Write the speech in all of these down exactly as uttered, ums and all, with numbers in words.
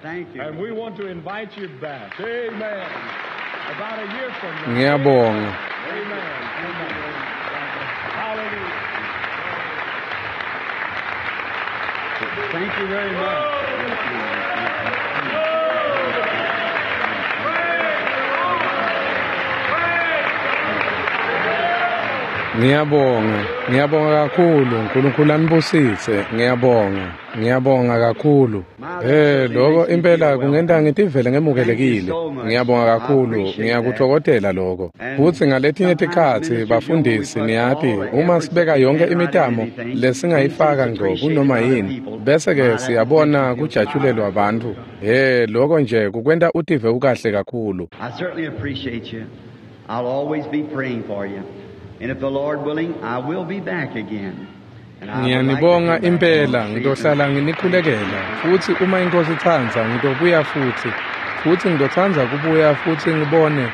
Thank you. And we want to invite you back. Amen. About a year from now. Ngiyabonga. Amen. Amen. Hallelujah. Thank you very much. Ngiyabonga. Ngiyabonga kakhulu. uNkulunkulu anibusise. Ngiyabonga. Ngiyabonga kakhulu. Eh lokho impela kungenta ngitivele ngemukelekile. Ngiyabonga kakhulu. Ngiyakuthokozela lokho. Futhi ngaletinye tikhatsi bafundisi niyati uma sibeka yonke imitamo lesingayifaka ngco kunoma yini bese ke siyabona kujatshulelwa abantu. Eh lokho nje kukwenta utive ukahle kakhulu. I certainly appreciate you. I'll always be praying for you. And if the Lord willing, I will be back again. And I would like to Ngiyanibonga come back impela and see ngitohlala nginikhulekela futhi uma inkosi itsandza ngitobuya futhi futhi ngitotsandza kubuya futhi ngibone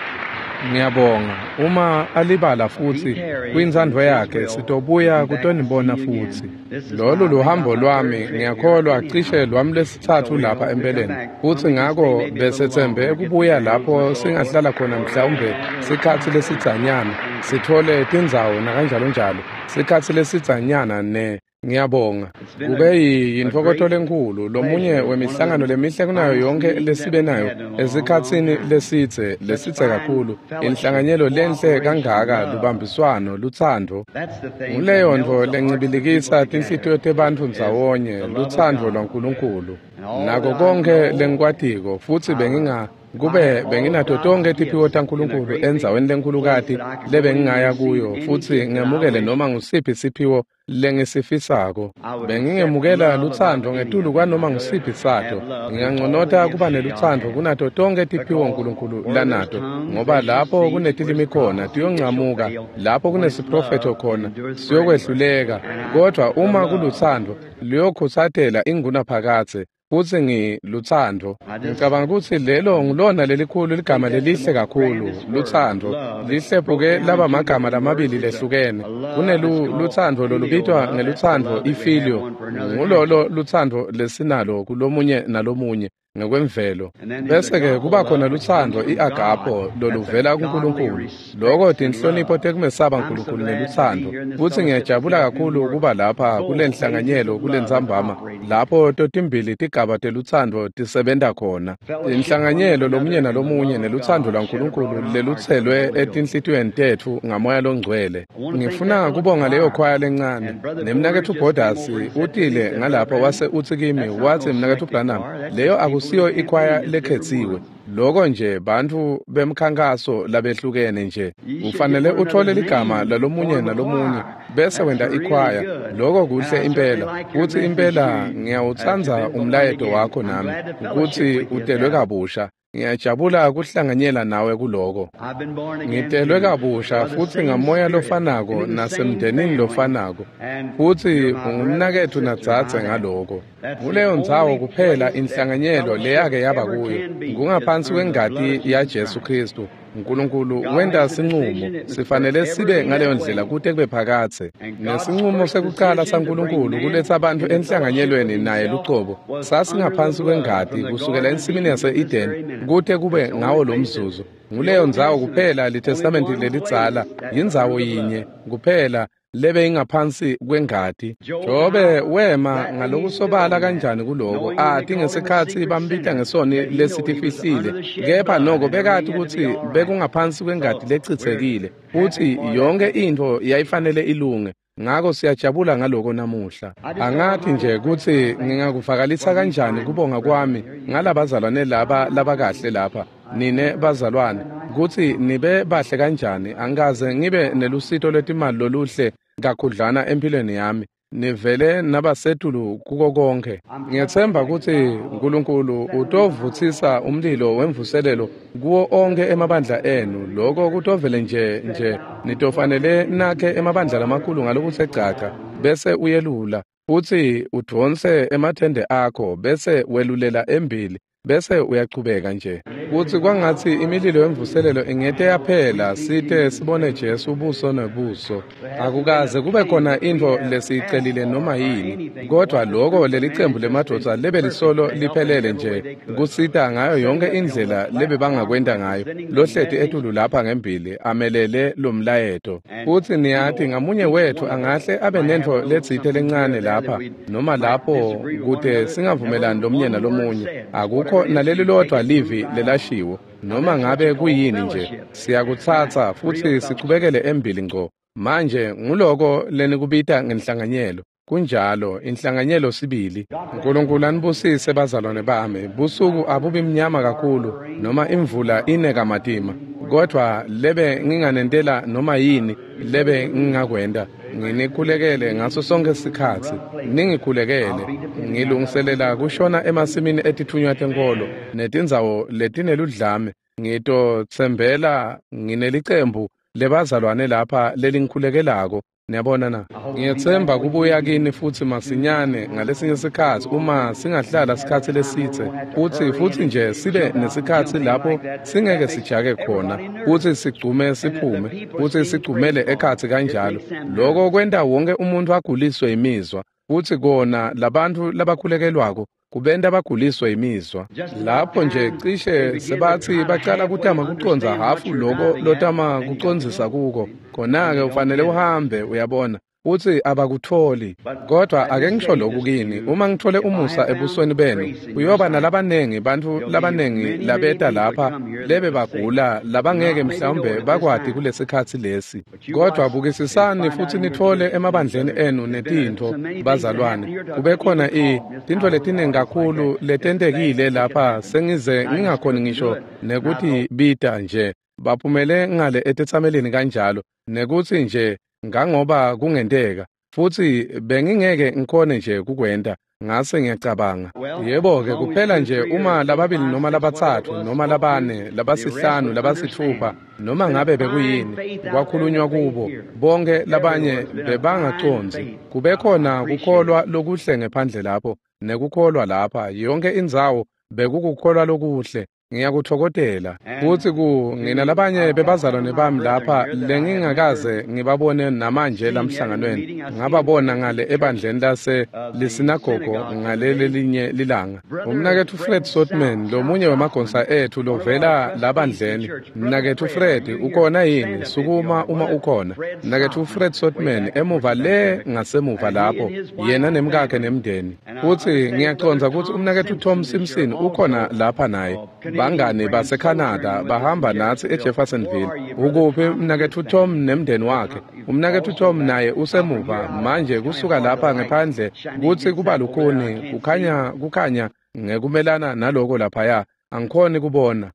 ngiyabonga uma alibala futhi kwintsandvo yakhe sitobuya kutonibona futhi lolu luhambo lwami ngiyakholwa cishe lwami lwesitsatfu lapha empeleni futhi ngako besetsembe kubuya lapho singahlala khona mhlawumbe sikhatsi lesidzanyana sithole tindzawo nakanjalonjalo sikhatsi lesidzanyana ne ngiyabonga kube yintfokoto lenkhulu lomunye wemihlangano lemihle kunayo yonke lesibe nayo esikhatsini lesidze lesidze kakhulu inhlanganyelo lenhle kangaka lubambiswano lutsandvo That's the thing. nguleyo that ntfo melts the hearts of lencibilikisa people tinhlitiyo together. tebantfu Is the ndzawonye love of lutsandvo God. lwaNkulunkulu And all nako that I konkhe know, lengikwatiko futsi benginga kube I all benginato God's tonkhe tiphiwo gifts in a taNkulunkulu great big endzaweni place lenkhulukati that I could go in and lebengingaya receive kuyo any futsi gift that I ngemukele wish. noma ngusiphi siphiwo lengisifisako I would accept bengingemukela love above lutsandvo any ngetulu of them. kwanoma I'd ngusiphi rather sato have love than all the nginganconota gifts kuba that God nelutsandvo has. kunato tonkhe tiphiwo Because uNkulunkulu where there's lanato tongues, ngoba they shall lapho cease, where kunetilimi there's khona prophecy, it shall tiyoncamuka fail. lapho When it's kunesiprofetho love, it khona endures forever. siyokwehluleka And I, kodwa the uma love, kulutsandvo luyokhutsatela ingunaphakadze futsi ngilutsandvo I just ngicabanga kutsi lelo ngulona lelikhulu ligama think that's the lelihle most kakhulu grandest word. lutsandvo Love. It's lihlephuke broke down laba in two magama different words. lamabili There's a, lehlukene a love that's kunelu called lutsandvo filial lolubitwa love. That's the ngelutsandvo love that we have ifilio one for another ngulolo naturally. lutsandvo lesinalo kulomunye nalomunye ngekwemvelo And then there's bese ke agape kuba khona love, which comes lutsandvo from God. iagapo That's a loluvela godly kuNkulunkulu respect loko and tinhlonipho love. tekumesaba I'm so uNkulunkulu glad to be nelutsandvo here in this futsi fellowship this ngiyajabula afternoon kakhulu where kuba lapha both kule phases nhlanganyelo of kule love are ntsambama operating. lapho totimbili tigaba telutsandvo tisebenta khona Fellowship one with inhlanganyelo another lomunye and the nalomunye love of nelutsandvo God shed abroad lwaNkulunkulu in our hearts by the lelutselwe Holy Ghost. etinhlitiyweni tetfu ngamoya longcwele I want to thank that ngifuna little kubonga leyo choir. khwaya lencane And Brother Borders nemnaketfu just came Borders over and said to me, utile said, Brother ngalapho Branham, wase utsi kimi that's not watsi no mnaketfu selected Branham choir. That's leyo just people in the akusiyo ikhwaya campaign, just different lekhetsiwe ones. loko nje bantfu bemkhankaso labehlukene nje You should get ufanele one uthole another's ligama name, lalomunye form a nalomunye choir. bese That's wenta really ikhwaya good. loko And kuhle I certainly impela like your futsi message impela too, uh, to ngiyawutsandza been born umlayeto again. wakho I'm nami glad to fellowship kutsi with you at utelwe that. kabusha ngiyajabula kuhlanganyela nawe kuloko I've been born again ngitelwe too, kabusha by the futsi same ngamoya Spirit lofanako and in the same nasemndenini family. lofanako And futsi you're my brother and ungumnaketfu sister nadzadze by that. ngaloko That's the kuleyo ndzawo only kuphela place that inhlanganyelo fellowship leyake yaba ever kuyo can be is ngungaphansi under the blood kwengati of Jesus yaJesu Christ. Kristu uNkulunkulu God wenta makes a sinqumo decision, it must sifanele forever sibe be ngaleyo that ndlela way. kute kube phakadze And God's nesinqumo first sekucala decision to bring saNkulunkulu man kuletsa bantfu into fellowship with enhlanganyelweni naye himself lucobo was under the sasingaphansi blood kwengati from the kusukela Garden of ensimini Eden to this yase-Eden very minute. kute kube That's the ngawo only lo place that mzuzu the nguleyo Old ndzawo Testament, kuphela only litestamenti one lelidzala place that's yindzawo under the blood. yinye kuphela lebe ingaphansi kwengati Job, Jobe how wema flatly he stood ngalokusobala on that, kanjani kuloko knowing when they ati called him a ngesikhatsi secret bambita sinner, ngesoni that he knowed he was under lesitifihlile the shed kepha blood noko and everything bekati had to be kutsi all right. bekungaphansi kwengati So we're lechitsekile happy futsi for that yonke today. intfo yayifanele ilunge ngako siyajabula ngaloko namuhla I just don't know angati how to nje express my kutsi thanks ngingakuvakalisa for these kanjani fine kubonga brethren kwami here. You ngalabazalwane laba labakahle lapha nine bazalwane kutsi nibe bahle kanjani angikaze ngibe nelusito lwetimali loluhle kakhudlwana empilweni yami nivele nabasetulu kuko konke I'm trusting ngiyethemba that kutsi God will uNkulunkulu set a revival utovutsisa umlilo wemvuselelo kuwo onke emabandla enu loko kutovele nje nje nitofanele nakhe emabandla lamakhulu ngalokuthe gcagca bese uyelula futsi udvonse emathende akho bese welulela embili Bese uyachubeka nje. Kutsi kwangatsi imililo yemvuselelo ingete yaphela site sibone Jesu buso nebuso. Akukaze kube khona intfo lesiyicelile noma yini, kodvwa loko lelicembu lemadvodza lebe lisolo liphelele nje kusita ngayo yonke indlela lebebangakwenta ngayo. Lohleti etulu lapha ngembili amelele lomlayeto. Futsi niyati ngamunye wetfu angahle abe nentfo letsite lencane lapha noma lapho kute singavumelani lomunye nalomunye. Akukho naleli lodvwa livi lelashiwo noma ngabe kuyini nje, siyakutsatsa futsi sichubekele embili ngco. Manje nguloko lenikubita ngenhlanganyelo. Kunjalo, inhlanganyelo sibili. Nkulunkulu anibusise bazalwane bami. Busuku abubi mnyama kakhulu noma imvula ine kamatima, kodvwa lebe nginganentela noma yini lebe ngingakwenta, nginikhulekele ngaso sonke sikhatsi. Ningikhulekele. Ngilungiselela kushona emasimini etitfunywa tenkolo netindzawo letineludlame. Ngitotsembela nginelicembu lebazalwane lapha lelingikhulekelako. Niyabona na? Ngiyetsemba kubuya kini futsi masinyane ngalesinye sikhatsi uma singahlala sikhatsi lesitse futsi futsi nje sibe nesikhatsi lapho singeke sijake khona futsi sigcume siphume futsi sigcumele ekhatsi kanjalo. Loko kwenta wonke umuntu aguliswe imizwa, futsi kona labantfu labakhulekelwako kubenta baguliswe imizwa. Lapho nje cishe sebatsi bacala kutama kucondza hafu loko lotama kucondzisa kuko, khona-ke ufanele uhambe, uyabona, futsi abakutfoli. Kodvwa ake ngisho loku kini, uma ngitfole umusa ebusweni benu, kuyoba nalabanengi bantfu labanengi labeta lapha lebe bagula labangeke mhlawumbe bakwati kulesikhatsi lesi. Kodvwa bukisisani futsi nitfole emabandleni enu netintfo, bazalwane. Kube khona i tintfo letinengi kakhulu letentekile lapha sengize ngingakhoni ngisho nekuthi bita nje. Baphumele ngale etetsamelini kanjalo nekutsi nje ngangoba kungenteka, futsi bengingeke ngikhone nje kukwenta. Ngase ngiyacabanga, yebo-ke kuphela nje uma lababili noma labatsatfu noma labane labasihlanu labasitfupha noma ngabe bekuyini kwakhulunywa kubo, bonke labanye bebangacondzi. Kube khona kukholwa lokuhle ngephandle lapho nekukholwa lapha yonke indzawo bekukukholwa lokuhle. Ngiyakutfokotela. Futsi ku nginalabanye bebazalwane bami lapha lengingakaze ngibabone namanje lamhlanganweni. Ngababona ngale ebandleni lase lisinagogo ngalelelinye lilanga. Umnaketfu Fred Sotman, lomunye wemagonsa ethu lovela labandleni. Mnaketfu Fred, ukhona yini? Sukuma uma ukhona. Mnaketfu Fred Sotman emuva le ngasemuva lapho, yena nemkakhe nemndeni. Futsi ngiyacondza kutsi umnaketfu Tom Simpson ukhona lapha naye. Bangani baseCanada bahamba natsi eJeffersonville. Ukuphi mnaketfu Tom nemndeni wakhe? Umnaketfu Tom naye usemuva manje kusuka lapha ngephandle kutsi kuba lukhuni kukhanya kukhanya ngekumelana naloko laphaya. Angikhoni kubona.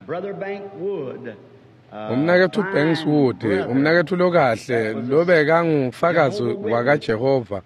Umnaketfu Banks Wood, umnaketfu lokahle lobekangufakazi wakaJehova,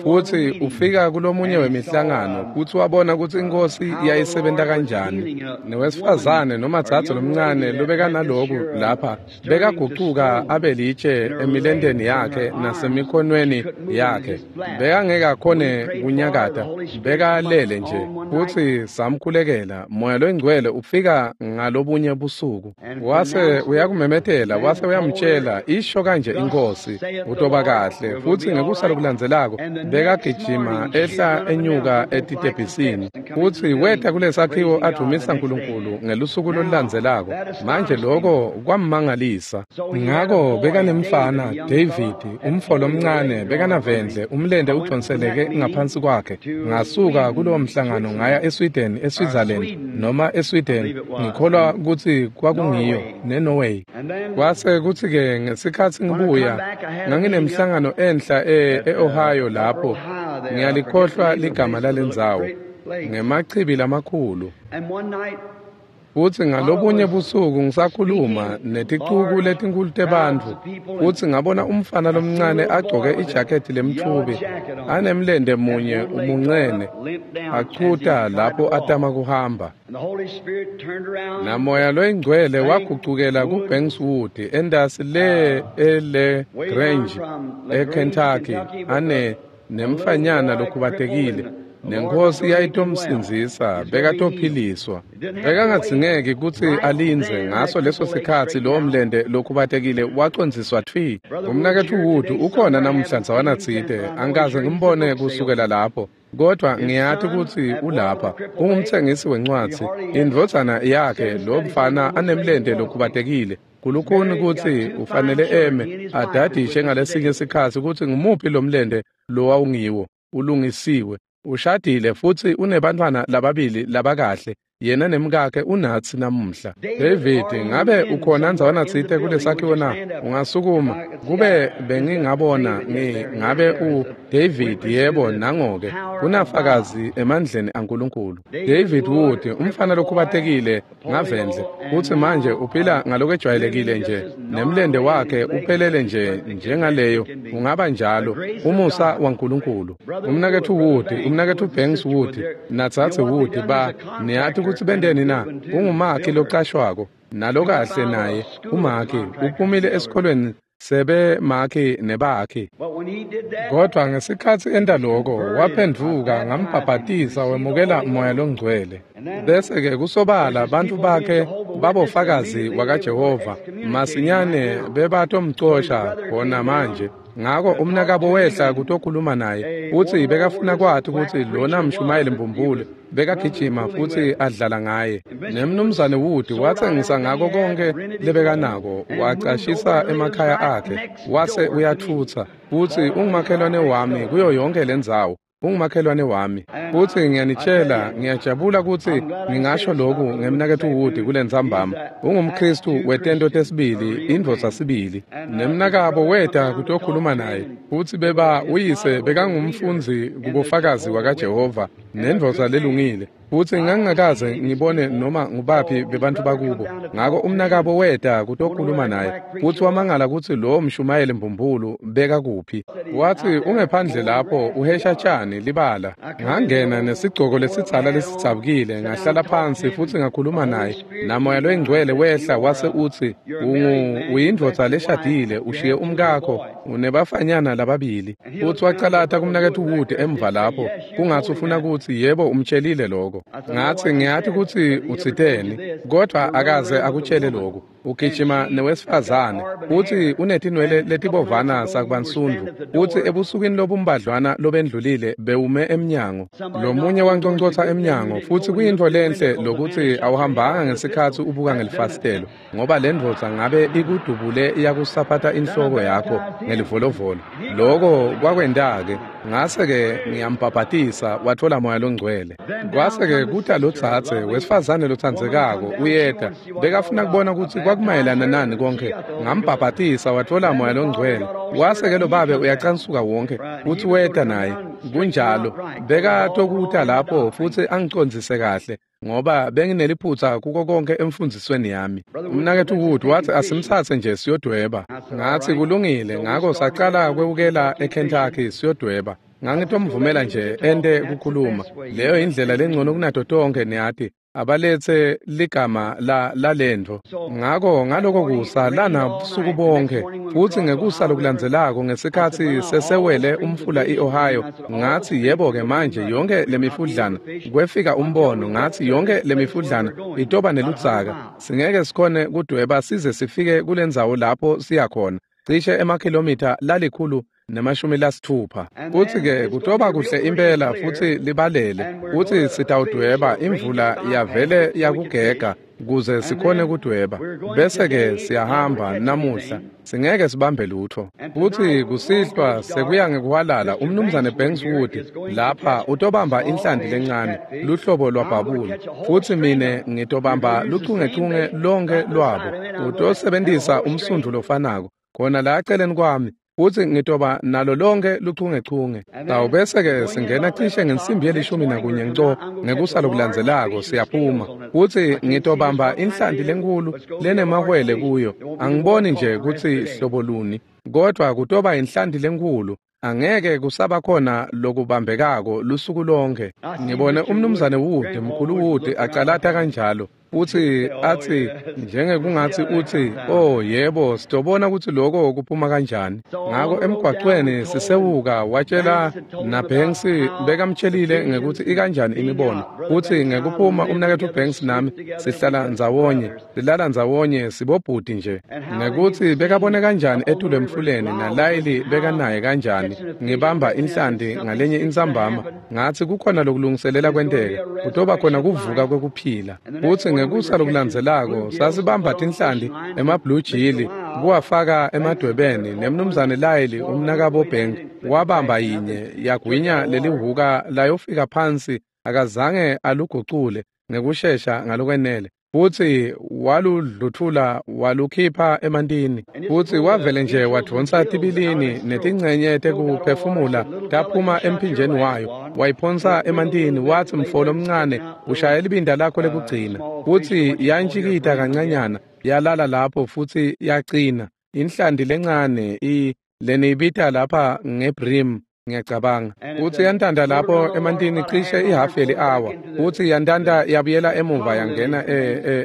futsi ufika kulomunye wemihlangano futsi wabona kutsi inkosi yayisebenta kanjani. Newesifazane noma dzadze lomncane lobekanaloku lapha bekagucuka abe litshe emilenteni yakhe nasemikhonweni yakhe, bekangeke akhone kunyakata, bekalele nje. Futsi samkhulekela, Moya loyiNgcwele ufika ngalobunye busuku wase uyakumemetela, wase uyamtshela, isho kanje inkosi, utoba kahle. Futsi ngekusa lokulandzelako bekagijima ehla enyuka etitebhisini, futsi weta kulesakhiwo advumisa Nkulunkulu ngelusuku lolulandzelako. Manje loko kwammangalisa. Ngako bekanemfana David, umfo lomncane, bekanavendle umlente udonseleke ngaphansi kwakhe. Ngasuka kulowo mhlangano ngaya eSweden, eSwitzerland noma eSweden, ngikholwa kutsi kwakungiyo, neNorway. Kwase kutsi-ke ngesikhatsi ngibuya nganginemhlangano enhla e-Ohio lapho, ngiyalikhohlwa ligama lalendzawo, ngemachibi lamakhulu. Futsi ngalobunye busuku ngisakhuluma neticuku letinkulu tebantfu, futsi ngabona umfana lomncane agcoke ijaketi lemtfubi, anemlente munye umuncene, achuta lapho atama kuhamba. Namoya loyingcwele wagucukela kuBanks Wood entasi le ele Grange eKentucky, ane nemfanyana lokhubatekile Nenkosi yayitomsindzisa, bekatophiliswa. Bekangadzingeki kutsi alindze ngaso leso sikhatsi lowo mlente lokhubatekile wacondziswa tfi. Umnaketfu Wood ukhona namuhla ndzawanatsite, angikaze ngimbone kusukela lapho. Kodwa ngiyati kutsi ulapha, ungumtsengisi wencwadzi. Indvodzana yakhe lo mfana anemlente lokhubatekile. Kulukhuni kutsi ufanele eme adadishe ngalesinye sikhatsi kutsi ngumuphi lo mlente lowawungiwo. Ulungisiwe, ushadile futsi unebantfwana lababili labakahle. Yena nemkakhe unatsi namuhla. David, ngabe ukhona ndzawanatsite kulesakhiwo na? Ungasukuma. Kube bengingabona ngi ngabe u David, yebo, nangoke kunafakazi emandleni aNkulunkulu. David Wood, umfana lokhubatekile ngavendle, utsi manje uphila ngalokwejwayelekile nje, nemlente wakhe uphelele nje njengaleyo ungaba njalo, umusa waNkulunkulu. Umnaketfu Wood, umnaketfu Banks Wood, natsatsi Wood ba niyati kutsi benteni na? Ungumakhi locashwako nalokahle naye umakhi uphumile esikolweni sebe makhi nebakhi. Kodwa ngesikhatsi enta loko waphendvuka, ngambhabhatisa wemukela Moya Longcwele. Bese-ke kusobala bantfu bakhe babofakazi wakaJehova masinyane bebatomcosha khona manje. Ngako umnakabo wehla kutokhuluma naye, utsi bekafuna kwati kutsi lona mshumayeli mbumbulu bekagijima futsi adlala ngaye. Nemnumzane Wood watsengisa ngako konke lebekanako, wacashisa emakhaya akhe, wase uyatfutsa. Futsi ungumakhelwane wami kuyo yonke lendzawo. Ungumakhelwane wami. Futsi ngiyanitshela, ngiyajabula kutsi ngingasho loku ngemnaketfu Wood kulentsambama. UngumKhristu wetento tesibili, indvodza sibili. Nemnakabo weta kutokhuluma naye. Futsi beba uyise bekangumfundzi kubofakazi wakaJehova nendvodza lelungile. Futsi ngangingakaze ngibone noma ngubaphi bebantfu bakubo. Ngako umnakabo weta kutokhuluma naye. Futsi wamangala kutsi lowo mshumayeli mbumbulu bekakuphi. Watsi ungephandle lapho uhesha tjani libala. Ngangena nesigcoko lesidzala lesidzabukile, ngahlala phansi futsi ngakhuluma naye. NaMoya Loyingcwele wehla wase utsi, ungu uyindvodza leshadile, ushiye umkakho, unebafanyana lababili. Futsi wacalata kumnaketfu Wood emva lapho, kungatsi ufuna kutsi yebo umtshelile lokho. Ngatsi ngiyati kutsi utsiteni, kodwa akaze akutshele lokhu. Ugijima newesifazane, utsi unetinwele letibovana sakubansundvu. Utsi ebusukwini lobumbadlwana lobendlulile bewume emnyango. Lomunye wanconcotsa emnyango, futsi kuyintfo lenhle lokuthi awuhambanga ngesikhatsi ubuka ngelifasitelo, ngoba lendvodza ngabe ikudubule iyakusaphatha inhloko yakho ngelivolovolo. Loko kwakwenta-ke. Ngase-ke ngiyambhabhatisa, watfola Moya Longcwele. Kwase-ke kuta lotsatse wesifazane lotsandzekako uyeta, bekafuna kubona kutsi kwakumayelana nani konke. Ngambhabhatisa watfola Moya Longcwele. Wase-ke lo babe uyacansuka wonke, utsi weta naye. Kunjalo, bekatokuta lapho futsi angicondzise kahle, ngoba bengineliphutsa kuko konke emfundzisweni yami. Umnaketfu Wood watsi asimtsatse nje siyodweba. Ngatsi kulungile, ngako sacala kwewukela eKentucky siyodweba. Ngangitomvumela nje ente kukhuluma. Leyo indlela lengcono kunato tonke niyati. Abaletse ligama la lalentfo. Ngako ngaloko kusa lana busuku bonke, futsi ngekusa lokulandzelako ngesikhatsi sesewele umfula iOhio, ngatsi yebo-ke manje yonke lemifudlana, kwefika umbono, ngatsi yonke lemifudlana itoba neludzaka, singeke sikhone kudweba size sifike kulendzawo lapho siya khona, cishe emakhilomitha lalikhulu nemashumi lasitfupha. Futsi-ke kutoba kuhle impela futsi libalele, futsi sitawudweba imvula yavele yakugega kuze sikhone kudweba. Bese-ke siyahamba namuhla, singeke sibambe lutho. Futsi kusihlwa sekuya ngekuhwalala, umnumzane Banks Wood lapha utobamba inhlanti lencane, luhlobo lwabhabula. Futsi mine ngitobamba luchungechunge lonke lwabo. Utosebentisa umsundvu lofanako khona la eceleni kwami. Futsi ngitoba nalo lonke luchungechunge. Tawubese-ke singena cishe ngensimbi yelishumi nakunye nco ngekusa lokulandzelako siyaphuma. Futsi ngitobamba inhlanti lenkulu lenemahwele kuyo. Angiboni nje kutsi hlobo luni, kodvwa kutoba inhlanti lenkulu. Angeke kusaba khona lokubambekako lusuku lonke. Ngibone umnumzane Wood, mkhulu Wood acalata kanjalo. Futsi atsi njengekungatsi utsi, "Oh yebo, sitobona kutsi loko kuphuma kanjani." Ngako emgwacweni sisewuka watshela naBanks bekamtshelile ngekutsi ikanjani imibono. Futsi ngekuphuma umnaketfu Banks nami sihlala ndzawonye, silala ndzawonye sibobhuti nje. Ngekutsi bekabone kanjani etulu emfuleni naLayili bekanaye kanjani. Ngibamba inhlanti ngalenye intsambama ngatsi kukhona lokulungiselela kwenteka, kutoba khona kuvuka kwekuphila. Futsi ngekusa lokulandzelako sasibamba tinhlanti ema-blue jili kuwafaka emadwebeni nemnumzane Layili umnakabo Bank wabamba yinye yagwinya lelihuka layofika phansi akazange alugucule ngekushesha ngalokwenele futsi waludlutfula walukhipha emantini futsi wavele nje wadvonsa tibilini netincenye tekuphefumula taphuma emphinjeni wayo wayiphonsa emantini watsi mfo lomncane ushaya libinda lakho lekugcina futsi yantjikita kancanyana yalala lapho futsi yacina inhlanti lencane i leniyibita lapha ngebrim ngiyacabanga futsi yantanta lapho emantini cishe ihhafu yeli-awa futsi yantanta yabuyela emuva yangena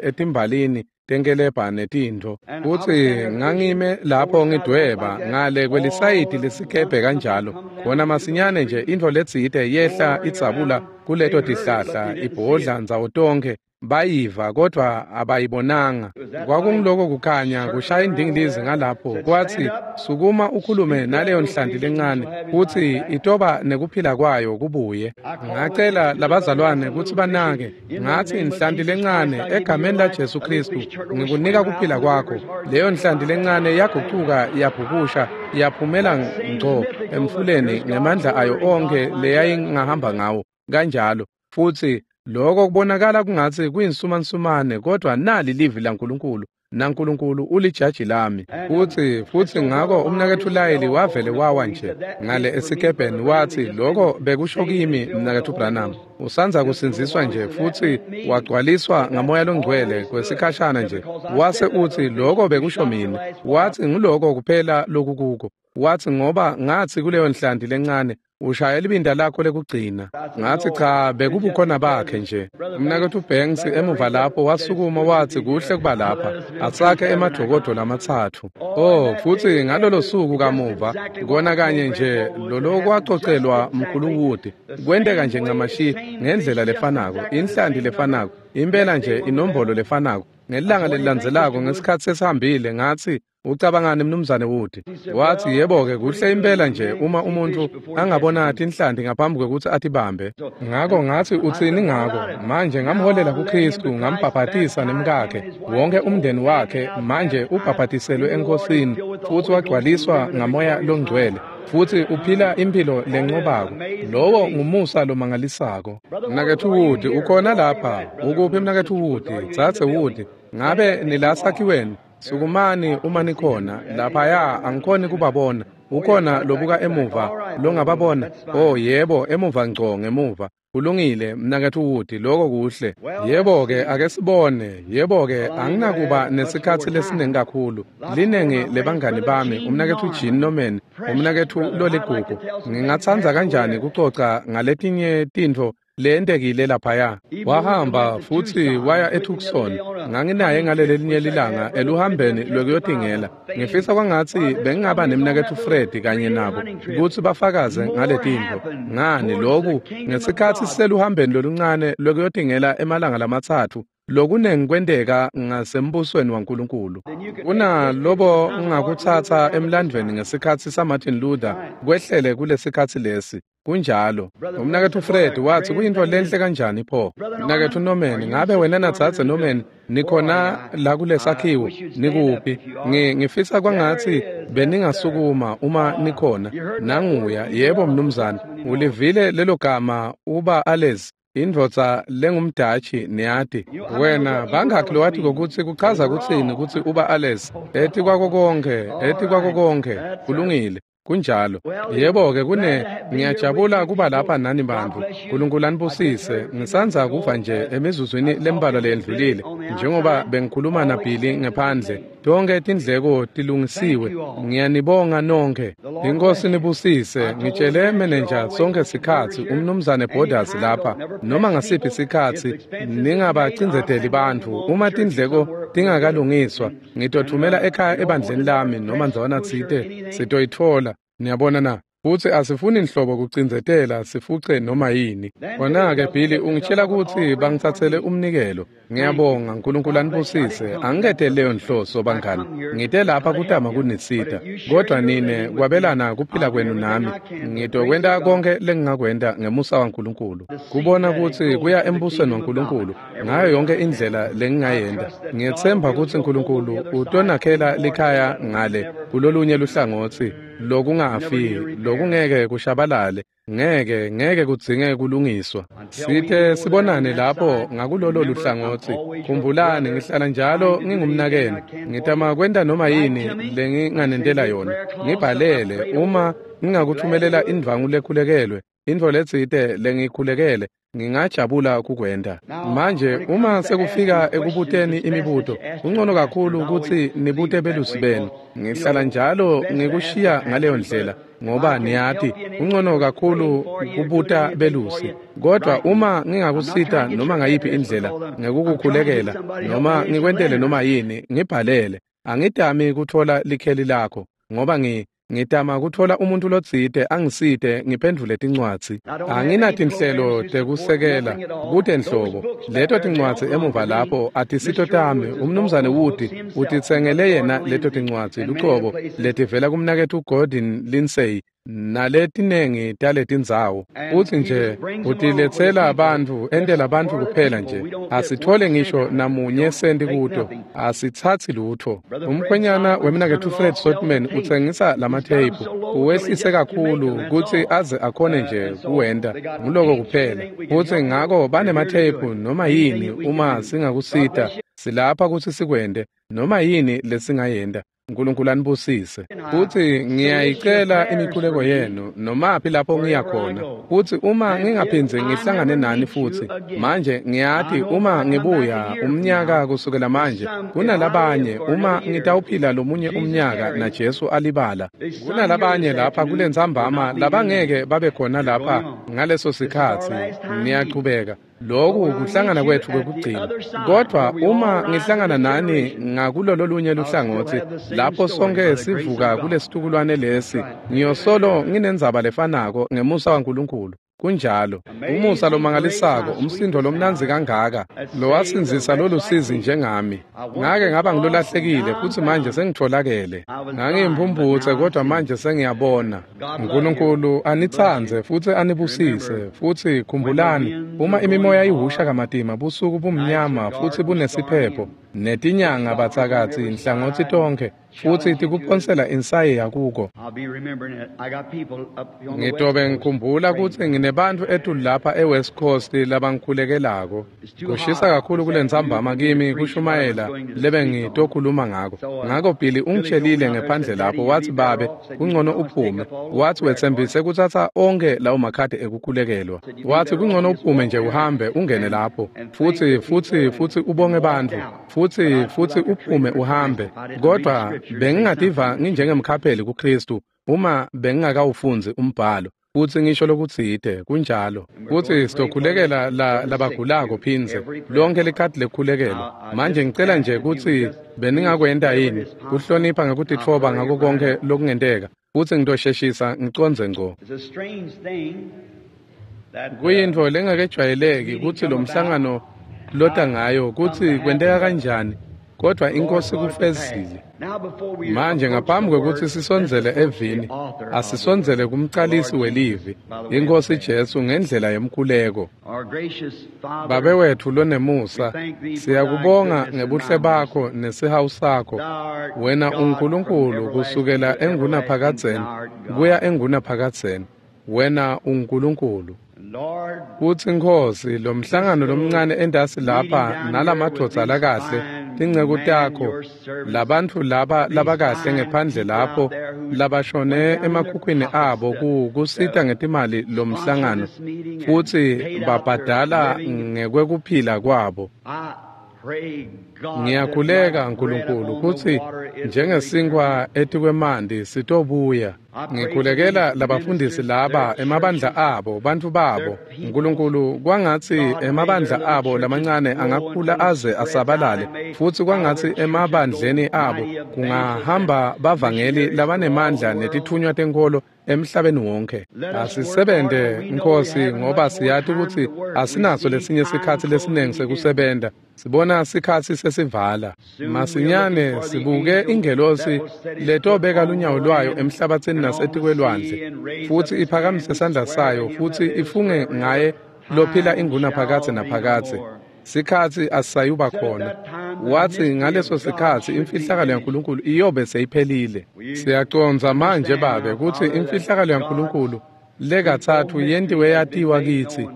etimbalini tenkelebha netintfo futsi ngangime lapho ngidweba ngale kwelisayidi lesikebhe kanjalo khona masinyane nje intfo letsite yehla idzabula kuleto tihlahla ibhodla ndzawo tonkhe bayiva kodvwa abayibonanga. Kwakungiloko kukhanya kushaya indingilizi ngalapho kwatsi sukuma ukhulume naleyo nhlanti lencane kutsi itoba nekuphila kwayo kubuye. Ngacela labazalwane kutsi banake ngatsi inhlanti lencane egameni laJesu Khristu ngikunika kuphila kwakho. Leyo nhlanti lencane yagucuka yabhukusha yaphumela ngco emfuleni ngemandla ayo onkhe leyayingahamba ngawo kanjalo. Futsi lokho kubonakala kungatsi kuyinsumansumane kodwa nali livi laNkulunkulu naNkulunkulu ulijaji lami. Futsi futsi ngako umnaketfu Layili wavele wawa nje ngale esikebheni watsi lokho bekusho kimi mnaketfu Branham usandza kusindziswa nje futsi wagcwaliswa ngamoya longcwele kwesikhashana nje wase utsi lokho bekusho mina watsi ngiloko kuphela lokukuko watsi ngoba ngatsi kuleyo nhlanti lencane ushaya libinda lakho lekugcina. Ngatsi cha bekubukhona bakhe nje. Umnaketfu Banks emuva lapho wasukuma watsi kuhle kuba lapha asakhe emadokodo lamatsatfu. Oh futsi ngalolo suku kamuva kona kanye nje lolokwacocelwa mkhulu Wood kwenteka nje ncamashi ngendlela lefanako inhlanti lefanako impela nje inombolo lefanako. Ngelanga lelilandzelako ngesikhatsi sesihambile ngatsi ucabangani mnumzane Wood? Watsi yebo-ke kuhle impela nje uma umuntu angabona tinhlanti ngaphambi kwekutsi atibambe. Ngako ngatsi utsini ngako? Manje ngamholela kuKhristu ngambhabhatisa nemkakhe wonke umndeni wakhe manje ubhabhatiselwe eNkosini futsi wagcwaliswa ngamoya longcwele futsi uphila imphilo lencobako. Lowo ngumusa lomangalisako. Mnaketfu Wood ukhona lapha? Ukuphi mnaketfu Wood? Dzadze Wood, ngabe nilasakhiweni? Sukumani uma nikhona laphaya angikhoni kubabona. Ukhona lobuka emuva longababona? Oh yebo, emuva ngco ngemuva. Kulungile mnaketfu Wood, lokho kuhle. Yebo-ke ake sibone. Yebo-ke anginakuba nesikhatsi lesiningi kakhulu. Linengi lebangani bami, umnaketfu Gene Norman, umnaketfu loligugu. Ngingatsandza kanjani kucoca ngaletinye tintfo lentekile laphaya. Wahamba futsi waya eTucson. Nganginaye ngalelelinye lilanga eluhambeni lwekuyotingela. Ngifisa kwangatsi bengingaba nemnaketfu Fred kanye nabo kutsi bafakaze ngaletintfo. Ngani loku ngesikhatsi siseluhambeni loluncane lwekuyotingela emalanga lamatsatfu lokunengi kwenteka ngasembusweni waNkulunkulu. Kunalobo ngakutsatsa emlandvweni ngesikhatsi saMartin Luther kwehlele kulesikhatsi lesi. Kunjalo. Umnaketfu Fred watsi kuyintfo lenhle kanjani pho. Mnaketfu Norman, ngabe wena nadzadze Norman nikhona la kulesakhiwo? Nikuphi? Ngifisa kwangatsi beningasukuma uma nikhona. Nanguya, yebo mnumzane. Ulivile lelo gama uba Ales, indvodza lengumdatshi niyati. Wena bangakhi lowati kokutsi kuchaza kutsini kutsi uba Ales? Eti kwako konke, eti kwako konke. Kulungile. Kunjalo. Yebo-ke kune ngiyajabula kuba lapha nani bantfu. Nkulunkulu anibusise. Ngisandza kuva nje emizuzwini lembalwa leyendlulile njengoba bengikhuluma naBilly ngephandle. Tonke tindleko tilungisiwe. Ngiyanibonga nonke. Inkosi nibusise. Ngitshele manager sonke sikhatsi umnumzane Borders lapha noma ngasiphi sikhatsi ningabacindzeteli bantfu uma tindleko tingakalungiswa ngitothumela ekhaya ebandleni lami noma ndzawana tsite sitoyitfola. Niyabona na? Futsi asifuni nhlobo kucindzetela sifuce noma yini. Kona-ke Billy ungitshela kutsi bangitsatsele umnikelo. Ngiyabonga, Nkulunkulu anibusise. Angiketele leyo nhloso bangani. Ngite lapha kutama kunisita. Kodwa nine kwabelana kuphila kwenu nami. Ngitokwenta konke lengingakwenta ngemusa waNkulunkulu. Kubona kutsi kuya embusweni waNkulunkulu ngayo yonke indlela lengingayenta. Ngiyetsemba kutsi Nkulunkulu utonakhela likhaya ngale kulolunye luhlangotsi lokungafi, lokungeke kushabalale, ngeke ngeke kudzinge kulungiswa. Sithe sibonane lapho ngakulolo luhlangotsi. Khumbulani ngihlala njalo ngingumnakenu. Ngitama kwenta noma yini lenginganentela yona. Ngibhalele uma ngingakuthumelela indvangu lekhulekelwe, intfo letsite lengikhulekele, ngingajabula kukwenta. Manje uma sekufika ekubuteni imibuto, kungcono kakhulu kutsi nibute belusi benu. Ngihlala njalo ngikushiya ngaleyo ndlela ngoba niyati kungcono kakhulu kubuta belusi. Kodwa uma ngingakusita noma ngayiphi indlela ngekukukhulekela noma ngikwentele noma yini, ngibhalele. Angitami kutfola likheli lakho ngoba ngi ngitama kutfola umuntu lotsite angisite ngiphendvule tincwadzi. Anginatinhlelo tekusekela kute nhlobo. Leto tincwadzi emuva lapho atisito tami. Umnumzane Wood utitsengele yena leto tincwadzi lucobo letivela kumnaketfu Gordon Lindsay naletinengi taletindzawo. Utsi nje utiletsela bantfu, entela bantfu kuphela nje. Asithole ngisho namunye senti kuto. Asitsatsi lutfo. Umkhwenyana wemnaketfu Fred Sotman utsengisa lamatheyiphu. Uwehlise kakhulu kutsi aze akhone nje kuwenta. Nguloko kuphela. Futsi ngako banematheyiphu noma yini uma singakusita. Silapha kutsi sikwente noma yini lesingayenta. Nkulunkulu anibusise. Futsi ngiyayicela imikhuleko yenu nomaphi lapho ngiya khona. Futsi uma ngingaphindze ngihlangane nani futsi, manje ngiyati uma ngibuya umnyaka kusukela manje, kunalabanye uma ngitawuphila lomunye umnyaka naJesu alibala. Kunalabanye lapha kulentsambama labangeke babe khona lapha ngaleso sikhatsi. Niyachubeka. Lokhu kuhlangana kwetfu kwekugcina. Kodwa uma ngihlangana nani ngakulolo lunye luhlangotsi lapho sonke sivuka kulesitukulwane lesi, ngiyosolo nginendzaba lefanako ngemusa waNkulunkulu. Kunjalo. Umusa lomangalisako, umsindo lomnandzi kangaka, lowasindzisa lolusizi njengami. Ngake ngaba ngilolahlekile futsi manje sengitfolakele. Ngangiyimphumphutse kodwa manje sengiyabona. Nkulunkulu anitsandze futsi anibusise. Futsi khumbulani, uma imimoya ihusha kamatima, busuku bumnyama futsi bunesiphepho, netinyanga batsakatsi nhlangotsi tonkhe, futsi tikuphonsela insayeya kuko. Ngitobe ngikhumbula kutsi nginebantfu etulu lapha eWest Coast labangikhulekelako. Kushisa kakhulu kulentsambama kimi kushumayela lebengitokhuluma ngako. Ngako Billy ungitshelile ngephandle lapho watsi babe kungcono uphume. Watsi wetsembise kutsatsa onkhe lawo makhadi ekukhulekelwa. Watsi kungcono uphume nje uhambe ungene lapho futsi futsi futsi ubonge bantfu futsi futsi uphume uhambe. Kodwa bengingativa nginjengemkhapheli kuKristu uma bengingakawufundzi umbhalo futsi ngisho lokutsite. Kunjalo. Futsi sitokhulekela la labagulako phindze lonke likhadi lekukhulekelwa. Manje ngicela nje kutsi beningakwenta yini kuhlonipha ngekutitfoba ngako konke lokungenteka, futsi ngitosheshisa ngicondze ngco. Kuyintfo lengakejwayeleki kutsi lo mhlangano lota ngayo kutsi kwenteka kanjani, kodwa inkosi kufezile. Manje ngaphambi kwekutsi sisondzele evini, asisondzele kumcalisi welivi, iNkhosi Jesu, ngendlela yemkhuleko. Babe wetfu lonemusa, siyakubonga ngebuhle bakho nesihawu sakho. Wena uNkulunkulu kusukela engunaphakadzeni kuya engunaphakadzeni. Wena uNkulunkulu. Kutsi Nkhosi, lo mhlangano lomncane entasi lapha nalamadvodza lakahle tinceku takho, labantfu laba labakahle ngephandle lapho labashone emakhukhwini abo ku kusita ngetimali lomhlangano futsi babhadala ngekwekuphila kwabo. Ngiyakhuleka Nkulunkulu kutsi njengesinkwa etikwemanti sitobuya. Ngikhulekela labafundisi laba emabandla abo, bantfu babo. Nkulunkulu, kwangatsi emabandla abo lamancane angakhula aze asabalale, futsi kwangatsi emabandleni abo kungahamba bavangeli labanemandla netitfunywa tenkholo emhlabeni wonke. Asisebente Nkosi, ngoba siyati kutsi asinaso lesinye sikhatsi lesiningi sekusebenta. Sibona sikhatsi sesivala. Masinyane sibuke ingelosi letobeka lunyawo lwayo emhlabatsini nasetikwelwandle, futsi iphakamise sandla sayo futsi ifunge ngaye lophila ingunaphakadze naphakadze. Sikhatsi asisayuba khona. Wathi ngaleso sikhatsi imfihlakalo yaNkulunkulu iyobe seyiphelile. Siyacondza manje Babe kutsi imfihlakalo yaNkulunkulu lekatsatfu yentiwe yatiwa kitsi,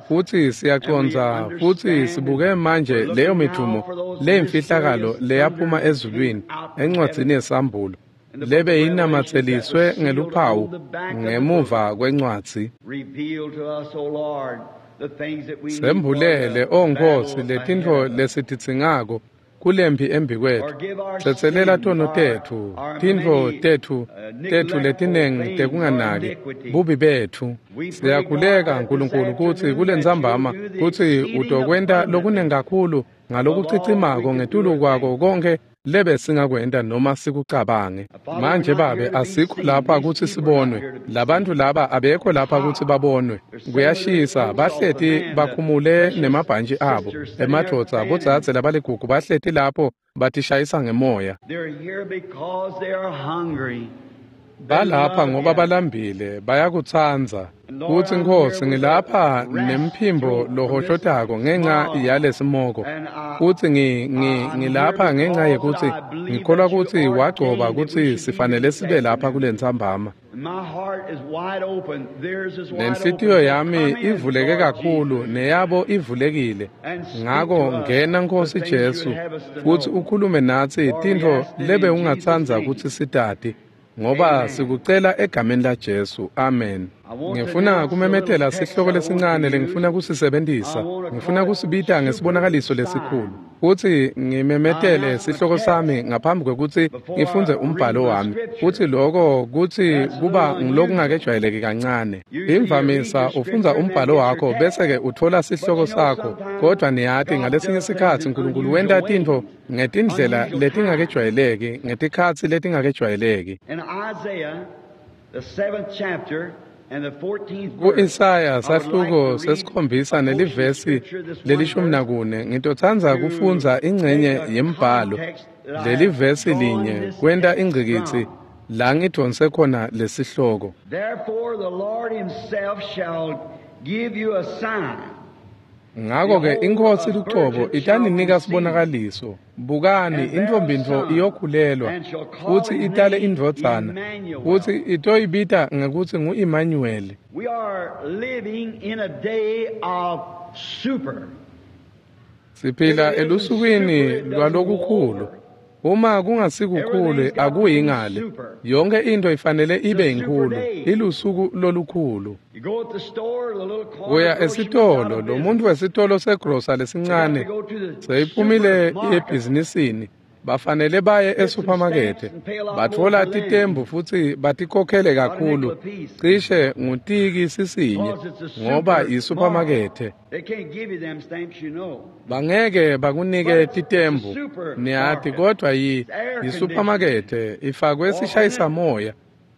futsi siyacondza futsi sibuke manje leyo midvumo leyimfihlakalo leyaphuma ezulwini encwadzini yeSambulo lebe inamatseliswe ngeluphawu ngemuva kwencwadzi. Sembulele, O Nkosi, letintfo lesitidzingako kulempi embikwetfu. Tsetselela tono tetfu, tintfo tetfu tetfu letinengi tekunganaki, bubi betfu. Siyakhuleka Nkulunkulu kutsi kulentsambama kutsi utokwenta lokunengi kakhulu ngalokucicimako ngetulu kwako konkhe lebe singakwenta noma sikucabange. Manje Babe, asikho lapha kutsi sibonwe. Labantfu laba abekho lapha kutsi babonwe. Kuyashisa, bahleti bakhumule nemabhantji abo. Emadvodza, bodzadze labaligugu bahleti lapho batishayisa ngemoya. Balapha ngoba balambile, bayakutsandza. Kutsi Nkosi, ngilapha nemphimbo lohoshotako ngenxa yalesimoko. Futsi ngi ngi ngilapha ngenxa yekutsi ngikholwa kutsi wagcoba kutsi sifanele sibe lapha kulentsambama. Nenhlitiyo yami ivuleke kakhulu, neyabo ivulekile. Ngako ngena Nkosi Jesu, futsi ukhulume natsi tintfo lebe ungatsandza kutsi sitati, ngoba sikucela egameni la Jesu. Amen. Ngifuna kumemetela sihloko lesincane lengifuna kusisebentisa. Ngifuna kusibita ngesibonakaliso lesikhulu. Futsi ngimemetele sihloko sami ngaphambi kwekutsi ngifundze umbhalo wami. Futsi loko kutsi kuba ngilokungakejwayeleki kancane. Imvamisa ufundza umbhalo wakho bese-ke utfola sihloko sakho, kodwa niyati ngalesinye sikhatsi Nkulunkulu wenta tintfo ngetindlela letingakejwayeleki, ngetikhatsi letingakejwayeleki. Ku-Isaya sahluko sesikhombisa nelivesi lelishumi nakune, ngitotsandza kufundza ingcenye yembhalo lelivesi linye kwenta ingcikitsi la ngidvonse khona lesihloko. Ngako-ke iNkhosi lucobo itaninika sibonakaliso. Bukani, intfombi-ntfo iyokhulelwa futsi itale indvodzana, futsi itoyibita ngekutsi ngu-Immanuweli. Siphila elusukwini lwalokukhulu. Uma kungasikukhulu akuyi ngale. Yonke into ifanele ibe inkulu. Ilusuku lolukhulu. Uya esitolo, lo muntu wesitolo segrosa lesincane seyiphumile ebhizinisini. Bafanele baye esuphamakethe, batfola titembu futsi batikhokhele kakhulu, cishe ngutiki sisinye, ngoba isuphamakethe. Bangeke bakunike titembu, niyati, kodwa yi isuphamakethe ifakwe sishayisamoya.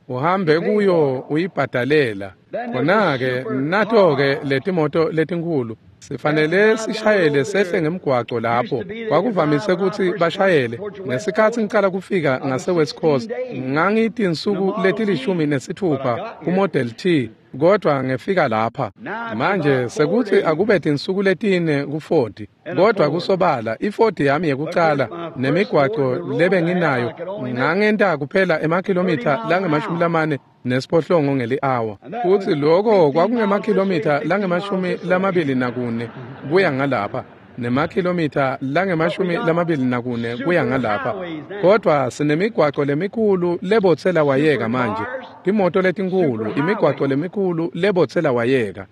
Uhambe kuyo uyibhadalela. Khona-ke nato-ke letimoto letinkhulu sifanele sishayele sehle ngemgwaco lapho. Kwakuvamise kutsi bashayele. Ngesikhatsi ngicala kufika ngase-West Coast, ngangitinsuku letilishumi nesitfupha ku-Model T, kodwa ngefika lapha. Manje sekuthi akube tinsuku letine ku-Ford, kodwa kusobala i-Ford yami yekucala nemigwaco lebenginayo ngangenta kuphela emakhilomitha langemashumi lamane nesiphohlongo ngeli-awa. Futsi loko kwakungemakhilomitha langemashumi lamabili nakune kuya ngalapha. nemakhilomitha langemashumi lamabili nakune kuya ngalapha. Kodwa sinemigwaco lemikhulu lebotsela wayeka manje, timoto letinkhulu, imigwaco lemikhulu lebotsela wayeka.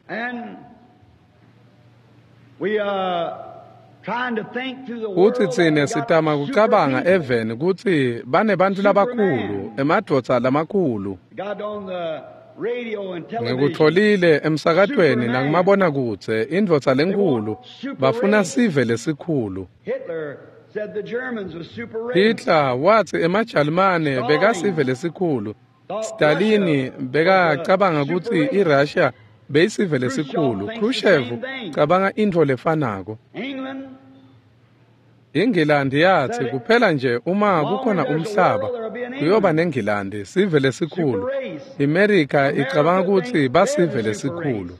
Futsi tsine sitama kucabanga eveni kutsi banebantfu labakhulu, emadvodza lamakhulu. Ngikutfolile emsakatweni nakumabonakudze, indvodza lenkhulu, bafuna sive lesikhulu. Hitler watsi emaJalimane bekasive lesikhulu. Stalin bekacabanga kutsi iRussia beyisive lesikhulu. Khrushchev cabanga intfo lefanako. Ingilandi yathi kuphela nje uma kukhona umhlaba kuyoba neNgilandi, sive lesikhulu. America icabanga kutsi basive lesikhulu.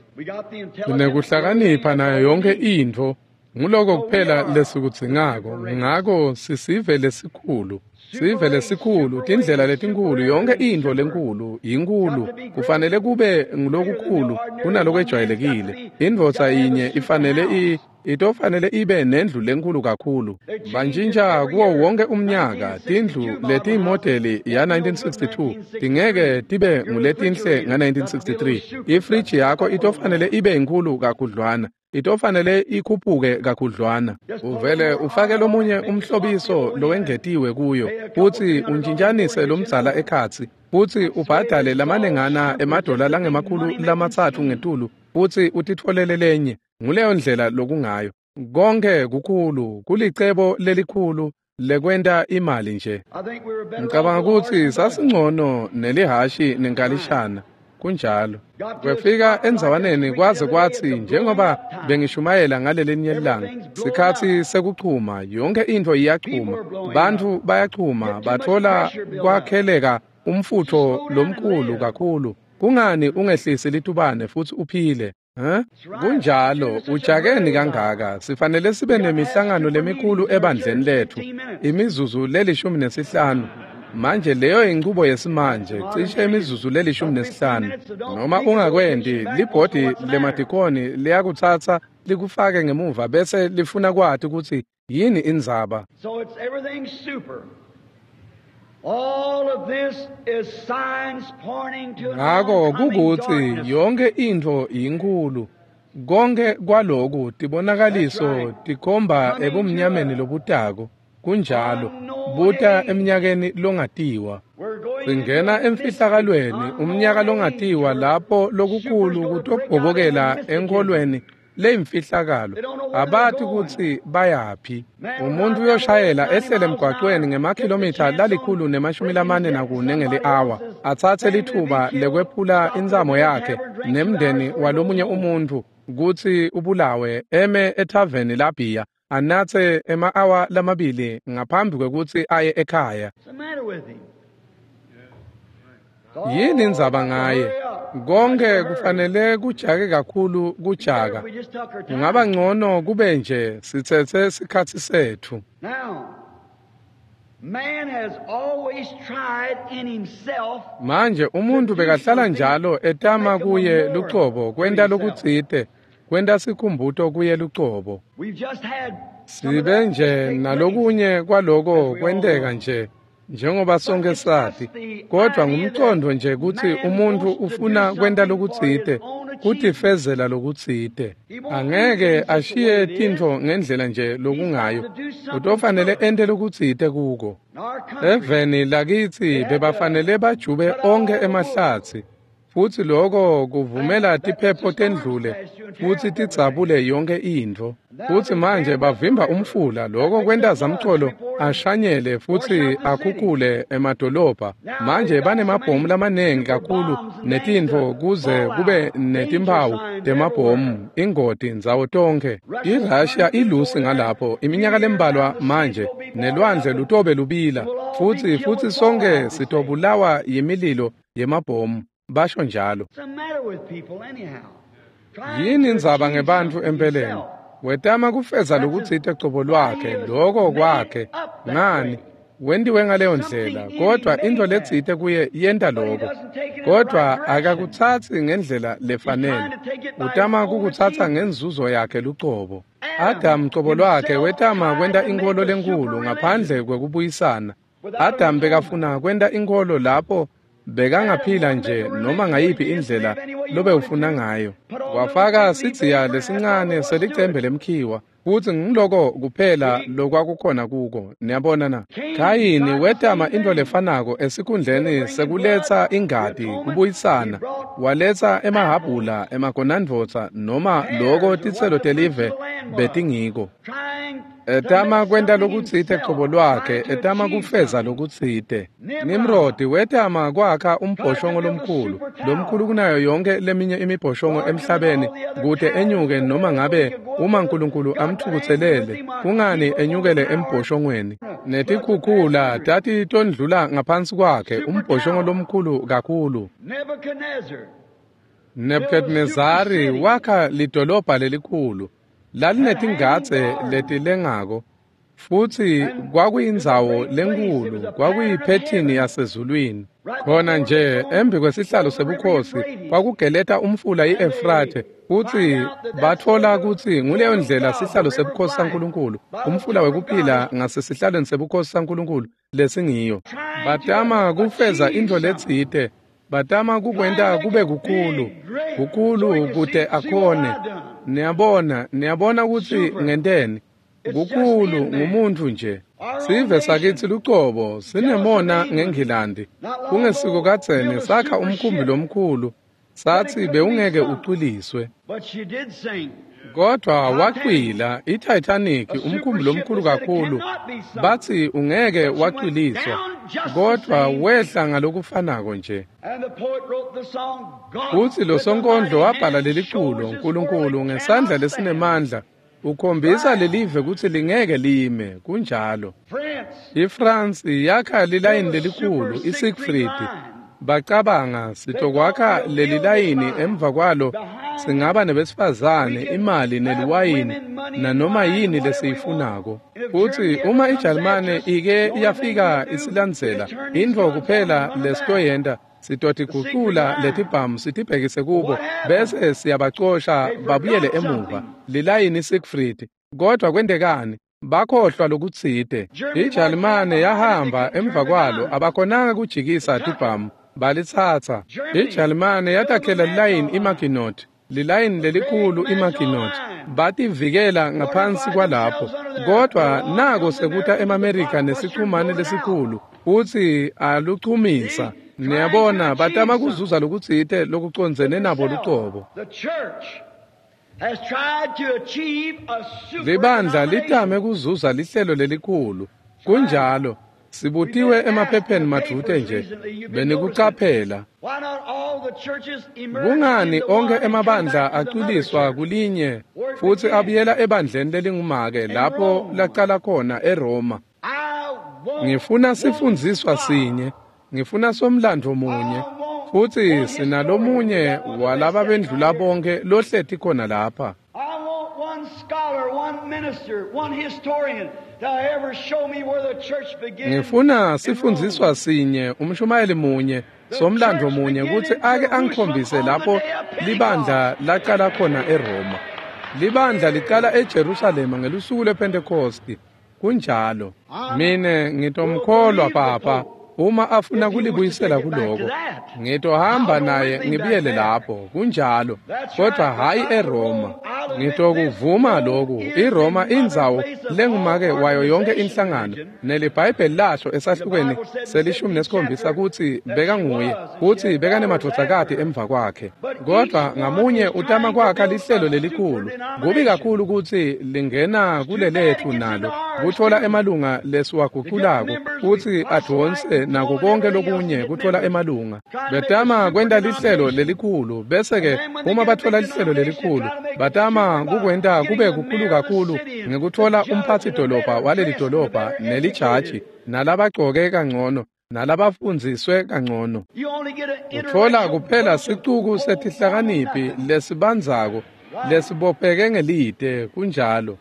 Sinekuhlakanipha nayo yonke intfo, nguloko kuphela lesikudzingako. Ngako sisive lesikhulu, sive lesikhulu, tindlela letinkhulu, yonke intfo lenkhulu yinkhulu. Kufanele kube ngulokukhulu kunalokwejwayelekile. Indvodza yinye ifanele i itofanele ibe nendlu lenkhulu kakhulu. Bantjintja kuwo wonke umnyaka tindlu letiyimodeli ya nineteen sixty-two tingeke tibe nguletinhle nga nineteen sixty-three. Ifriji yakho itofanele ibe inkhulu kakhudlwana, itofanele ikhuphuke kakhudlwana. Uvele ufake lomunye umhlobiso lowengetiwe kuyo, futsi untjintjanise lomdzala ekhatsi, futsi ubhadale lamanengana emadola langemakhulu lamatsatfu ngetulu, futsi utitfolele lenye. Nguleyo ndlela lokungayo. Konke kukhulu, kulicebo lelikhulu lekwenta imali nje. Ngicabanga kutsi sasingcono nelihashi nenkalishana. Kunjalo. Kwefika endzawaneni kwaze kwatsi njengoba bengishumayela ngalelinye ilanga, sikhatsi sekuchuma, yonke intfo iyachuma, bantfu bayachuma, batfola kwakheleka umfutfo lomkhulu kakhulu. Kungani ungehlisi litubane futsi uphile? Huh? Kunjalo, ujakeni kangaka, sifanele sibe nemihlangano lemikhulu ebandleni lethu, imizuzu lelishumi nesihlanu. Manje leyo inchubo yesimanje, cishe imizuzu lelishumi nesihlanu. Noma ungakwenti, libhodi lemadikoni liyakutsatsa likufake ngemuva bese lifuna kwati kutsi yini indzaba. So it's everything super. All of this is signs pointing to Ngako kukutsi yonke intfo inkhulu. Konke kwaloku tibonakaliso tikhomba ebumnyameni lobutako. Kunjalo, buta eminyakeni longatiwa. Singena emfihlakalweni, umnyaka longatiwa lapho lokukhulu kutobhobokela enkholweni leyimfihlakalo. Abati kutsi bayaphi. Umuntu uyoshayela ehlele emgwaqweni ngemakhilomitha lalikhulu nemashumi lamane nakune ngeli-awa, atsatse lithuba lekwephula intsamo yakhe nemndeni walomunye umuntfu kutsi ubulawe, eme ethaveni labhiya, anatse ema-awa lamabili ngaphambi kwekutsi aye ekhaya. Yini indzaba ngaye? Konke kufanele kujake kakhulu kujaka. Kungaba ngcono kube nje sitsetse sikhatsi setfu. Manje umuntu bekahlala njalo etama kuye lucobo kwenta lokutsite, kwenta sikhumbuto kuye lucobo. Sibe nje nalokunye kwaloko kwenteka nje, njengoba sonke sati, kodwa ngumcondo nje kutsi umuntu ufuna kwenta lokutsite, kutifezela lokutsite. Angeke ashiye tintfo ngendlela nje lokungayo, utofanele ente lokutsite kuko. Eveni lakitsi bebafanele bajube onkhe emahlatsi, futsi loko kuvumela tiphepho tendlule futsi tidzabule yonke intfo. Futsi manje bavimba umfula, loko kwenta zamcolo ashanyele futsi akhukhule emadolobha. Manje banemabhomu lamanengi kakhulu netintfo kuze kube netimphawu temabhomu, ingoti ndzawo tonkhe. IRussia ilusi ngalapho iminyaka lembalwa manje, nelwandle lutobe lubila, futsi futsi sonke sitobulawa yimililo yemabhomu, basho njalo. Yini indzaba ngebantfu empeleni? Wetama kufeza lokutsite cobo lwakhe, loko kwakhe. Ngani? Wentiwe ngaleyo ndlela, kodwa intfo letsite kuye yenta loko. Kodwa akakutsatsi ngendlela lefanele. Utama kukutsatsa ngenzuzo yakhe lucobo. Adam cobo lwakhe wetama kwenta inkholo lenkhulu ngaphandle kwekubuyisana. Adam bekafuna kwenta inkholo lapho bekangaphila nje noma ngayiphi indlela lobewufuna ngayo. Wafaka sidziya lesincane selicembe lemkhiwa, futsi ngiloko kuphela lokwakukhona kuko. Niyabona na? Khayini wetama intfo lefanako esikhundleni sekuletsa ingati kubuyisana, waletsa emahabhula, emagonandvodza noma loko titselo telive betingiko. Etama kwenta lokutsite cobo lwakhe, etama kufeza lokutsite. Nimrodi wetama kwakha umbhoshongo lomkhulu, lomkhulu kunayo yonke leminye imibhoshongo emhlabeni, kute enyuke noma ngabe uma Nkulunkulu amthukutselele, kungani enyukele embhoshongweni. Netikhukhula tati tondlula ngaphansi kwakhe, umbhoshongo lomkhulu kakhulu. Nebuchadnezzari wakha lidolobha lelikhulu, lalinetingadze letilengako, futsi kwakuyindzawo lenkhulu, kwakuyiphethini yasezulwini. Khona nje embi kwesihlalo sebukhosi kwakugeleta umfula i-Efrathe, futsi batfola kutsi nguleyo ndlela sihlalo sebukhosi saNkulunkulu, umfula wekuphila ngasesihlalweni sebukhosi saNkulunkulu lesingiyo. Batama kufeza intfo letsite, batama kukwenta kube kukhulu, kukhulu kute akhone. Niyabona, niyabona kutsi ngenteni. Kukhulu ngumuntfu nje. Sive sakitsi lucobo sinemona ngeNgilandi. Kungesiko kadzeni sakha umkhumbi lomkhulu, satsi bewungeke ucwiliswe. Kodwa wacwila iTitanic, umkhumbi lomkhulu kakhulu, batsi ungeke wacwiliswa, kodwa wehla ngalokufanako nje. Futsi lo sonkondlo wabhala leliculo, Nkulunkulu ngesandla lesinemandla ukhombisa lelive kutsi lingeke lime. Kunjalo. IFrance yakha lilayini lelikhulu, iSiegfried. Bacabanga sitokwakha leli layini, emva kwalo singaba nebesifazane, imali neliwayini nanoma yini lesiyifunako. Futsi uma iJalimane ike yafika isilandzela, intfo kuphela lesitoyenta sitotigucula letibhamu sitibhekise kubo bese siyabacosha babuyele emuva. Lilayini Siegfried. Kodwa kwentekani? Bakhohlwa lokutsite. IJalimane yahamba emva kwalo, abakhonanga kujikisa tibhamu, balitsatsa. IJalimane yatakhela lilayini iMaginot, lilayini lelikhulu iMaginot, bativikela ngaphansi kwalapho. Kodwa nako sekuta emaMerika nesichumane lesikhulu, futsi aluchumisa. Niyabona, batama kuzuza lokutsite lokucondzene nabo lucobo. Libandla litame kuzuza lihlelo lelikhulu. Kunjalo. Sibutiwe emaphepheni madvute nje, benikucaphela. Kungani onke emabandla acwiliswa kulinye futsi abuyela ebandleni lelingumake lapho lacala khona eRoma? Ngifuna sifundziswa sinye, ngifuna somlandvo munye, futsi sinalomunye walaba bendlula bonke lohleti khona lapha. Ngifuna sifundziswa sinye, umshumayeli munye, somlandvo munye, kutsi ake angikhombise lapho libandla lacala khona eRoma. Libandla licala eJerusalema ngelusuku lwePhentekosti. Kunjalo. Mine ngitomkholwa papa uma afuna kulibuyisela kuloko. Ngitohamba naye ngibuyele lapho. Kunjalo. Kodwa hayi eRoma. Ngitokuvuma lokhu. iRoma indzawo lengumake wayo yonke inhlangano. NeliBhayibheli lasho esahlukweni selishumi nesikhombisa kutsi bekanguye, kutsi bekanemadvodzakati emva kwakhe. Kodwa ngamunye utama kwakha lihlelo lelikhulu. Kubi kakhulu kutsi lingena kulelethu nalo, kutfola emalunga lesiwaguculako, kutsi advonse nako konke lokunye kutfola emalunga. Betama kwenta lihlelo lelikhulu, bese-ke uma batfola lihlelo lelikhulu, batama kukwenta kube kukhulu kakhulu ngekutfola umphatsi-dolobha waleli dolobha nelijaji nalabagcoke kangcono nalabafundziswe kangcono. Utfola kuphela sicuku setihlakaniphi lesibandzako lesibopheke ngelite. Kunjalo.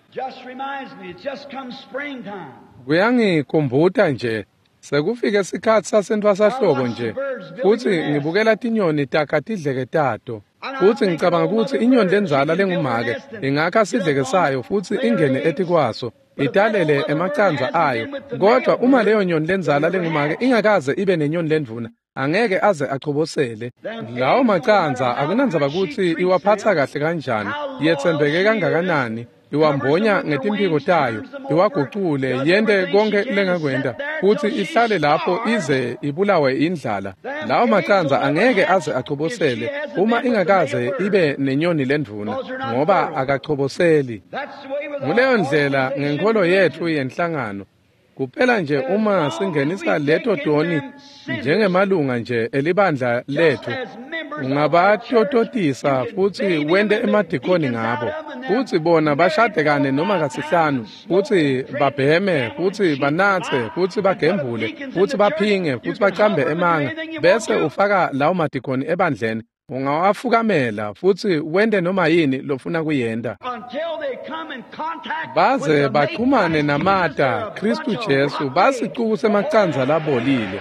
Kuyangikhumbuta nje, sekufike sikhatsi sasentfwasahlobo nje, futsi ngibukela tinyoni takha tidleke tato. Futsi ngicabanga kutsi inyoni lendzala lengumake ingakha sidleke sayo futsi ingene etikwaso, italele emacandza ayo. Kodwa uma leyo nyoni lendzala lengumake ingakaze ibe nenyoni lendvuna, angeke aze achobosele. Lawo macandza akunandzaba kutsi iwaphatsa kahle kanjani, yetsembeke kangakanani, iwambonya ngetimphiko tayo, iwagucule, yente konke lengakwenta, futsi ihlale lapho ize ibulawe indlala. Lawo macandza angeke aze achobosele uma ingakaze ibe nenyoni lendvuna, ngoba akachoboseli. Nguleyo ndlela ngenkholo yetfu yenhlangano. Kuphela nje uma singenisa leto toni njengemalunga nje elibandla letfu, ungabatototisa futsi wente emadikoni ngabo, futsi bona bashadekane noma kasihlanu, futsi babheme, futsi banatse, futsi bagembule, futsi baphinge, futsi bacambe emanga, bese ufaka lawo madikoni ebandleni. Ungawafukamela futsi wente noma yini lofuna kuyenta. Baze baxhumane namata Khristu Jesu basicuku semacandza labolile.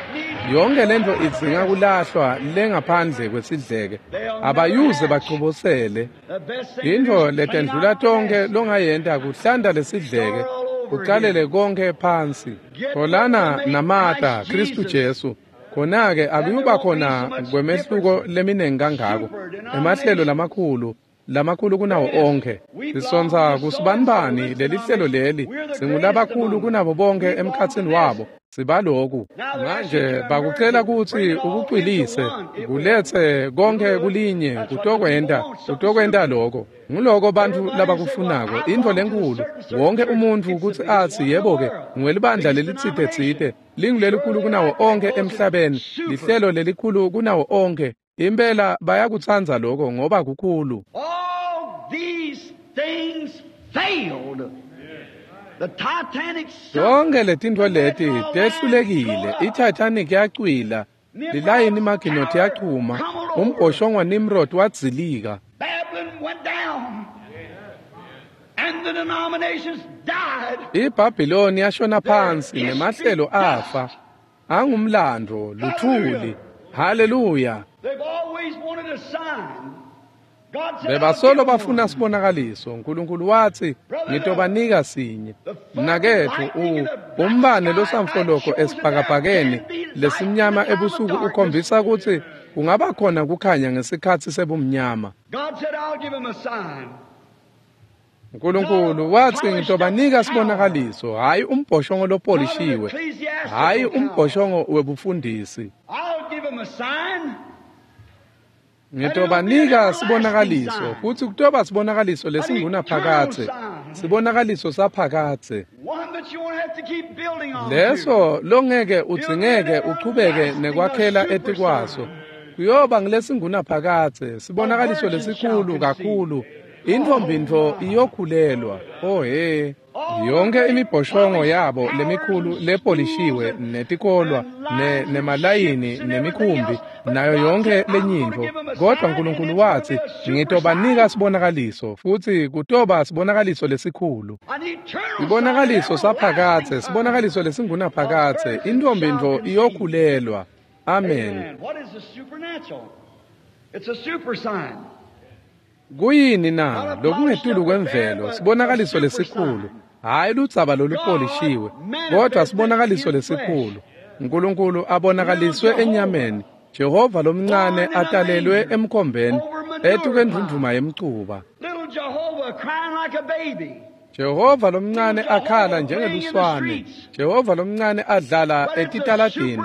Yonke lento idzinga kulahlwa lengaphandle kwesidleke. Abayuze bachobosele. Intfo letendlula tonke longayenta kuhlanta lesidleke, ucalele konke phansi. Tholana namata Khristu Jesu. Khona-ke akuyuba khona kwemehluko leminengi kangako, emahlelo lamakhulu, lamakhulu kunawo onkhe. Sisonsa kusibanibani lelihlelo leli, singulabakhulu kunabo bonke emkhatsini wabo, sibaloku. Manje bakucela kutsi ukucwilise, kuletse konke kulinye, kutokwenta, kutokwenta loko. Nguloko bantfu labakufunako, intfo lenkhulu, wonke umuntfu kutsi atsi yebo-ke, ngwelibandla lelitsite-tsite, lingulelikhulu kunawo onkhe emhlabeni, lihlelo lelikhulu kunawo onkhe. Impela bayakutsandza loko ngoba kukhulu. All these things failed. The Titanic sunk. Tonke letintfo leti tehlulekile. I-Titanic yacwila, lilayini Maginot yachuma, umbhoshongo Nimrod wadzilika. Babylon went down. And the denominations died. IBhabhiloni yashona phansi nemahlelo afa. Angumlando, luthuli. Haleluya. They've always wanted a sign. God said, Bebasolo bafuna sibonakaliso. Nkulunkulu watsi, ngitobanika sinye. Mnaketfu, u umbane losamfoloko esibhakabhakeni lesimnyama ebusuku ukhombisa kutsi kungaba khona kukhanya ngesikhatsi sebumnyama. God said, I'll give him a sign. Nkulunkulu watsi ngitobanika sibonakaliso, hhayi umbhoshongo lopolishiwe, hhayi umbhoshongo webufundisi. I'll give him a sign. Ngitobanika sibonakaliso, futsi kutoba sibonakaliso lesingunaphakadze, sibonakaliso saphakadze. One that you won't have to keep building on. to. Leso longeke udzingeke uchubeke nekwakhela etikwaso. Kuyoba ngilesingunaphakadze, sibonakaliso lesikhulu kakhulu. Intfombi-ntfo iyokhulelwa. Oh he. Yonke imibhoshongo yabo lemikhulu lepolishiwe netikolwa ne nemalayini nemikhumbi nayo yonke lenyintfo, kodwa Nkulunkulu watsi ngitobanika sibonakaliso, futsi kutoba sibonakaliso lesikhulu. An eternal Sibonakaliso sign, saphakadze, everlasting sibonakaliso lesingunaphakadze, intfombi-ntfo iyokhulelwa. Amen. Amen. What is the supernatural? It's a super sign. Kuyini na lokungetulu kwemvelo, sibonakaliso lesikhulu, hhayi ludzaba lolupolishiwe, kodwa sibonakaliso lesikhulu. Nkulunkulu abonakaliswe enyameni, Jehova lomncane atalelwe emkhombeni, etukwendvundvuma yemcuba. Little Jehovah crying like a baby. Jehova lomncane akhala njengeluswane, Jehova lomncane adlala etitaladini,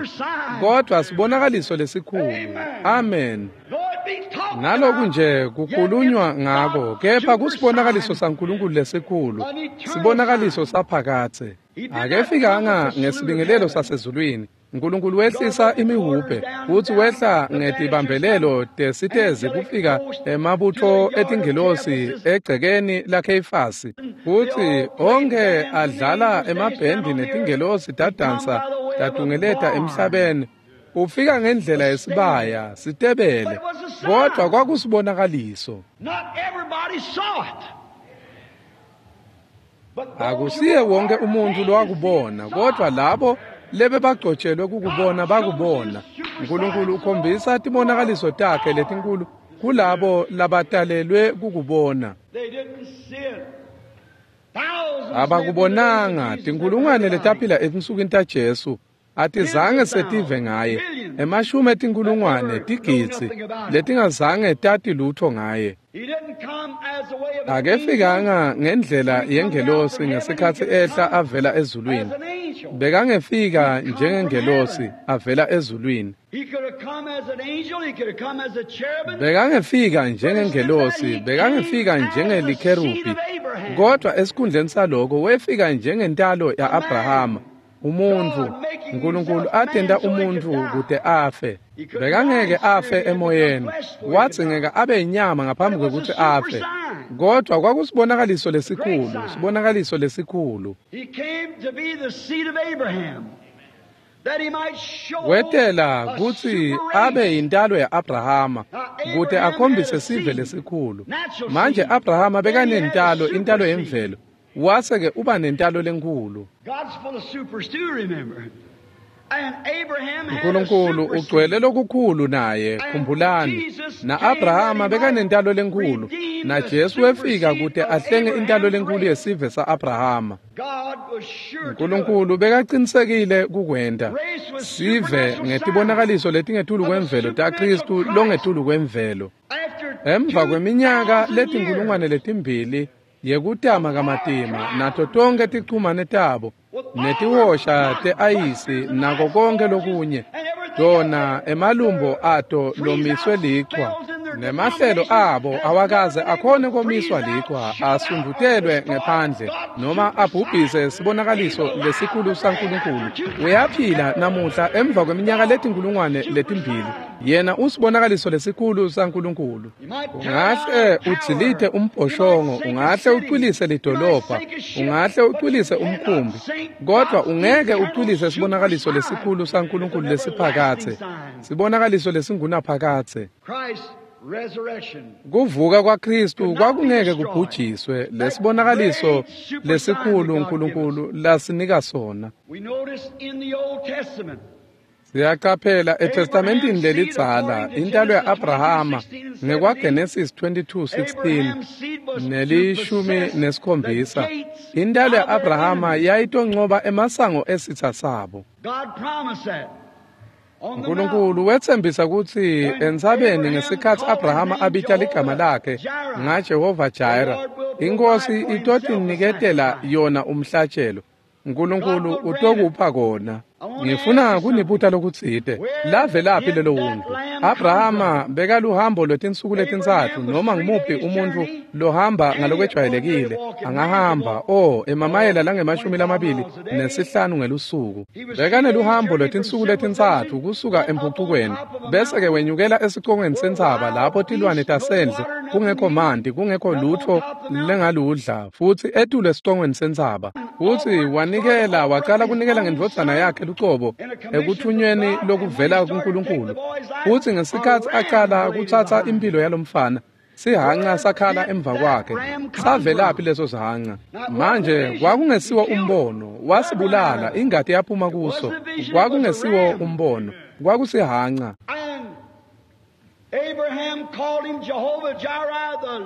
kodwa sibonakaliso lesikhulu. Amen. Though it be talked Naloku about, nje kukhulunywa ngako, kepha kusibonakaliso saNkulunkulu lesikhulu, sibonakaliso saphakadze. Akefikanga ngesibingelelo sasezulwini. Nkulunkulu wehlisa imihubhe futsi wehla ngetibambelelo tesitezi kufika emabutfo etingelosi egcekeni laKheyifasi, futsi onkhe adlala emabhendi netingelosi tadansa tatungeleta emhlabeni. Ufika ngendlela yesibaya sitebele, kodwa kwakusibonakaliso. Not everybody saw it. But those Akusiye who were wonke umuntu ordained lowakubona, to see kodwa saw. labo lebebagcotshelwe kukubona bakubona. Nkulunkulu ukhombisa tibonakaliso takhe letinkulu Kulabo labatalelwe kukubona. Abakubonanga tinkulungwane letaphila etinsukwini taJesu atizange setive ngaye. Emashumi etinkulungwane tigidzi letingazange tati lutho ngaye. Akefikanga ngendlela yengelosi ngesikhatsi ehla avela ezulwini. Bekangefika njengengelosi avela ezulwini. Bekangefika njengengelosi, bekangefika njengelikherubhi. Kodwa esikhundleni saloko wefika njengentalo ya-Abrahama. Umuntu, uNkulunkulu atenta umuntu kute afe. Bekangeke afe emoyeni. Wadzingeka abe inyama ngaphambi kwekuthi afe. Kodwa kwakusibonakaliso lesikhulu, sibonakaliso lesikhulu. Wetela kutsi abe yintalo ya-Abrahama kute akhombise sive lesikhulu. Manje Abrahama bekanentalo, intalo yemvelo. Wase-ke uba nentalo lenkulu. uNkulunkulu ugcwele lokukhulu naye, khumbulani. Na-Abrahama bekanentalo lenkulu, naJesu wefika kute ahlenge intalo lenkulu yesive sa-Abrahama. uNkulunkulu bekaqinisekile kukwenta. Sive ngetibonakaliso letingetulu kwemvelo taKristu longetulu kwemvelo. Emva kweminyaka letinkulungwane letimbili yekutama kamatima nato tonke tichumane tabo netihosha te-ayisi nako konke lokunye, tona emalumbo ato lomiswe lichwa nemahlelo abo awakaze akhone komiswa lichwa, asundutelwe ngephandle noma abhubhise sibonakaliso lesikhulu saNkulunkulu. Uyaphila namuhla emva kweminyaka letinkulungwane letimbili. Yena usibonakaliso lesikhulu saNkulunkulu. Ungahle udzilite umbhoshongo, ungahle ucwilise lidolobha, ungahle ucwilise umkhumbi, kodwa ungeke ucwilise sibonakaliso lesikhulu saNkulunkulu lesiphakathe, sibonakaliso lesingunaphakathe. Kuvuka kwaKristu kwakungeke kubhujiswe, lesibonakaliso lesikhulu uNkulunkulu lasinika sona. Siyaqaphela eTestamentini lelidzala intalo ya-Abrahama ngekwaGenesis twenty-two sixteen nelishumi nesikhombisa. Intalo ya-Abrahama yayitoncoba emasango esitha sabo. uNkulunkulu wetsembisa kutsi entsabeni ngesikhatsi Abrahama abita ligama lakhe ngaJehova Jireh, inkosi itotiniketela yona umhlatshelo. uNkulunkulu utokupha kona. Ngifuna kunibuta lokutsite. Lavelaphi lelo wundlu? Abrahama bekaluhambo lwetinsuku letintsatfu noma ngumuphi umuntfu lohamba ngalokwejwayelekile angahamba o emamayela langemashumi lamabili nesihlanu ngelusuku. Bekaneluhambo lwetinsuku letintsatfu kusuka empucukweni bese-ke wenyukela esicongweni sentsaba lapho tilwane tasendle kungekho manti, kungekho lutfo lengaludla, futsi etulu esicongweni sentsaba. Futsi wanikela, wacala kunikela ngendvodzana yakhe lucobo ekuthunyweni lokuvela kuNkulunkulu. Futsi ngesikhatsi acala kutsatsa impilo yalomfana, sihanca sakhala emva kwakhe. Savelaphi leso sihanca? Manje kwakungesiwo umbono, wasibulala, ingati yaphuma kuso. Kwakungesiwo umbono, kwakusihanca.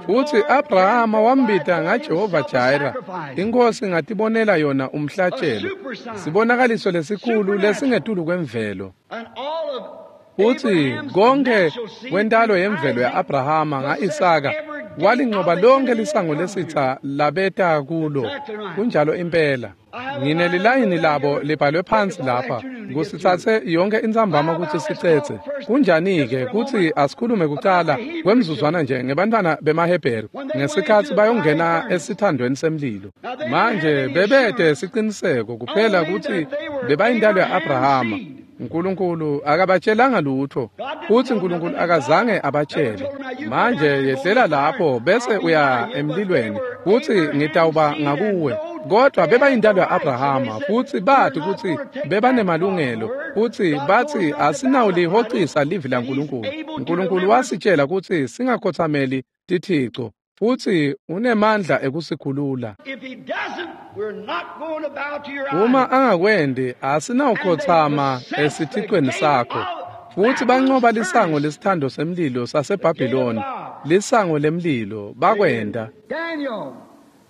Futsi Abrahama wambita ngaJehova Jireh, inkosi ngatibonela yona umhlatshelo, sibonakaliso lesikhulu lesingetulu kwemvelo. Futsi konke kwentalo yemvelo ya-Abrahama nga-Isaka walincoba lonke lisango lesitha labeta kulo. Kunjalo impela. Nginelilayini labo libhalwe phansi lapha kusitsatse yonke intsambama kutsi sicetse. Kunjani-ke kutsi asikhulume kucala kwemzuzwana nje ngebantwana bemaHebheru ngesikhatsi bayongena esithandweni semlilo. Manje bebete siciniseko kuphela kutsi bebayintalo ya-Abrahama. uNkulunkulu akabatshelanga lutho, futsi uNkulunkulu akazange abatshele. Manje yehlela lapho bese uya emlilweni, futsi ngitawuba ngakuwe. Kodwa bebayintalo ya-Abrahama, futsi bathi kutsi bebanemalungelo, futsi bathi asinawulihocisa livi laNkulunkulu. uNkulunkulu wasitshela kutsi singakhothameli tithico, futsi unemandla ekusikhulula. Uma angakwendi, asinawukhothama esithicweni sakho. Futsi bancoba lisango lesithando semlilo saseBhabhiloni, lisango lemlilo, bakwenta. Daniel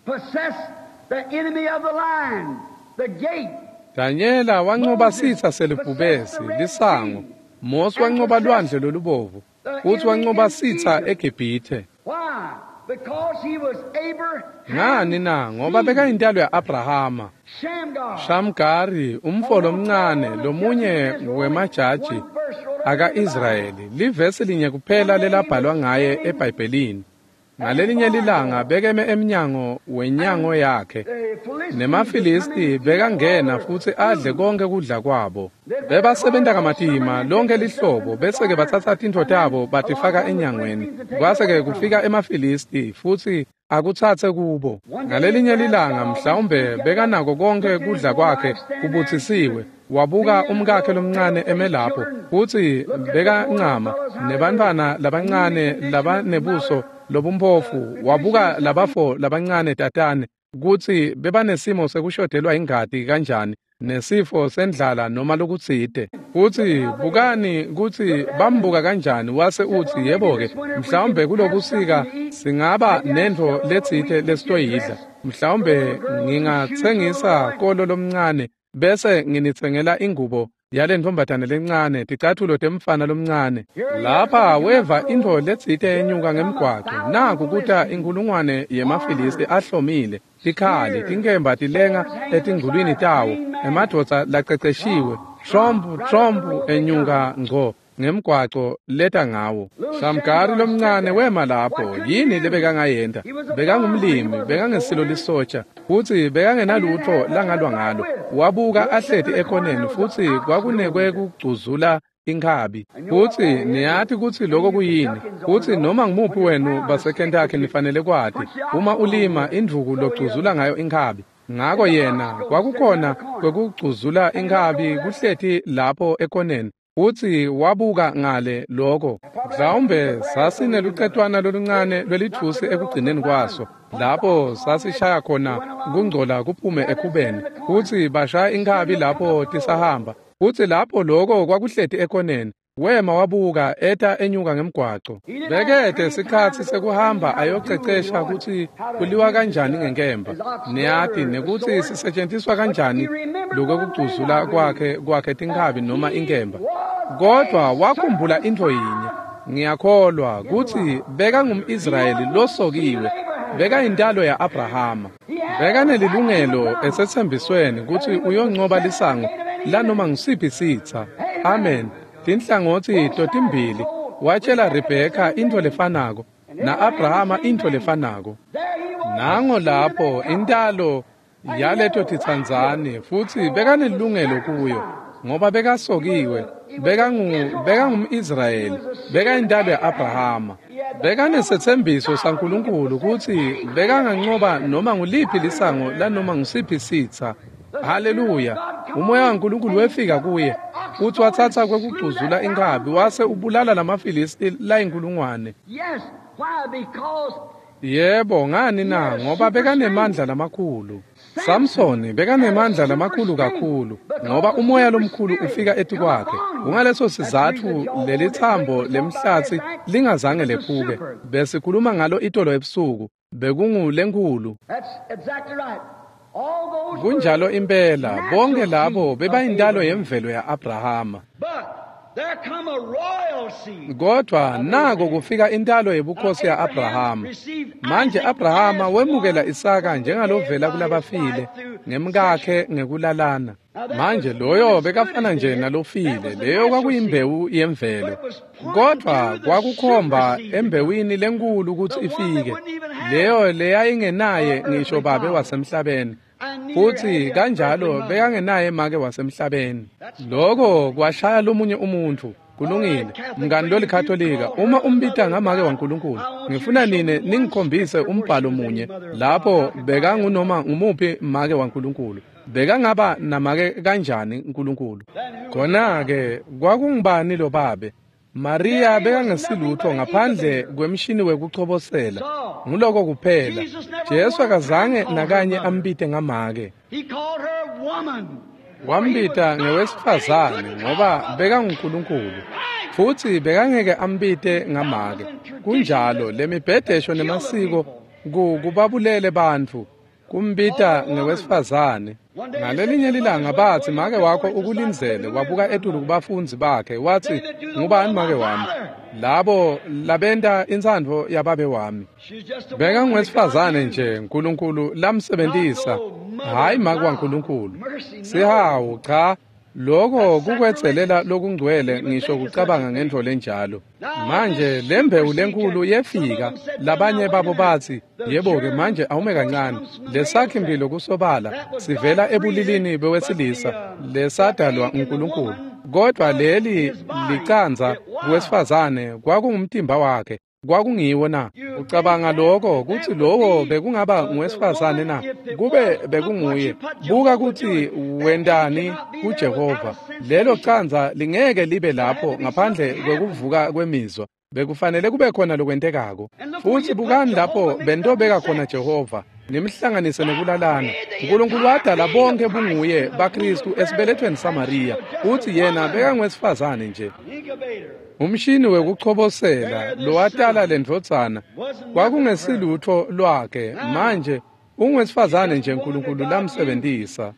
possessed the enemy of the lion, the gate. Danyela wancoba sitsa selibhubesi, lisango. Mose wancoba lwandle lolubovu, futsi wancoba sitsa eGibhithe. Why? Because he was Abraham. Ngani na? Ngoba bekayintalo ya-Abrahama. Shamgar. Shamgari, umfo lomncane, lomunye wemajaji aka-Israyeli, livesi linye kuphela lelabhalwa ngaye eBhayibhelini. Ngalelinye lilanga bekeme emnyango wenyango yakhe, nemaFilisti bekangena futsi adle konke kudla kwabo. Bebasebenta kamatima lonke lihlobo, bese-ke batsatsa tintfo tabo batifaka enyangweni. Kwase-ke kufika emaFilisti futsi akutsatse kubo. Ngalelinye lilanga mhlawumbe bekanako konke kudla kwakhe kubutsisiwe. Wabuka umkakhe lomncane eme lapho, futsi bekancama nebantfwana labancane labanebuso lobumphofu. Wabuka labafo labancane tatane kutsi bebanesimo sekushodelwa ingati kanjani, nesifo sendlala noma lokutsite. Futsi bukani kutsi bambuka kanjani, wase utsi, yebo-ke, mhlawumbe kulobusika singaba nentfo letsite lesitoyidla. Mhlawumbe ngingatsengisa kolo lomncane bese nginitsengela ingubo yalentfombatane lencane, ticathulo temfana lomncane. Lapha weva intfo letsite enyuka ngemgwaco. Naku kuta inkulungwane yemaFilisti ahlomile, tikhali, tinkemba tilenga etingulwini tawo, emadvodza laceceshiwe, trompu trompu enyuka ngco ngemgwaco leta ngawo. Shamgari lomncane wema lapho. Yini lebekangayenta? Bekangumlimi, bekangesilo lisotsha, futsi bekangenalutfo langalwa ngalo. Wabuka ahleti ekhoneni, futsi kwakunekwe kugcuzula inkhabi. Futsi niyati kutsi loko kuyini. Futsi noma ngumuphi wenu baseKentucky nifanele kwati, uma ulima indvuku logcuzula ngayo inkhabi. Ngako yena kwakukhona kwekugcuzula inkhabi kuhleti lapho ekhoneni. Futsi wabuka ngale loko. Mhlawumbe sasinelucetwana loluncane lwelitfusi ekugcineni kwaso, lapho sasishaya khona kungcola kuphume ekhubeni. Futsi bashaya inkhabi lapho tisahamba. Futsi lapho loko kwakuhleti ekhoneni, wema wabuka eta enyuka ngemgwaco. Bekete sikhatsi sekuhamba ayocecesha kutsi kuliwa kanjani ngenkemba, niyati, nekutsi sisetjentiswa kanjani lokugcuzula kwakhe kwakhe tinkhabi noma inkemba. Kodwa wakhumbula intfo yinye, ngiyakholwa kutsi bekangum-Israyeli losokiwe, bekayintalo ya-Abrahama. Bekanelilungelo esetsembisweni kutsi uyoncoba lisango lanoma ngusiphi sitsa. Amen. Tinhlangotsi totimbili. Watshela Rebheka intfo lefanako, na-Abrahama intfo lefanako. Nango lapho intalo yaleto titsandzani, futsi bekanelilungelo kuyo, ngoba bekasokiwe, bekangu bekangum-Israyeli, bekayintalo ya-Abrahama. Bekanesetsembiso saNkulunkulu kutsi bekangancoba noma nguliphi lisango lanoma ngusiphi sitsa. Haleluya! Umoya waNkulunkulu wefika kuye, futsi watsatsa kwekugcuzula inkhabi wase ubulala lamaFilisti layinkulungwane. Yes, why? Because Yebo, ngani na? Ngoba bekanemandla lamakhulu. Samsoni bekanemandla lamakhulu kakhulu, ngoba umoya lomkhulu ufika etikwakhe. Kungaleso sizatfu lelitsambo lemhlatsi lingazange lephuke. Besikhuluma ngalo itolo ebusuku, bekungulenkhulu. that's exactly right. All those Kunjalo were impela, bonke natural labo seed of bebayintalo Abraham. yemvelo ya-Abrahama. But there come a royal seed. Kodwa nako kufika intalo yebukhosi ya-Abrahama. Manje Abrahama wemukela Isaka njengalovela kulabafile ngemkakhe ngekulalana. Manje loyo bekafana nje nalofile, leyo kwakuyimbewu yemvelo. Kodwa kwakukhomba embewini lenkulu kutsi ifike, leyo leyayingenaye ngisho babe wasemhlabeni. Futsi kanjalo bekangenaye make wasemhlabeni. Loko kwashaya lomunye umuntfu. Kulungile, mngani lolikhatolika, uma umbita ngamake waNkulunkulu, ngifuna nine ningikhombise umbhalo munye lapho bekangunoma ngumuphi make waNkulunkulu. Bekangaba namake kanjani uNkulunkulu? Khona-ke kwakungubani lo babe? Maria bekangesilutfo ngaphandle kwemshini wekuchobosela. Nguloko kuphela. Jesu akazange nakanye ambite ngamake. He called her woman. Wambita ngewesifazane ngoba bekanguNkulunkulu, futsi bekangeke ambite ngamake. Kunjalo lemibhedesho nemasiko kubabulele bantfu kumbita ngewesifazane. Ngalelinye lilanga batsi make wakho ukulindzele, wabuka etulu kubafundzi bakhe watsi, ngubani make wami? Labo labenta intsandvo yababe wami. Bekangwesifazane nje uNkulunkulu lamsebentisa, hayi make waNkulunkulu. Sihawu cha, loko kukwetselela lokungcwele ngisho kucabanga ngentfo lenjalo. Manje lembewu lenkulu yefika, labanye babo batsi, yebo-ke manje awume kancane, lesakhi-mphilo kusobala sivela ebulilini bewesilisa lesadalwa uNkulunkulu. Kodwa leli licandza kuwesifazane kwakungumtimba wakhe, kwakungiwo na? Ucabanga lokho kutsi lowo bekungaba nguwesifazane na? Kube bekunguye. Buka kutsi wentani kuJehova. Lelo candza lingeke libe lapho ngaphandle kwekuvuka kwemizwa. Bekufanele kube khona lokwentekako. Futsi bukani lapho bentobeka khona Jehova, nimhlanganise nekulalana. uNkulunkulu wadala bonke bunguye baKristu esibelethweni saMariya, futsi yena bekangwesifazane nje. Umshini wekuchobosela lowatala lendvodzana kwakungesilutfo lwakhe, manje ungwesifazane nje uNkulunkulu lamsebentisa.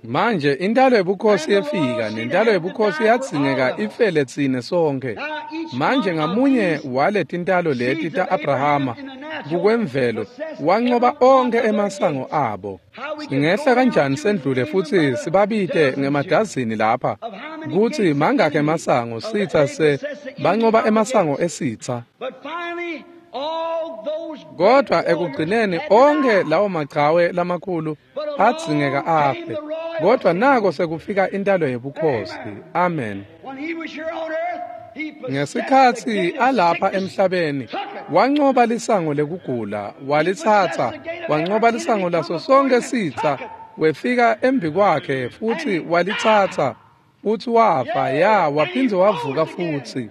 Manje intalo yebukhosi yefika, nentalo yebukhosi yadzingeka ifele tsine sonke. Manje ngamunye waletintalo leti ta-Abrahama kukwemvelo wancoba onkhe emasango abo. Singehla kanjani sendlule futsi sibabite ngemadazini lapha kutsi mangakhi emasango sitsa se bancoba emasango esitsa. Kodwa ekugcineni onke lawo machawe lamakhulu adzingeka afe. Kodwa nako sekufika intalo yebukhosi. Amen. Ngesikhatsi alapha emhlabeni, wancoba lisango lekugula, walitsatsa, wancoba lisango laso sonke sitsa, wefika embikwakhe futsi walitsatsa, futsi wafa, ya, waphindze wavuka futsi.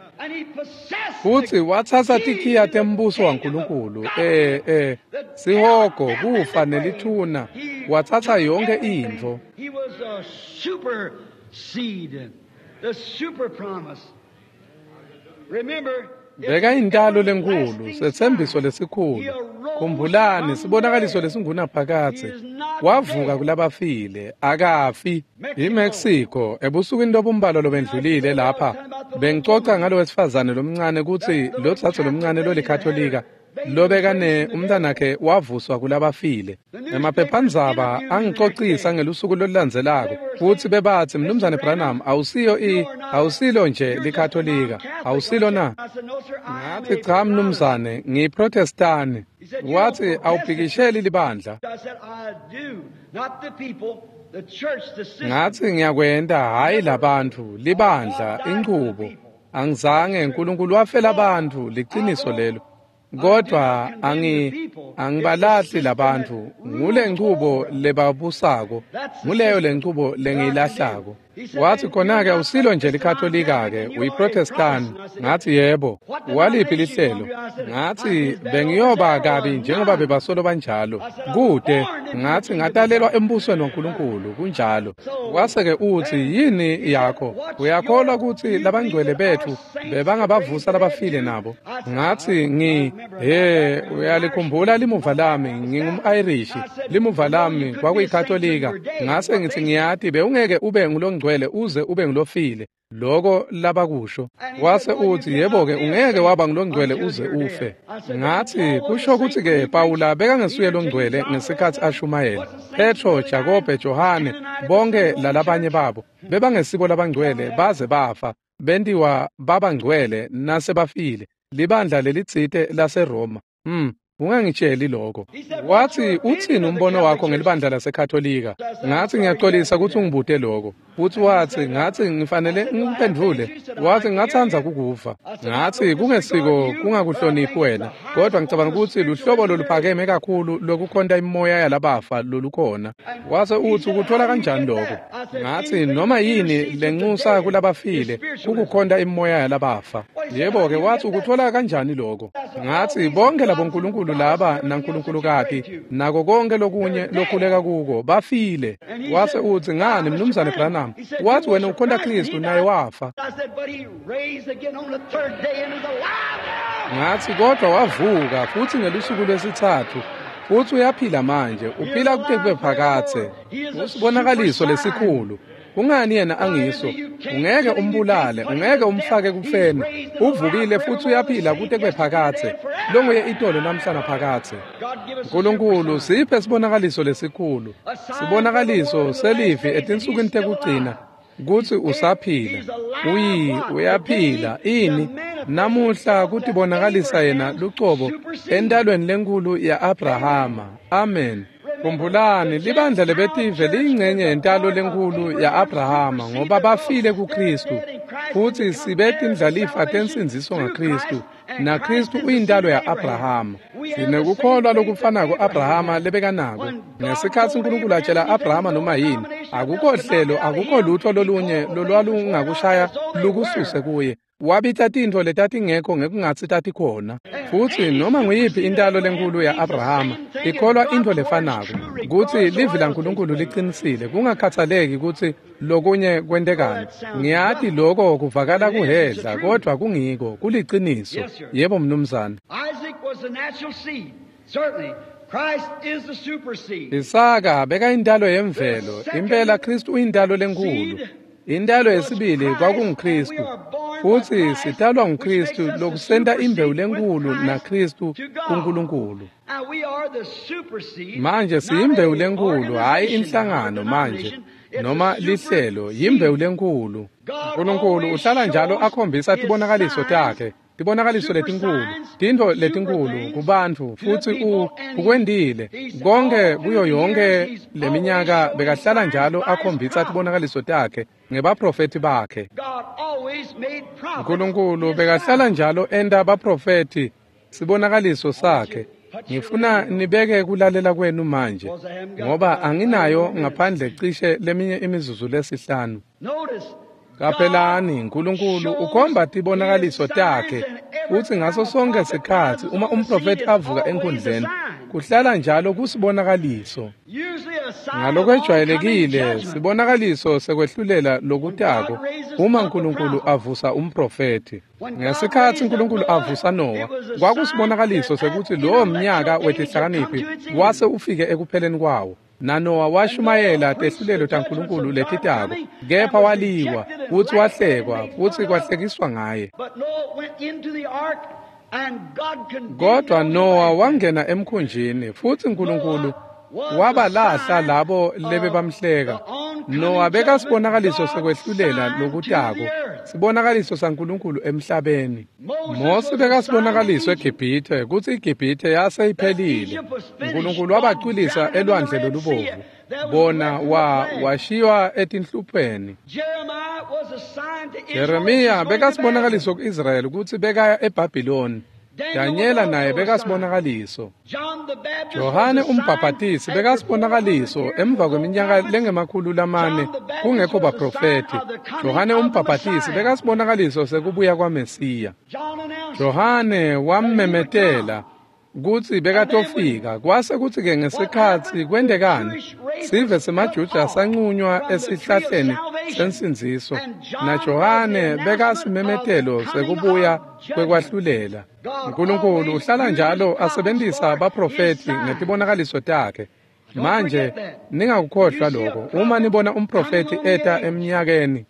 Futsi watsatsa tikhiya tembuso waNkulunkulu, eh eh sihogo, kufa nelithuna, watsatsa yonke intfo. He was a super seed, the super promise. Remember, Bekayintalo lenkulu, setsembiso lesikhulu. Khumbulani, sibonakaliso lesingunaphakadze. Wavuka kulabafile, akafi. IMexico, ebusukwini lobumbalwa lobendlulile lapha, bengicoca ngalo wesifazane lomncane kutsi lotsatso lomncane lolikatolika lobekane umntanakhe wavuswa kulabafile. Emaphephandzaba angicocisa ngelusuku lolulandzelako futsi bebatsi, Mnumzane Branham, awusiyo i awusilo nje likatolika, awusilo na? Ngathi cha mnumzane, ngiyiprotestani. Wathi awubhikisheli libandla. Ngathi ngiyakwenta, hhayi labantfu, libandla, inchubo. Angizange, uNkulunkulu wafela abantu, liciniso lelo. Kodwa angi angibalahli labantu, ngule nchubo lebabusako, nguleyo lenchubo lengiyilahlako. Wathi khona-ke awusilo nje likatolika-ke, uyiprotestani. Ngathi yebo. Waliphi lihlelo? Ngathi bengiyoba kabi njengoba bebasolo banjalo. Kude, ngathi ngatalelwa embusweni waNkulunkulu, kunjalo. Wase-ke uthi yini yakho? Uyakholwa kutsi labangcwele bethu bebangabavusa labafile nabo? Ngathi ngi he, uyalikhumbula limuva lami, ngingum-Irish. Limuva lami kwakuyikatolika. Ngase ngithi ngiyati bewungeke ube ngulongcwele uze ube ngulofile. Loko labakusho. Wase uthi yebo-ke ungeke waba ngulongcwele uze ufe. Ngathi kusho kutsi-ke Pawula bekangesuye longcwele ngesikhatsi ashumayela. Petro, Jakobe, Johane, bonke lalabanye babo bebangesibo labangcwele baze bafa, bentiwa babangcwele nasebafile. Libandla lelitsite laseRoma. Hmm. Ungangitsheli lokho. Wathi uthini umbono wakho ngelibandla laseKatolika? Ngathi ngiyaxolisa ukuthi ungibute lokho. Futhi wathi ngathi ngifanele ngikuphendvule. Wathi ngingathanda kukuva. Ngathi kungesiko kungakuhloniphi wena, kodwa ngicabanga ukuthi luhlobo loluphakeme kakhulu lokukhonta imimoya yalabafa lolukhona. Wase uthi ukuthola kanjani lokho? Ngathi noma yini lenxusa kulabafile kukukhonta imimoya yalabafa. Yebo-ke wathi ukuthola kanjani lokho? Ngathi bonke labo nkulunkulu labonkulunkulu laba nankulunkulu-kati nako konke lokunye lokhuleka kuko bafile. Wase utsi, ngani Mnumzane Branham? Wathi wena ukhonta Kristu naye wafa. Ngathi kodwa wavuka futhi ngelusuku lwesithathu futhi uyaphila manje, uphila kute kube phakadze. Usibonakaliso lesikhulu. Kungani yena angiso? Ungeke umbulale, ungeke umfake kufeni. Uvukile futhi uyaphila kute kube phakadze. Longuye itolo namhla naphakadze. Nkulunkulu siphe sibonakaliso lesikhulu. Sibonakaliso selivi etinsukwini tekugcina kutsi usaphila. Uyi uyaphila ini namuhla kutibonakalisa yena lucobo entalweni lenkulu ya-Abrahama. Amen. Khumbulani libandla lebetive liyingcenye yentalo lenkulu ya-Abrahama ngoba bafile kuKristu futhi sibe tindlalifa tensindziso ngaKristu naKristu uyintalo ya-Abrahama. Sinekukholwa lokufanako Abrahama lebekanako. Ngesikhatsi uNkulunkulu atshela Abrahama noma yini, akukho hlelo, akukho lutho lolunye lolwalungakushaya lukususe kuye. Wabita tintfo letatingekho ngekungatsi tatikhona. Futsi noma nguyiphi intalo lenkulu ya-Abrahama ikholwa intfo lefanako kutsi livi laNkulunkulu liqinisile kungakhathaleki kutsi lokunye kwentekani. Ngiyati loko kuvakala kuhedla kodvwa kungiko kuliciniso. Yebo mnumzane. Isaka bekayintalo yemvelo, impela Kristu uyintalo lenkulu. Intalo yesibili kwakunguKristu futhi sitalwa nguKristu lokusenta imbewu lenkulu naKristu kuNkulunkulu. Manje siyimbewu lenkulu, hhayi inhlangano manje noma lihlelo, yimbewu lenkulu. uNkulunkulu uhlala njalo akhombisa tibonakaliso takhe, tibonakaliso letinkulu, tintfo letinkulu kubantfu futsi u ukwentile konke kuyo yonke leminyaka bekahlala njalo akhombisa tibonakaliso takhe ngebaprofethi bakhe. uNkulunkulu bekahlala njalo enta baprofethi sibonakaliso sakhe. Ngifuna nibeke kulalela kwenu manje ngoba anginayo ngaphandle cishe leminye imizuzu lesihlanu. Qaphelani, uNkulunkulu ukhomba tibonakaliso takhe futsi ngaso sonke sikhatsi uma umprofethi avuka enkundleni kuhlala njalo kusibonakaliso. Ngalokwejwayelekile sibonakaliso sekwehlulela lokutako uma uNkulunkulu avusa umprofethi. Ngesikhatsi uNkulunkulu avusa Nowa kwakusibonakaliso sekutsi lowo mnyaka wetihlakaniphi wase ufike ekupheleni kwawo. NaNowa washumayela tehlulelo taNkulunkulu letitako, kepha waliwa futsi wahlekwa futsi kwahlekiswa ngaye. Kodwa Nowa wangena emkhunjini futsi uNkulunkulu wabalahla labo lebebamhleka. Nowa bekasibonakaliso sekwehlulela lokutako, sibonakaliso saNkulunkulu emhlabeni. Mose bekasibonakaliso eGibhithe kutsi iGibhithe yase iphelile. uNkulunkulu wabacwilisa elwandle lolubovu, bona wa washiywa etinhlupheni. Jeremiya bekasibonakaliso ku-Israyeli kutsi bekaya eBhabhiloni. Danyela naye bekasibonakaliso. Johane umbhabhatisi bekasibonakaliso emva kweminyaka lengemakhulu lamane kungekho baprofethi. Johane umbhabhatisi bekasibonakaliso sekubuya kwaMesiya. Johane wammemetela kutsi bekatofika. Kwase kutsi-ke ngesikhatsi kwentekani, sive semaJuda sanqunywa esihlahleni sensindziso, naJohane bekasimemetelo sekubuya kwekwahlulela. uNkulunkulu uhlala njalo asebentisa baprofethi ngetibonakaliso takhe. Manje ningakukhohlwa lokho uma nibona umprofethi eta eminyakeni.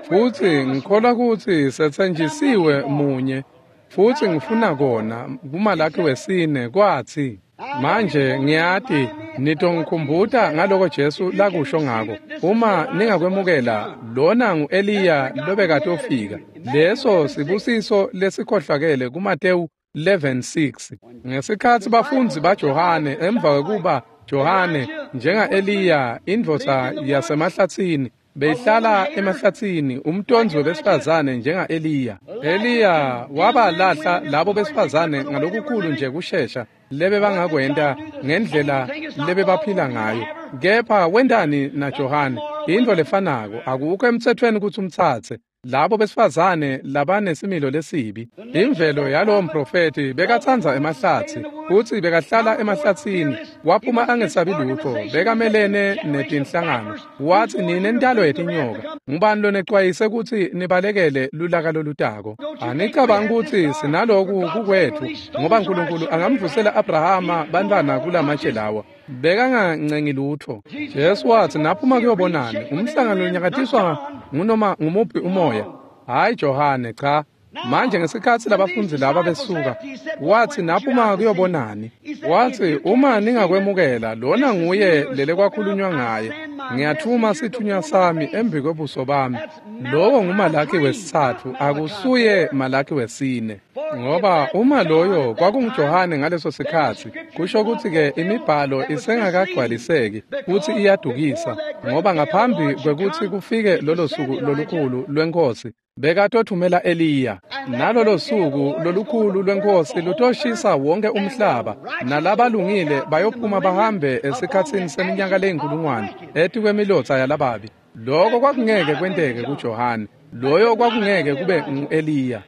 Futsi ngikholwa kutsi setsenjisiwe munye futsi ngifuna kona kuMalakhi wesine kwatsi manje ngiyati nitongikhumbuta ngaloko Jesu lakusho ngako. Uma ningakwemukela lona ngu-Eliya lobekatofika. Leso sibusiso lesikhohlakele kuMatewu eleven six. Ngesikhatsi bafundzi baJohane emva kwekuba Johane njenga-Eliya indvodza yasemahlatsini beyihlala emahlatsini umtonzi webesifazane njenga-Eliya. Eliya wabalahla labo besifazane ngalokukhulu nje kushesha lebebangakwenta ngendlela lebebaphila ngayo. Kepha wentani naJohane? Intfo lefanako, akukho emtsetfweni kutsi umtsatse. Labo besifazane labanesimilo lesibi. Imvelo yalowo mprofethi bekatsandza emahlatsi, futsi bekahlala emahlatsini, waphuma angesabi lutho, bekamelene netinhlangano. Watsi, nine ntalo yetinyoka, ngubani lonecwayise kutsi nibalekele lulaka lolutako? Anicabangi kutsi sinaloku kukwetfu, ngoba Nkulunkulu angamvusela Abrahama bantfwana kulamatshe lawa. Bekangancengi lutho. Jesu watsi, naphuma kuyobonani, umhlangano lonyakatiswa ngunoma ngumuphi umoya. Hayi Johane, cha. Manje ngesikhatsi labafundzi laba besuka, watsi, naphuma kuyobonani. Watsi, uma ningakwemukela, lona nguye lelekwakhulunywa ngaye. Ngiyathuma sithunywa sami embi kwebuso bami. Lowo nguMalaki wesitsatfu, akusuye Malaki wesine. Ngoba uma loyo kwakunguJohane ngaleso sikhatsi, kusho kutsi-ke imibhalo isengakagcwaliseki futsi iyadukisa, ngoba ngaphambi kwekutsi kufike lolo suku lolukhulu lweNkhosi, bekatothumela Eliya. Nalolo suku lolukhulu lweNkhosi lutoshisa wonke umhlaba, nalabalungile bayophuma bahambe esikhatsini seminyaka leyinkulungwane etikwemilotsa yalababi. Loko kwakungeke kwenteke kuJohane. Loyo kwakungeke kube ngu-Eliya.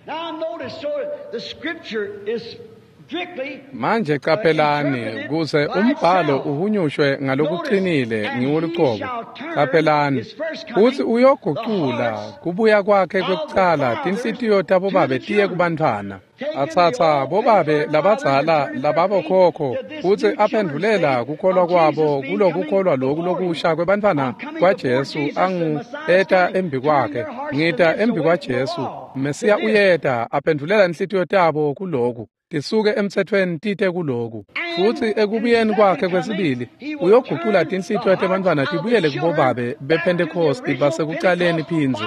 Manje qaphelani, kuze umbhalo uhunyushwe ngalokuqinile ngiwolucobo. Qaphelani, futsi uyogucula kubuya kwakhe kwekucala tinhlitiyo tabobabe tiye kubantfwana. Atsatsa bobabe labadzala lababokhokho futsi aphendvulela kukholwa kwabo kulokukholwa loku lokusha kwebantfwana kwaJesu angu eta embi kwakhe. Ngita embi kwaJesu, Mesiya uyeta, aphendvulela inhlitiyo tabo kuloku. Tisuke emtsetfweni tite kuloku. Futsi ekubuyeni kwakhe kwesibili, uyogucula tinhlitiyo tebantfwana tibuyele kubobabe bePhentekhosti basekucaleni phindze.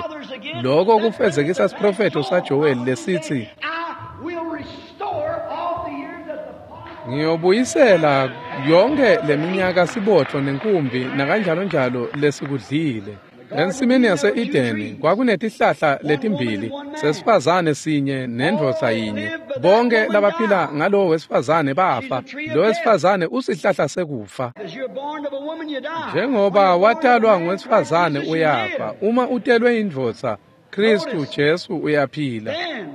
Loko kufezekisa siprofetho saJoweli lesitsi, ngiyobuyisela yonke leminyaka sibotfo nenkumbi nakanjalonjalo lesikudlile. Ensimini yase-Edeni kwakunetihlahla letimbili, sesifazane sinye nendvodza yinye. Bonke labaphila ngalowo wesifazane bafa. Lo wesifazane usihlahla sekufa. Njengoba watalwa ngowesifazane uyafa, uma utelwe indvodza, Kristu Jesu uyaphila.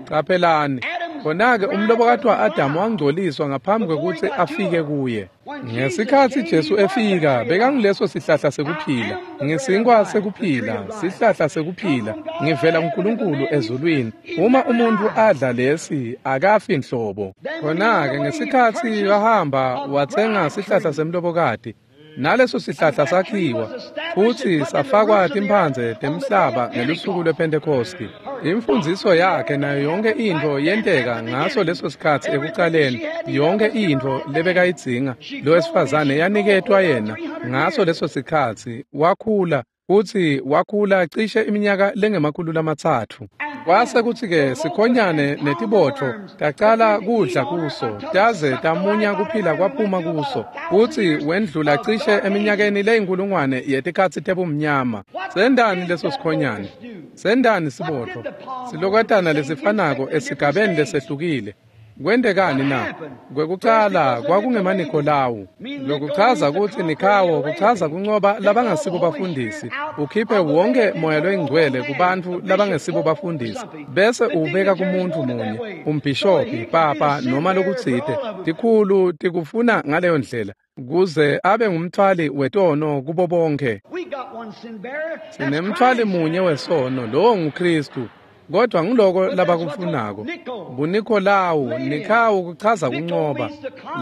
Qaphelani, khona-ke umlobokati wa-Adamu wangcoliswa ngaphambi kwekutsi afike kuye. Ngesikhatsi Jesu efika, bekanguleso sihlahla sekuphila. Ngisinkwa sekuphila, sihlahla sekuphila. Ngivela kuNkulunkulu ezulwini. Uma umuntfu adla lesi, akafi nhlobo. Khona-ke ngesikhatsi wahamba watsenga sihlahla semlobokati, naleso sihlahla sakhiwa futsi safakwa timphandze temhlaba ngelusuku lwePhentekhosti. Imfundziso yakhe nayo yonke intfo yenteka ngaso leso sikhatsi ekucaleni. Yonke intfo lebekayidzinga lo wesifazane yaniketwa yena ngaso leso sikhatsi. Wakhula futsi wakhula cishe iminyaka lengemakhulu lamatsatfu. Kwase kutsi-ke sikhonyane netibotfo tacala kudla kuso, taze tamunya kuphila kwaphuma kuso, futsi wendlula cishe eminyakeni leyinkulungwane yetikhatsi tebumnyama. Sendani leso sikhonyane? Sendani sibotfo? Silokatana lesifanako esigabeni lesehlukile. Kwentekani na? Kwekucala kwakungemaNikolawu. Lokuchaza kutsi Nikhawo kuchaza kuncoba labangasibo bafundisi, ukhiphe wonke moya loyingcwele kubantfu labangesibo bafundisi, bese uwubeka kumuntfu munye, umbhishobhi, papa noma lokutsite. Tikhulu tikufuna ngaleyo ndlela, kuze abe ngumthwali wetono kubo bonke. Sinemthwali munye wesono, lowo nguKristu. Kodwa ngiloko labakufunako. BuNikolawu, Nikhawo kuchaza kuncoba.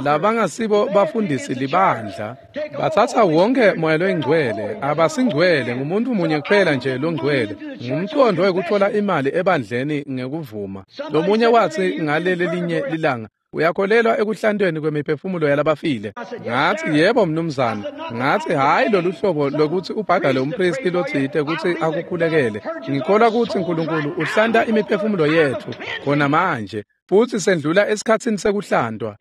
Labangasibo bafundisi libandla. Batsatsa wonke moya loyingcwele, abasingcwele, ngumuntu munye kuphela nje longcwele. Ngumcondo wekutfola imali ebandleni ngekuvuma. Lomunye watsi ngaleli linye lilanga, uyakholelwa ekuhlantweni kwemiphefumulo yalabafile? Ngatsi, yebo mnumzane. Ngatsi, hhayi lolu hlobo lokuthi ubhadale umpristi lotsite kutsi akukhulekele. Ngikholwa kutsi Nkulunkulu uhlanta imiphefumulo yetfu khona manje, futsi sendlula esikhatsini sekuhlantwa.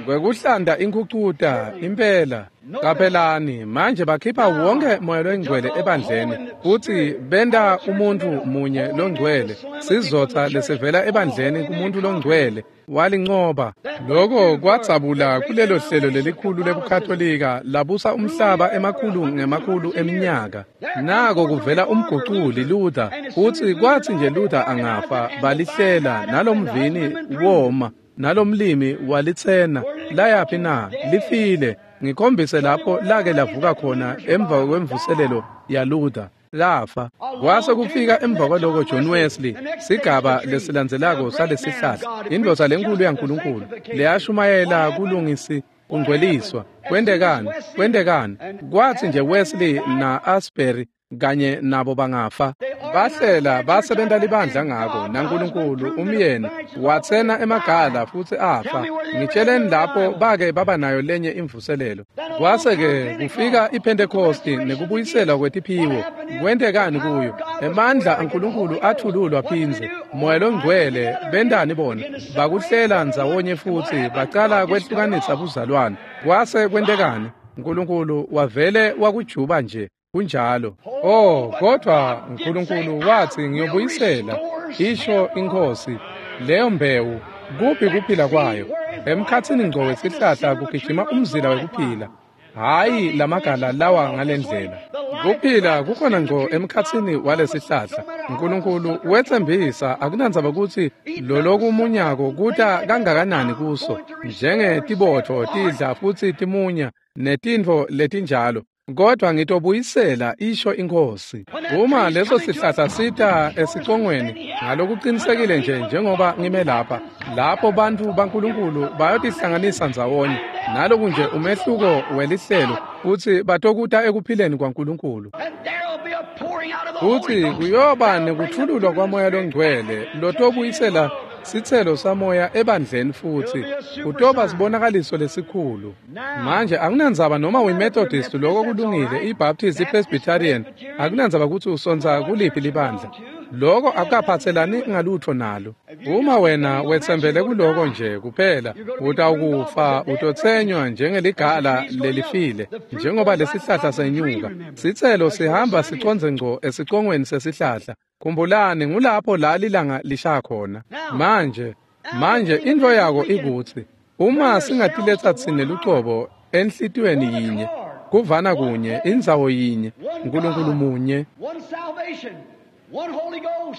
Kwekuhlanda inkhucuta impela. Qaphelani manje bakhipha wonke moya longcwele ebandleni futhi benta umuntu munye longcwele, sizotha lesivela ebandleni kumuntu longcwele walinqoba. Lokho kwadzabula kulelo hlelo lelikhulu lebuKatolika labusa umhlaba emakhulu ngemakhulu eminyaka. Nako kuvela umguculi Luther, futhi kwathi nje Luther angafa balihlela nalomvini woma nalomlimi walitsena. Layaphi na? Lifile. Ngikhombise lapho lake lavuka khona emva kwemvuselelo ya Luther. Lafa. Kwase kufika emva kwaloko John Wesley, sigaba lesilandzelako salesihlahla, indvodza lenkulu yaNkulunkulu leyashumayela kulungisi kungcweliswa. Kwentekani? Kwentekani? Kwathi nje Wesley na Asbury kanye nabo bangafa, bahlela basebenta libandla ngako, naNkulunkulu umyeni watsena emagala futhi afa. Ngitsheleni lapho bake baba nayo lenye imvuselelo. Kwase-ke kufika iPhentekosti nekubuyiselwa kwetiphiwo. Kwentekani kuyo? Emandla aNkulunkulu athululwa phindze, moya longcwele. Bentani bona? Bakuhlela ndzawonye futhi bacala kwehlukanisa buzalwane. Kwase kwentekani? Nkulunkulu wavele wakujuba nje. Kunjalo. Oh, kodwa uNkulunkulu wathi ngiyobuyisela, isho inkosi, leyo mbewu. Kuphi kuphila kwayo? Emkhathini ngco wesihlahla kugijima umzila wekuphila, hhayi lamagala lawa ngalendlela. Kuphila kukhona ngco emkhathini walesihlahla. uNkulunkulu wetsembisa, akunandzaba kutsi lolokumunyako kuta kangakanani kuso, njengetibotfo tidla futsi timunya netintfo letinjalo, kodwa ngitobuyisela, isho inkosi. Uma leso sihlahla sita esicongweni ngalokuqinisekile nje njengoba ngime lapha, lapho bantfu baNkulunkulu bayotihlanganisa ndzawonye naloku nje umehluko welihlelo, futsi batokuta ekuphileni kwaNkulunkulu. Futsi kuyoba nekuthululwa kwamoya longcwele lotobuyisela sitselo samoya ebandleni, futhi kutoba sibonakaliso lesikhulu. Manje akunandzaba noma uyiMethodist, lokho kulungile, iBaptist, iPresbyterian, akunandzaba kutsi usontsa kuliphi libandla, lokho akukaphatselani ngalutho nalo. Uma wena wetsembele kuloko nje kuphela, utawukufa, utotsenywa njengeligala lelifile, njengoba lesihlahla senyuka. Sitselo sihamba sicondze ngco esicongweni sesihlahla. Khumbulani, ngulapho la lilanga lishaya khona. Manje, manje intfo yako ikutsi uma singatiletsa tsine lucobo enhlitiyweni yinye, kuvana kunye, indzawo yinye, uNkulunkulu munye,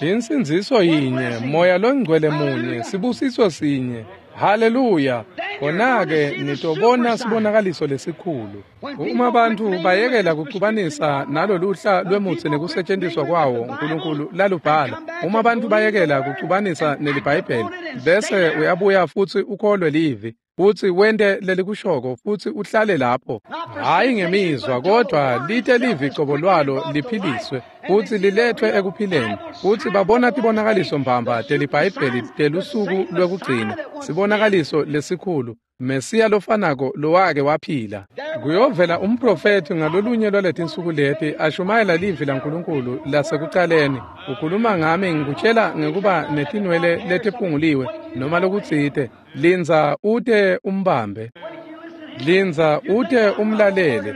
insindziso yinye, moya longcwele munye, sibusiso sinye. Haleluya! Khona-ke nitobona sibonakaliso lesikhulu. Uma bantfu bayekela kucubanisa naloluhla lwemutsi nekusetjentiswa kwawo uNkulunkulu lalubhala, uma bantfu bayekela kucubanisa neliBhayibheli, bese uyabuya futsi ukholwe livi, futsi wente lelikushoko, futsi uhlale lapho, hhayi ngemizwa, kodwa lite livi cobo lwalo liphiliswe futsi lilethwe ekuphileni, futsi babona tibonakaliso mbamba teliBhayibheli telusuku lwekugcina, sibonakaliso lesikhulu, Mesiya lofanako lowake waphila. Kuyovela umprofethi ngalolunye lwaletinsuku leti ashumayela livi laNkulunkulu lasekucaleni. Ukhuluma ngami ngikutshela ngekuba netinwele letiphunguliwe noma lokutsite. Lindza ute umbambe. Lindza ute umlalele.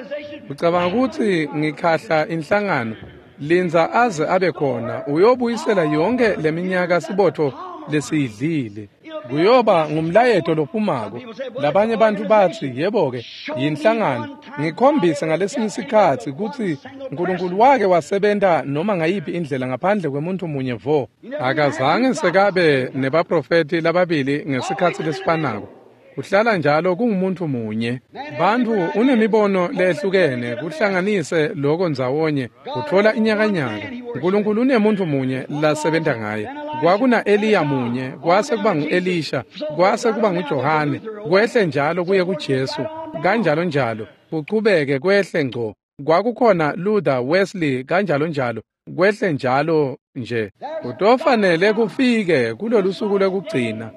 Ucabanga kutsi ngikhahla inhlangano? Lindza aze abe khona, uyobuyisela yonke leminyaka sibotfo lesiyidlile. Kuyoba ngumlayeto lophumako. Labanye bantfu batsi, yebo-ke, yinhlangano. Ngikhombise ngalesinye isikhatsi kutsi uNkulunkulu wake wasebenta noma ngayiphi indlela ngaphandle kwemuntu munye vo. Akazange sekabe nebaprofethi lababili ngesikhatsi lesifanako. Kuhlala njalo kungumuntu munye. Bantfu unemibono lehlukene, kuhlanganise loko ndzawonye, kutfola inyakanyaka. uNkulunkulu unemuntu munye lasebenta ngaye. Kwakuna Eliya munye, kwase kuba ngu-Elisha, kwase kuba nguJohane, kwehle njalo kuye kuJesu, kanjalo njalo, kuchubeke kwehle ngco. Kwakukhona Luther, Wesley, kanjalo njalo, kwehle njalo nje. Kutofanele kufike kulolu suku lwekugcina,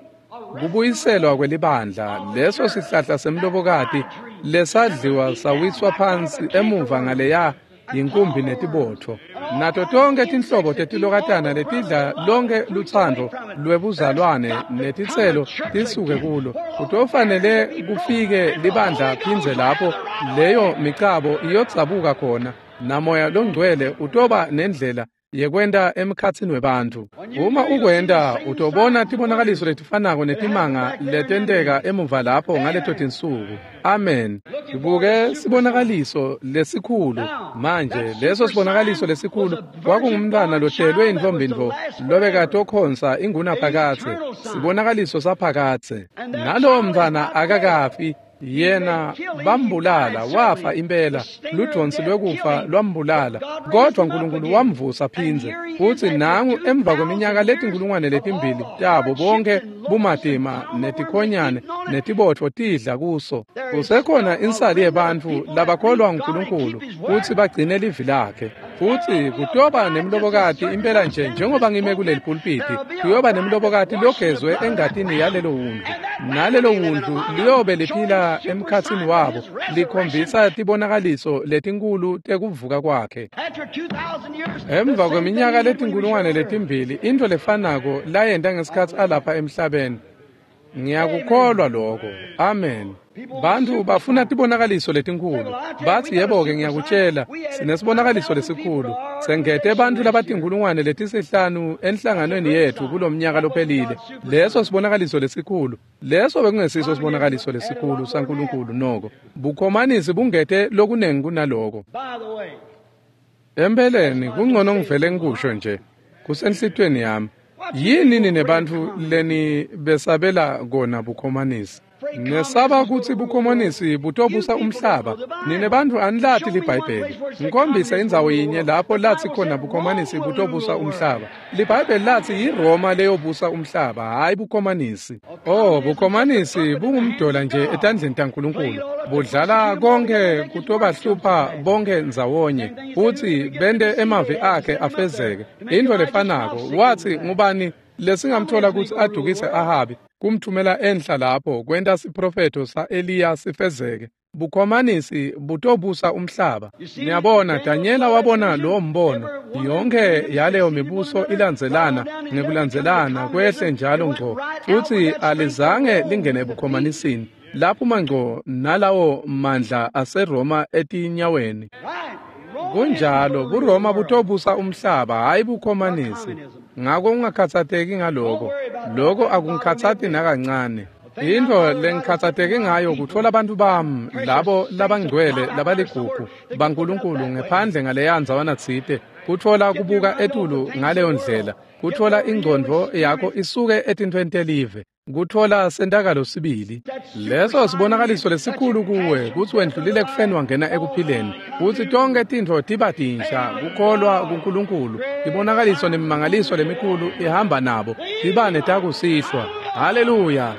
kubuyiselwa kwelibandla, leso sihlahla semlobokati lesadliwa sawiswa phansi emuva ngaleya yinkumbi netibotfo. Nato tonke tinhlobo tetilokatana letidla lonke lutsandvo lwebuzalwane netitselo tisuke kulo. Kutofanele kufike libandla phindze lapho leyo micabo iyodzabuka khona, namoya longcwele utoba nendlela yekwenta emkhatsini webantfu. Uma ukwenta utobona tibonakaliso letifanako netimanga letenteka emuva lapho ngaleto tinsuku. Amen. Sibuke sibonakaliso lesikhulu. Manje leso sibonakaliso lesikhulu kwakungumntwana lohlelwe intfombi-ntfo lobekatokhonsa ingunaphakadze, sibonakaliso saphakadze. Nalowo mntwana akakafi, yena bambulala, wafa impela, ludvonsi lwekufa lwambulala, kodvwa Nkulunkulu wamvusa phindze. Futsi nangu emva kweminyaka letinkulungwane letimbili tabo bonke bumatima netikhonyane netibotfo tidla kuso, kusekhona insali yebantfu labakholwa nguNkulunkulu futsi bagcine livi lakhe. Futsi kutoba nemlobokati impela nje njengoba ngime kuleli pulpiti, kuyoba nemlobokati logezwe engatini yalelo wundlu, nalelo wundlu liyobe liphila emkhatsini wabo, likhombisa tibonakaliso letinkulu tekuvuka kwakhe. Emva kweminyaka letinkulungwane letimbili, intfo lefanako layenta ngesikhatsi alapha emhlabeni. Ngiyakukholwa lokho. Amen. Bantfu bafuna tibonakaliso letinkulu. Batsi yebo-ke ngiyakutjela, sinesibonakaliso lesikhulu. Sengete bantfu labatinkulungwane letisihlanu enhlanganweni yetfu kulomnyaka lophelile. Leso sibonakaliso lesikhulu. Leso bekungesiso sibonakaliso lesikhulu saNkulunkulu noko. Bukhomanisi bungete lokunengi kunaloko. Empeleni kungcono ngivele ngikusho nje, kusenhlitiyweni yami. Yini nine bantfu leni besabela kona bukhomanisi? Nesaba kutsi bukhomanisi butobusa umhlaba. Nine bantfu anilati liBhayibheli. Ngikhombise indzawo yinye lapho latsi khona bukhomanisi butobusa umhlaba. LiBhayibheli latsi yiRoma leyobusa umhlaba, hhayi bukhomanisi. Oh, bukhomanisi bungumdola nje etandleni taNkulunkulu. Budlala konke kutobahlupha bonke ndzawonye, futsi bente emavi akhe afezeke. Intfo lefanako, watsi ngubani lesingamthola kutsi adukise Ahabi, kumthumela enhla lapho kwenta siprofetho sa-Eliya sifezeke. Bukhomanisi butobusa umhlaba. Niyabona, Danyela wabona lowo mbono. Yonke yaleyo mibuso ilandzelana ngekulandzelana kwehle njalo ngco, futsi alizange lingene ebukhomanisini. Laphuma ngco nalawo mandla aseRoma etinyaweni. Kunjalo, buRoma butobusa umhlaba, hhayi bukhomanisi. Ngako ungakhatsateki ngaloko. Loko akungikhatsati nakancane. Intfo lengikhatsateke ngayo kutfola bantfu bami, labo labangcwele labaligugu baNkulunkulu ngephandle ngaleya ndzawana tsite, kutfola kubuka etulu ngaleyo ndlela, kutfola ingcondvo yakho isuke etintfweni telive, kutfola sentakalo sibili. Leso sibonakaliso lesikhulu kuwe kutsi wendlulile ekufeni wangena ekuphileni, kutsi tonke tintfo tiba tinsha, kukholwa kuNkulunkulu, tibonakaliso nemimangaliso lemikhulu ihamba nabo, tibane takusihlwa. Haleluya!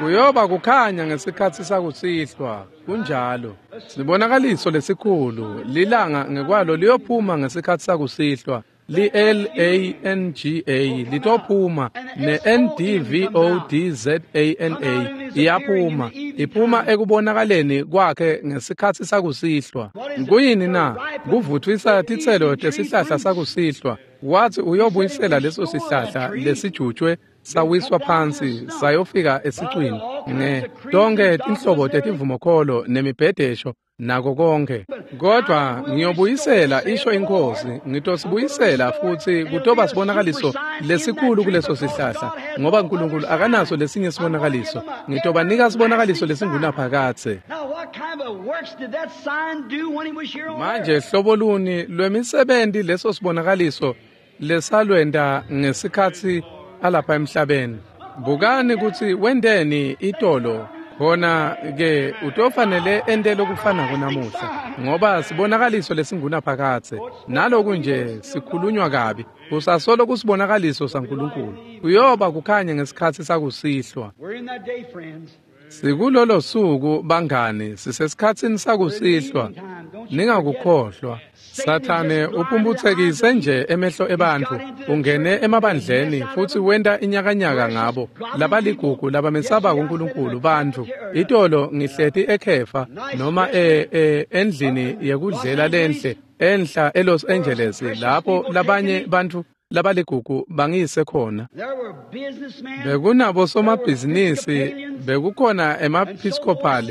Kuyoba kukhanya ngesikhatsi sakusihlwa. Kunjalo. Sibonakaliso lesikhulu, lilanga ngekwalo liyophuma ngesikhatsi sakusihlwa. Li-L A N G A litophuma, ne-N D V O D Z A N A iyaphuma, iphuma ekubonakaleni kwakhe ngesikhatsi sakusihlwa. Kuyini na? Kuvuthwisa titselo tesihlahla sakusihlwa. Wathi uyobuyisela leso sihlahla lesijutshwe sawiswa phansi sayofika esicwini, nge tonke tinhlobo tetivumokholo nemibhedesho nako konke. Kodwa ngiyobuyisela, isho iNkhosi, ngitosibuyisela futsi kutoba sibonakaliso lesikhulu kuleso sihlahla, ngoba uNkulunkulu akanaso lesinye sibonakaliso. Ngitobanika sibonakaliso lesingunaphakadze. Manje hlobo luni lwemisebenti leso sibonakaliso lesalwenta ngesikhatsi alapha emhlabeni? Bukani kutsi wenteni itolo, khona ke utofanele ente lokufanako namuhla, ngoba sibonakaliso lesingunaphakadze. Naloku nje sikhulunywa kabi, kusasolo kusibonakaliso saNkulunkulu. Kuyoba kukhanya ngesikhatsi sakusihlwa. Sikulolo suku bangani, sisesikhatsini sakusihlwa. Ningakukhohlwa. Sathane uphumphutsekise nje emehlo ebantfu, ungene emabandleni futsi wenta inyakanyaka ngabo labaligugu labamesabako uNkulunkulu bantfu. Itolo ngihleti ekhefa noma e, e endlini yekudlela lenhle Enhla eLos Angeles lapho labanye bantfu labaligugu bangiyise khona. Bekunabo somabhizinisi, bekukhona emaepiscopal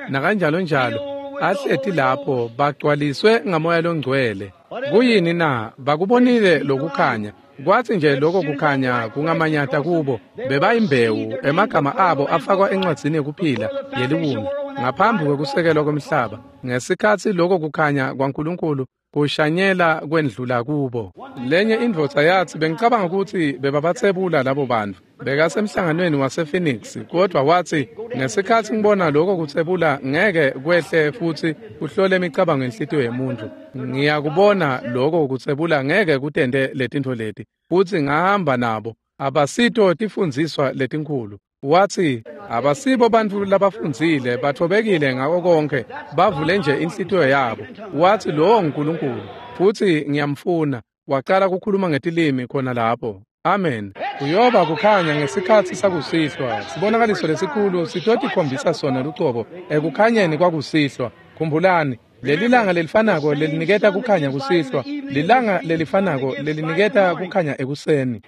nakanjalo njalo ahleti lapho bagcwaliswe ngamoya longcwele. Kuyini na? Bakubonile lokukhanya. Kwathi nje lokho kukhanya kungamanyata kubo, bebayimbewu, emagama abo afakwa encwadzini yekuphila yeliwundlu ngaphambi kwekusekelwa kwemhlaba. Ngesikhatsi lokho kukhanya kwaNkulunkulu kushanyela kwendlula kubo. Lenye indvodza yatsi, bengicabanga kutsi bebabatsebula labo bantfu. Bekasemhlanganweni wasePhoenix, kodwa watsi ngesikhatsi ngibona lokho kutsebula ngeke kwehle futsi kuhlole imicabango yenhlitiyo yemuntfu. Ngiyakubona lokho kutsebula ngeke kutente letintfo leti. Futsi ngahamba nabo. Abasito tifundziswa letinkhulu. Watsi abasibo bantfu labafundzile, bathobekile ngako konke, bavule nje inhlitiyo yabo. Watsi lowo nguNkulunkulu futsi ngiyamfuna. Waqala kukhuluma ngetilimi khona lapho. Amen. Kuyoba kukhanya ngesikhatsi sakusihlwa. Sibonakaliso lesikhulu sitotikhombisa sona lucobo ekukhanyeni kwakusihlwa. Khumbulani, lelilanga lelifanako leliniketa kukhanya kusihlwa, lilanga lelifanako leliniketa kukhanya ekuseni.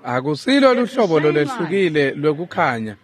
Akusilo luhlobo lolwehlukile lwekukhanya.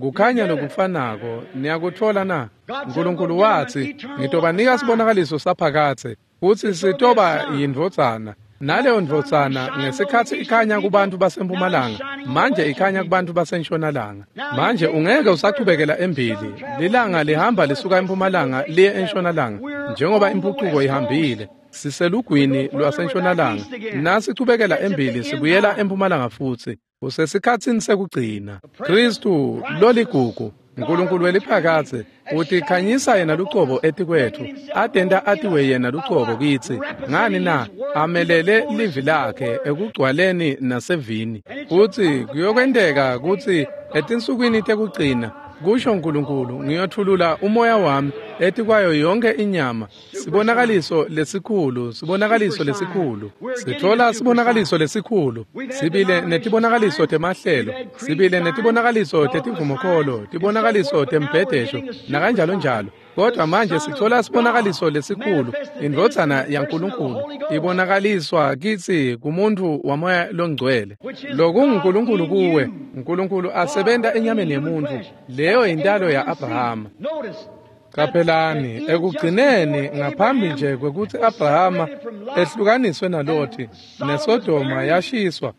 Kukhanya lokufanako, niyakutfola na? Nkulunkulu watsi, ngitobanika sibonakaliso saphakadze, futsi sitoba yindvodzana. Naleyo ndvodzana ngesikhatsi ikhanya kubantfu basempumalanga, manje ikhanya kubantfu basentshonalanga. Manje ungeke usachubekela embili. Lilanga lihamba lisuka empumalanga liye entshonalanga, njengoba impucuko ihambile. Siselugwini lwasentshonalanga. Nasichubekela embili sibuyela empumalanga futsi. Usesikhatsini sekugcina. Khristu loligugu, Nkulunkulu weliphakadze, utikhanyisa yena lucobo etikwetfu, atenta atiwe yena lucobo kitsi. Ngani na? Amelele livi lakhe ekugcwaleni nasevini. Futsi kuyokwenteka kutsi etinsukwini tekugcina, kusho Nkulunkulu, ngiyothulula umoya wami etikwayo yonke inyama. Sibonakaliso lesikhulu, sibonakaliso lesikhulu. Sitfola sibonakaliso lesikhulu. Sibile netibonakaliso temahlelo, sibile netibonakaliso tetivumokholo, tibonakaliso tembhedesho nakanjalo njalo. Kodwa manje sitfola sibonakaliso lesikhulu, indvodzana yaNkulunkulu ibonakaliswa kitsi kumuntu wamoya longcwele. LokunguNkulunkulu kuwe, Nkulunkulu asebenta enyameni yemuntfu. Leyo intalo ya-Abrahama. Qaphelani, ekugcineni ngaphambi nje kwekutsi Abrahama ehlukaniswe naLothi neSodoma yashiswa,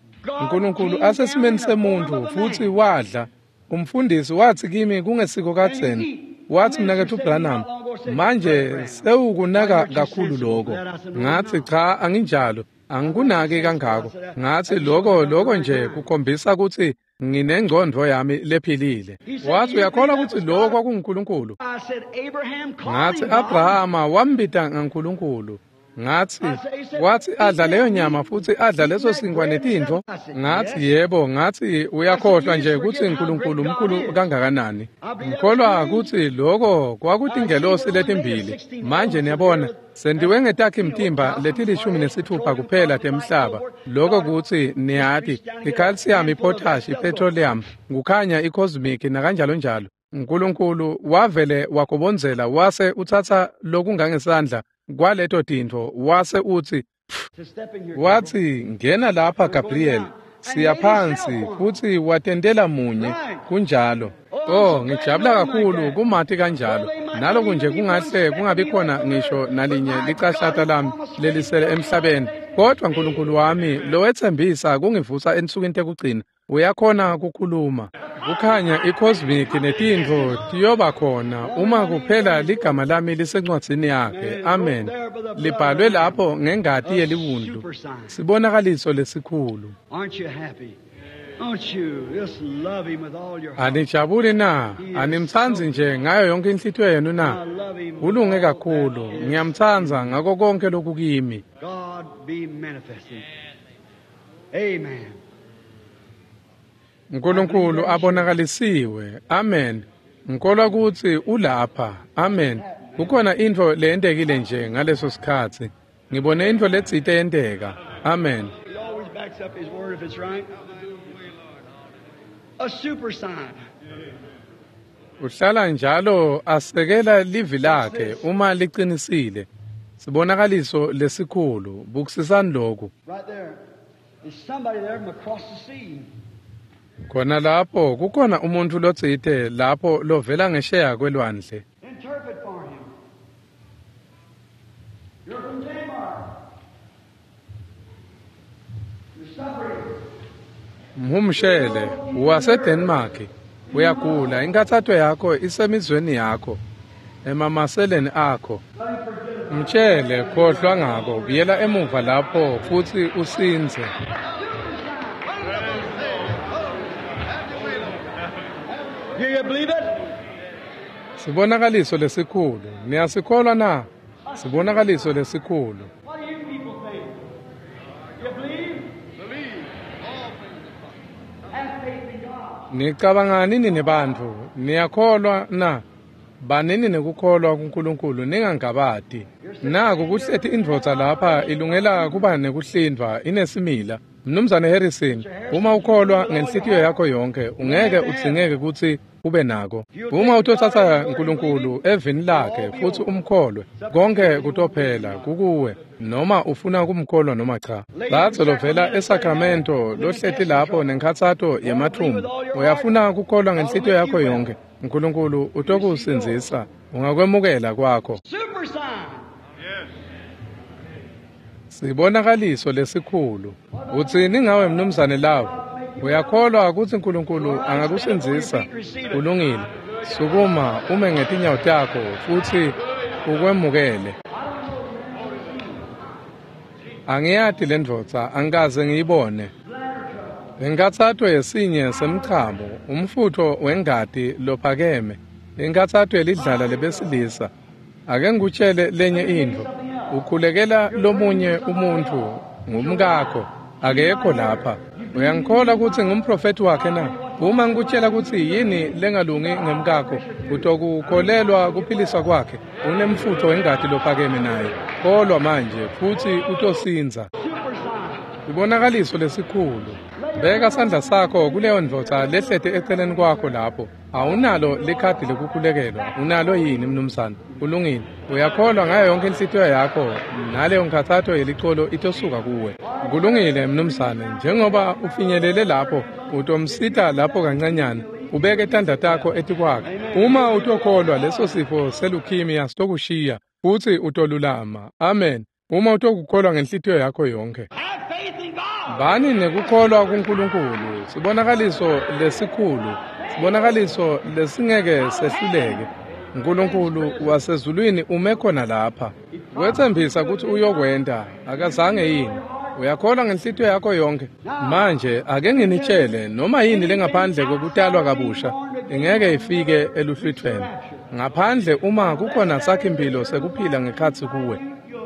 Nkulunkulu asesimeni semuntfu futsi wadla. Umfundisi watsi kimi kungesiko kadzeni, watsi mnaketfu Branham, manje sewukunaka kakhulu lokho. Ngatsi cha, anginjalo, angikunaki kangako. Ngatsi lokho lokho nje kukhombisa kutsi nginengcondvo yami lephilile. Watsi uyakholwa kutsi lokho kwakunguNkulunkulu? Ngatsi Abrahama wambita ngaNkulunkulu. Ngatsi watsi adla leyo nyama futsi adla leso sinkwa netintfo. Ngatsi yebo. Ngatsi uyakhohlwa nje kutsi uNkulunkulu mkhulu kangakanani. Ngikholwa kutsi lokho kwakutingelosi letimbili. Manje niyabona, sentiwe ngetakhi mtimba letilishumi nesitfupha kuphela temhlaba. Lokho kutsi niyati, i-calcium, i-potash, i-petroleum, kukhanya i-cosmic nakanjalo njalo. Nkulunkulu wavele wagobondzela wase utsatsa lokungangesandla kwaleto tintfo wase utsi, watsi ngena lapha Gabriel, siya phansi futsi watentela munye. Kunjalo. Oh, ngijabula kakhulu kumati kanjalo. Naloku nje kungahle kungabi khona ngisho nalinye licashata lami lelisele emhlabeni, kodwa Nkulunkulu wami lowetsembisa kungivusa ensukwini tekugcina uyakhona kukhuluma. Kukhanya i-cosmic netintfo tiyoba khona uma kuphela ligama lami lisencwadzini yakhe. Amen. Libhalwe lapho ngengati yeliwundlu. Sibonakaliso lesikhulu. Anijabuli na? Animtsandzi nje ngayo yonke inhlitiyo yenu na? Ulunge kakhulu. Ngiyamtsandza ngako konke lokukimi. Amen. Nkulunkulu abonakalisiwe. Amen. Ngikholwa kutsi ulapha. Amen. Kukhona intfo leyentekile nje ngaleso sikhatsi. Ngibone intfo letsite yenteka. Amen. He always backs up his word if it's right. A super sign. Uhlala njalo asekela livi lakhe uma liqinisile. Sibonakaliso lesikhulu, bukisisani lokhu. Right there. There's somebody there from across the sea. Khona lapho kukhona umuntfu lotsite lapho lovela ngesheya kwelwandle. Interpret for him. You're from Denmark. You're suffering. Mhumshele, waseDenmark. Uyagula, inkathato yakho isemizweni yakho, emamaseleni akho. Mtshele, khohlwa ngako, buyela emuva lapho futsi usindze. Do you believe it? Sibonakaliso lesikhulu, niyasikholwa na? Sibonakaliso lesikhulu. What do you people think? You believe? Believe. All things are possible. Have faith in God. Nicabangani nini bantfu? Niyakholwa na? Banini nekukholwa kuNkulunkulu, ningangabati. Naku kuhleti indvodza lapha ilungela kuba nekuhlindvwa inesimila. Mnumzane Harrison, uma ukholwa ngenhlitiyo yakho yonke, ungeke udzingeke kutsi ube nako. Uma utotsatsa uNkulunkulu evini lakhe futsi umkholwe, konke kutophela kukuwe, noma ufuna kumkholwa noma cha. Latso lovela eSacramento lohleti lapho nenkhatsato yemathumbu, uyafuna kukholwa ngenhlitiyo yakho yonke, uNkulunkulu utokusindzisa, ungakwemukela kwakho. Super sign. Sibonakaliso lesikhulu. Utsini ngawe mnumzane Love? Uyakholwa kutsi uNkulunkulu angakusindzisa? Kulungile. Sukuma ume ngetinyawo takho futsi ukwemukele. Angiyati lendvodza, angikaze ngiyibone. Inkathato yesinye semchamo, umfutfo wengati lophakeme, inkathato yelidlala lebesilisa. Ake ngikutshele lenye intfo. Ukhulekela lomunye umuntfu, ngumkakho, akekho lapha. Uyangikholwa kutsi ngumprofethi wakhe na? Uma ngikutshela kutsi yini lengalungi ngemkakho, utokukholelwa kuphiliswa kwakhe. Unemfutfo wengati lophakeme naye. Kholwa manje futsi utosindza. Sibonakaliso lesikhulu. Beka sandla sakho kuleyo ndvodza lehleti eceleni kwakho lapho. Awunalo likhadi lekukhulekelwa, unalo yini mnumzane? Kulungile. Uyakholwa ngayo yonke inhlitiyo yakho, naleyo nkhatsato yelicolo itosuka kuwe. Kulungile mnumzane, njengoba ufinyelele lapho, utomsita lapho kancanyana, ubeke tandla takho etikwakhe. Uma utokholwa, leso sifo seleukemia sitokushiya futsi utolulama. Amen. Uma utokukholwa ngenhlitiyo yakho yonke. Have faith in God. Bani nekukholwa kuNkulunkulu, sibonakaliso lesikhulu, sibonakaliso lesingeke sehluleke. uNkulunkulu wasezulwini ume khona lapha. Wetsembisa kutsi uyokwenta, akazange yini? Uyakholwa ngenhlitiyo yakho yonke? Manje ake nginitshele, noma yini lengaphandle kwekutalwa kabusha ingeke ifike eluhlwitfweni. Ngaphandle uma kukhona sakhimpilo sekuphila ngekhatsi kuwe,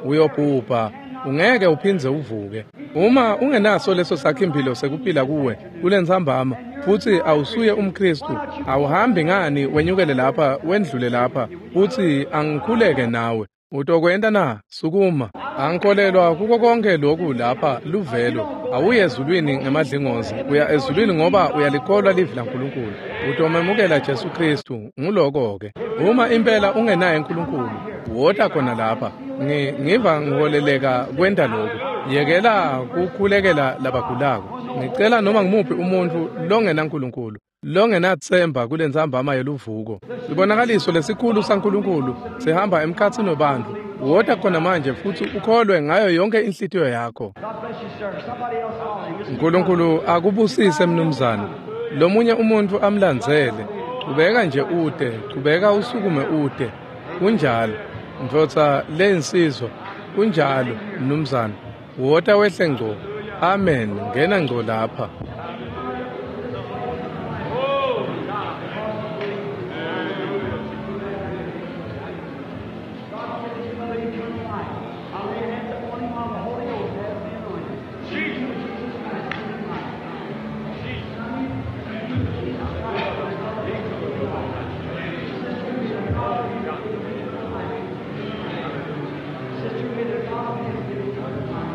uyobhubha, ungeke uphindze uvuke. Uma ungenaso leso sakhimpilo sekuphila kuwe kulentsambama futsi awusuye umKristu, awuhambi ngani wenyukele lapha wendlule lapha futsi angikhuleke nawe. Utokwenta na? Sukuma. Angikholelwa kuko konke lokhu lapha luvelo. Awuye ezulwini ngemadlingozi, uya ezulwini ngoba uyalikholwa livi laNkulunkulu. Utomemukela Jesu Kristu, nguloko-ke. Uma impela ungenaye uNkulunkulu, wota khona lapha. Ngi ngiva ngiholeleka kwenta lokhu. Yekela kukhulekela labagulako. Ngicela noma ngimuphi umuntfu longenaNkulunkulu, longenatsemba kulentsambama yeluvuko. Sibonakaliso lesikhulu saNkulunkulu sihamba emkhatsini webantfu. Wota khona manje futsi ukholwe ngayo yonke inhlitiyo yakho. God bless you, sir. Somebody else follow him. Just uNkulunkulu akubusise mnumzane. Lomunye umuntfu amlandzele. Chubeka nje ute, chubeka usukume ute. Kunjalo. Ndvodza leyinsizwa, kunjalo mnumzane. Wota wehle ngco. Amen. Ngena ngco lapha. God give his mother eternal life. I lay hands upon him while the Holy Ghost has the anointing. Jesus Christ, give him life. Sister, may the God of his give eternal life.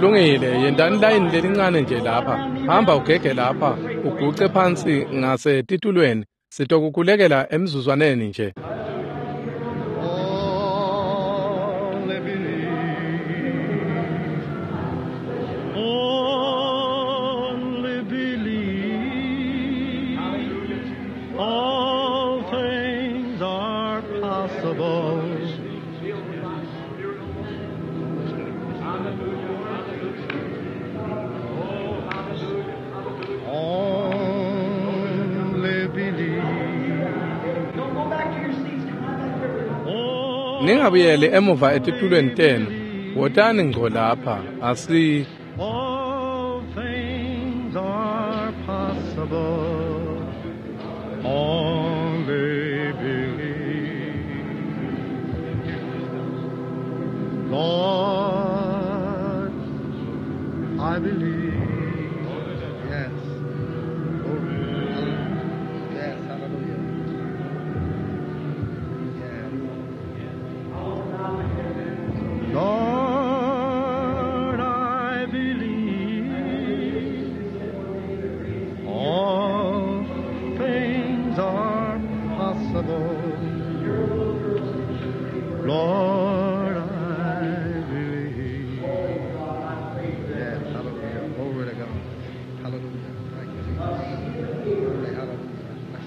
Kulungile, yentani layini lelincane nje lapha. Hamba ugege lapha, uguce phansi ngase titulweni. Sitokukhulekela emzuzwaneni nje. Only believe. Only believe. All things are possible. Only believe. Ningabuyeli emuva etitulweni tenu. Wotani ngco lapha. Asi All things are possible. Only believe. Lord, I believe. Yes. Glory. Hallelujah. Yes, hallelujah. Yes. Lord, I believe. All things are possible. Lord, I believe. Yes, hallelujah. Glory to God. Hallelujah. Thank you, Jesus. Glory, hallelujah. Bless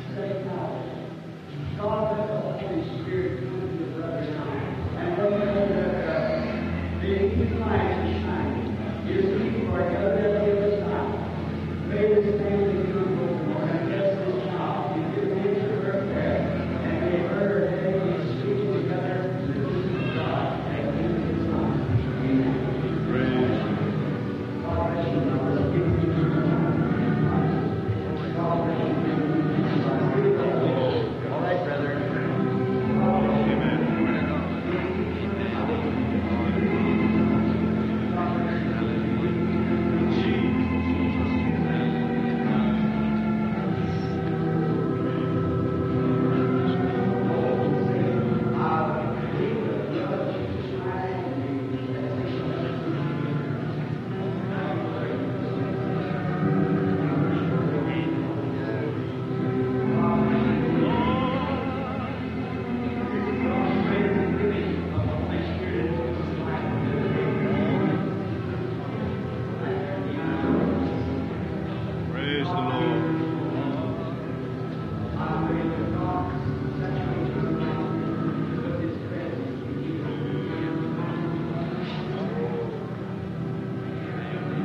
you. Praise the Lord.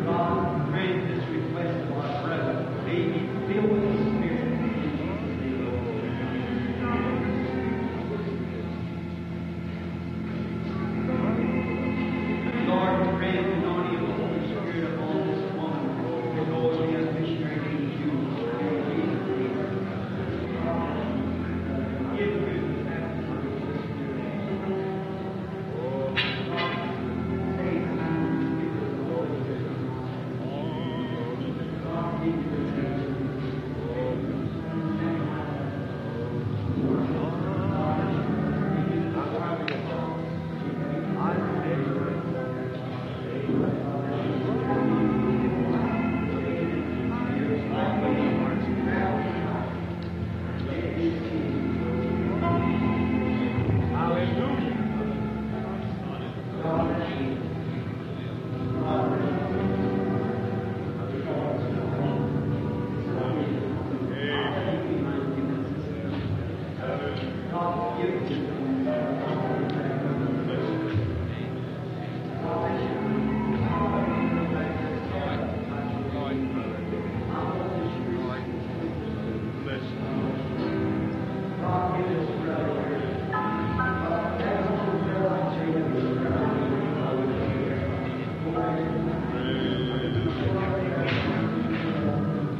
God, grant this request of our brother. May he be filled with the Spirit. In Jesus' name. Lord, grant the anointing of the Holy Spirit upon this woman to go as a missionary to you. In Jesus' name. Give her the baptism of the Holy Spirit. Save her. Give her the Holy Spirit. God, give her the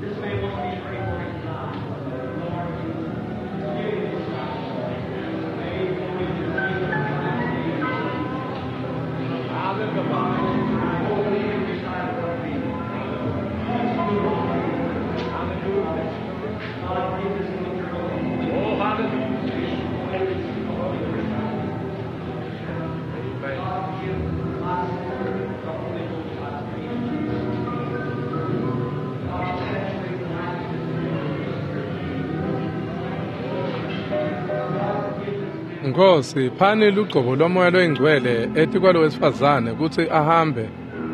This man wants me to pray for his life. Lord, give his life. Nkosi, phani lugcobo lomoya loyingcwele etikwalo wesifazane kutsi ahambe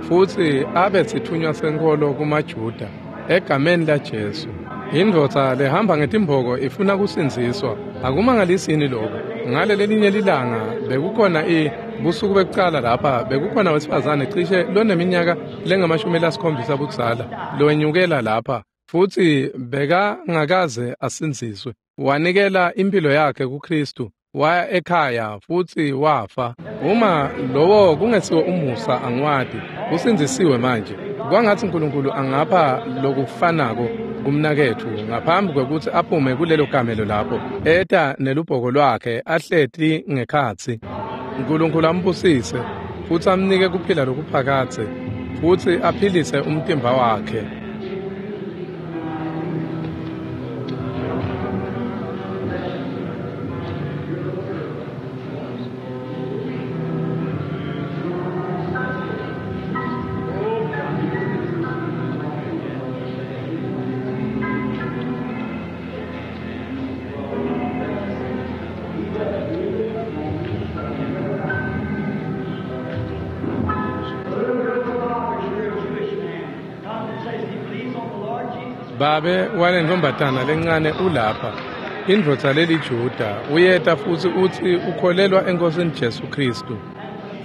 futsi abe sitfunywa senkholo kumaJuda egameni laJesu. Indvodza lehamba ngetimboko ifuna kusindziswa. Akumangalisini lokho. Ngale lelinye lilanga bekukhona i busuku bekucala lapha bekukhona wesifazane cishe loneminyaka lengamashumi lasikhombisa budzala lowenyukela lapha futsi bekangakaze asindziswe. Wanikela impilo yakhe kuKristu, waya ekhaya futsi wafa. Uma lowo kungesiwo umusa angiwati, usindzisiwe manje. Kwangatsi uNkulunkulu angapha lokufanako kumnaketfu ngaphambi kwekutsi aphume kulelo kamelo lapho eta nelubhoko lwakhe ahleti ngekhatsi. uNkulunkulu ambusise futsi amnike kuphila lokuphakadze futsi aphilise umtimba wakhe. Babe walentfombatana lencane ulapha, indvodza leliJuda, uyeta futsi utsi ukholelwa eNkosini Jesu Kristu.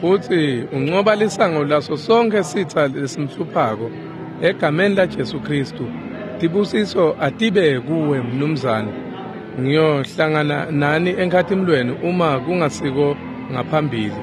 Futsi uncoba lisango laso sonkhe sitsa lesimhluphako egameni laJesu Kristu. Tibusiso atibe kuwe mnumzane. Ngiyohlangana nani enkhatimlweni uma kungasiko ngaphambili.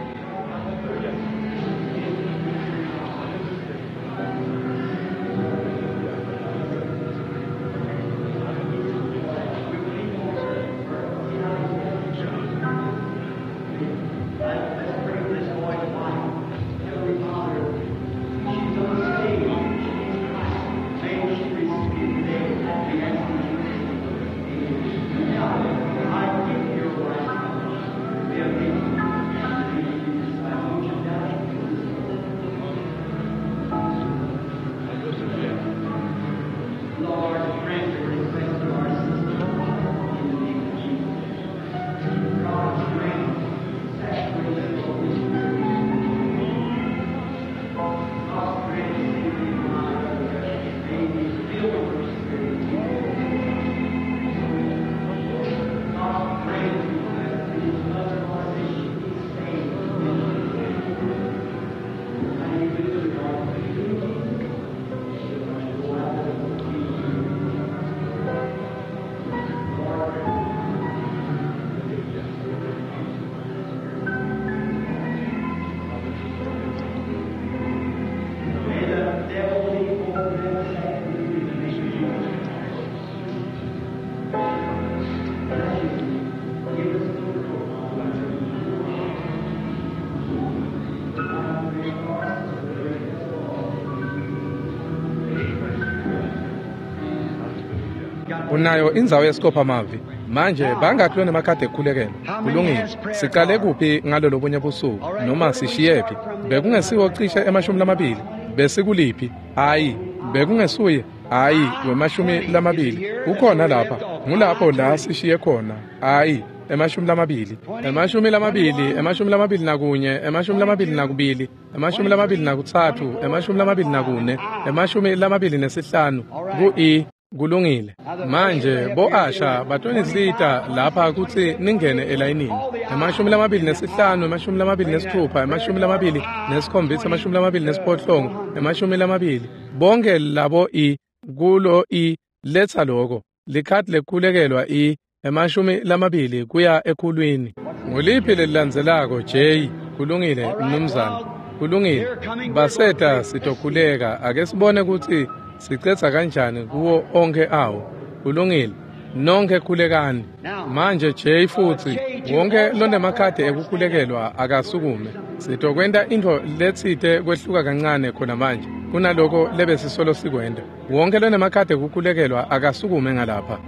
Unayo indzawo yesikopha-mavi. Manje bangakhi lonemakhadi ekukhulekela? Kulungile. Sicale kuphi ngalolo lobunye busuku noma sishiyephi? Bekungesiwo cishe emashumi lamabili. Besikuliphi? Hayi, bekungesuye. Hayi, wemashumi lamabili. Ukhona lapha. Ngulapho la sishiye khona. Hayi, emashumi lamabili. Emashumi lamabili, emashumi lamabili nakunye, emashumi lamabili nakubili, emashumi lamabili nakutsatfu, emashumi lamabili nakune, emashumi lamabili nesihlanu. Ku-E. Kulungile. Manje bo-Asha batonisita lapha kutsi ningene elayinini. Emashumi lamabili nesihlanu, emashumi lamabili nesitfupha, emashumi lamabili nesikhombisa, emashumi lamabili nesiphohlongo, emashumi lamabili. Bonke labo i kulo i letsa loko. Likhadi lekukhulekelwa i emashumi lamabili kuya ekhulwini. Nguliphi lelilandzelako J? Kulungile mnumzane. Kulungile. Baseta sitokhuleka. Ake sibone kutsi sicetsa kanjani kuwo onke awo. Kulungile. Nonke khulekani. Manje J futsi wonke lonemakhadi ekukhulekelwa akasukume. Sitokwenta intfo letsite kwehluka kancane khona manje kunaloko lebesisolo sikwenta. Wonke lonemakhadi ekukhulekelwa akasukume ngalapha.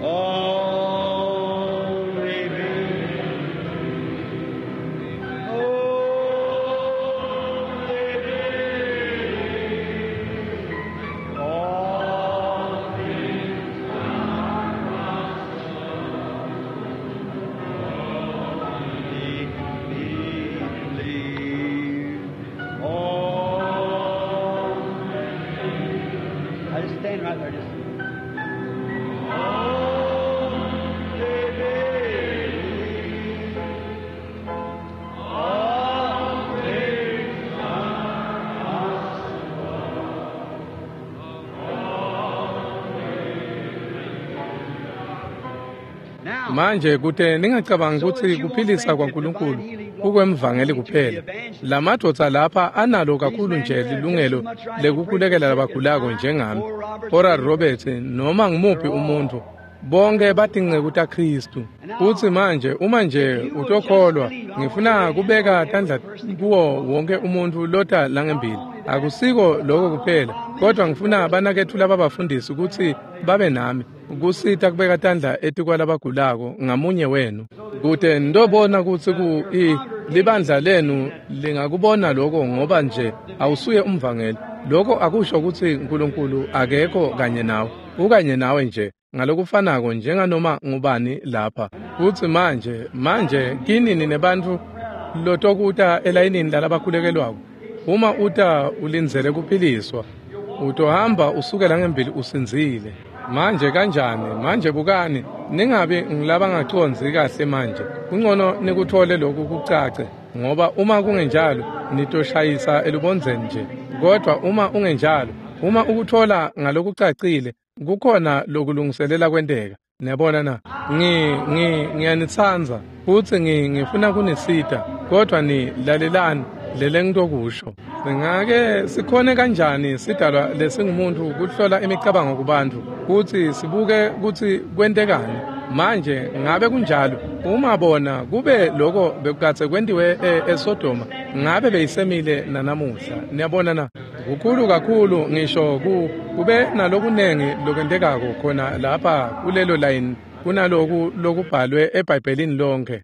Only Manje kute ningacabangi kutsi kuphilisa kwaNkulunkulu kukwemvangeli kuphela. Lamadvodza lapha analo kakhulu nje lilungelo lekukhulekela labagulako njengami, Oral Roberts noma ngumuphi umuntfu. Bonke batinceku taKhristu. Futsi manje uma nje utokholwa, ngifuna kubeka tandla kuwo wonke umuntfu lota langembili. Akusiko lokho kuphela, kodwa ngifuna banaketfu lababafundisi kutsi babe nami kusita kubeka tandla etikwalabagulako ngamunye wenu. Kute nitobona kutsi ku i libandla lenu lingakubona lokho ngoba nje awusuye umvangeli. Lokho akusho kutsi uNkulunkulu akekho kanye nawe. Ukanye nawe nje ngalokufanako njenganoma ngubani lapha. Futsi manje manje kini ninebantfu lotokuta elayinini lalabakhulekelwako. Uma uta ulindzele kuphiliswa, utohamba usukela ngembili usindzile. Manje kanjani? Manje bukani, ningabi ngilabangacondzi kahle manje. Kungcono nikuthole lokhu kucace, ngoba uma kungenjalo nitoshayisa elubondzeni nje. Kodwa uma ungenjalo, uma ukuthola ngalokucacile, kukhona lokulungiselela kwenteka. Niyabona na? Ngi ngi ngiyanitsandza futsi ngi ngifuna kunisita, kodwa ni lalelani lele ngitokusho. Singake sikhone kanjani sidalwa lesingumuntu kuhlola imicabango kubantu kutsi sibuke kutsi kwentekani? Manje ngabe kunjalo? Uma bona kube lokho bekukadze kwentiwe eSodoma, ngabe beyisemile nanamuhla. Niyabona na? Kukhulu kakhulu ngisho ku kube nalokunengi lokwentekako khona lapha kulelo line kunaloku lokubhalwe eBhayibhelini lonke.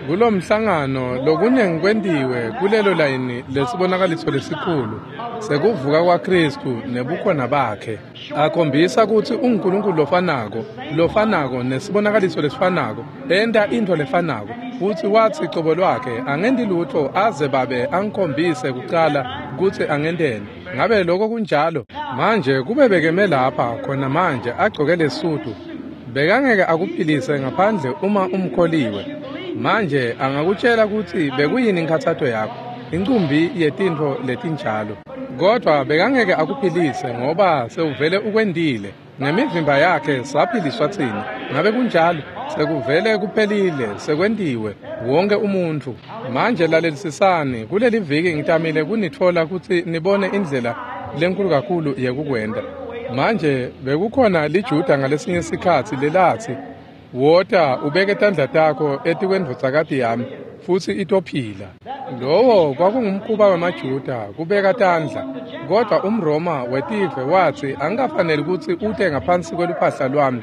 Kulo mhlangano lokunengi kwentiwe kulelo layini lesibonakaliso lesikhulu sekuvuka kwaKhristu nebukhona bakhe, akhombisa kutsi unguNkulunkulu lofanako lofanako nesibonakaliso lesifanako, enta intfo lefanako. Futsi watsi cobo lwakhe angenti lutfo aze babe angikhombise kucala kutsi angenteni. Ngabe lokho kunjalo? Manje kube bekeme lapha khona manje agcoke lesudu, bekangeke akuphilise ngaphandle uma umkholiwe. Manje angakutshela kutsi bekuyini inkhatsato yakho, incumbi yetintfo letinjalo, kodwa bekangeke akuphilise ngoba sewuvele ukwendile. Ngemivimba yakhe saphiliswa tsine. Ngabe kunjalo? Sekuvele kuphelile, sekwentiwe wonke umuntfu. Manje lalelisisani, kuleli viki ngitamile kunitfola kutsi nibone indlela lenkulu kakhulu yekukwenta. Manje bekukhona liJuda ngalesinye sikhatsi lelatsi, "Wota ubeke tandla takho etikwendvodzakati yami futsi itophila." Lowo kwakungumkhuba wemaJuda kubeka tandla, kodwa umRoma wetive watsi angikafaneli kutsi ute ngaphansi kweluphahla lwami.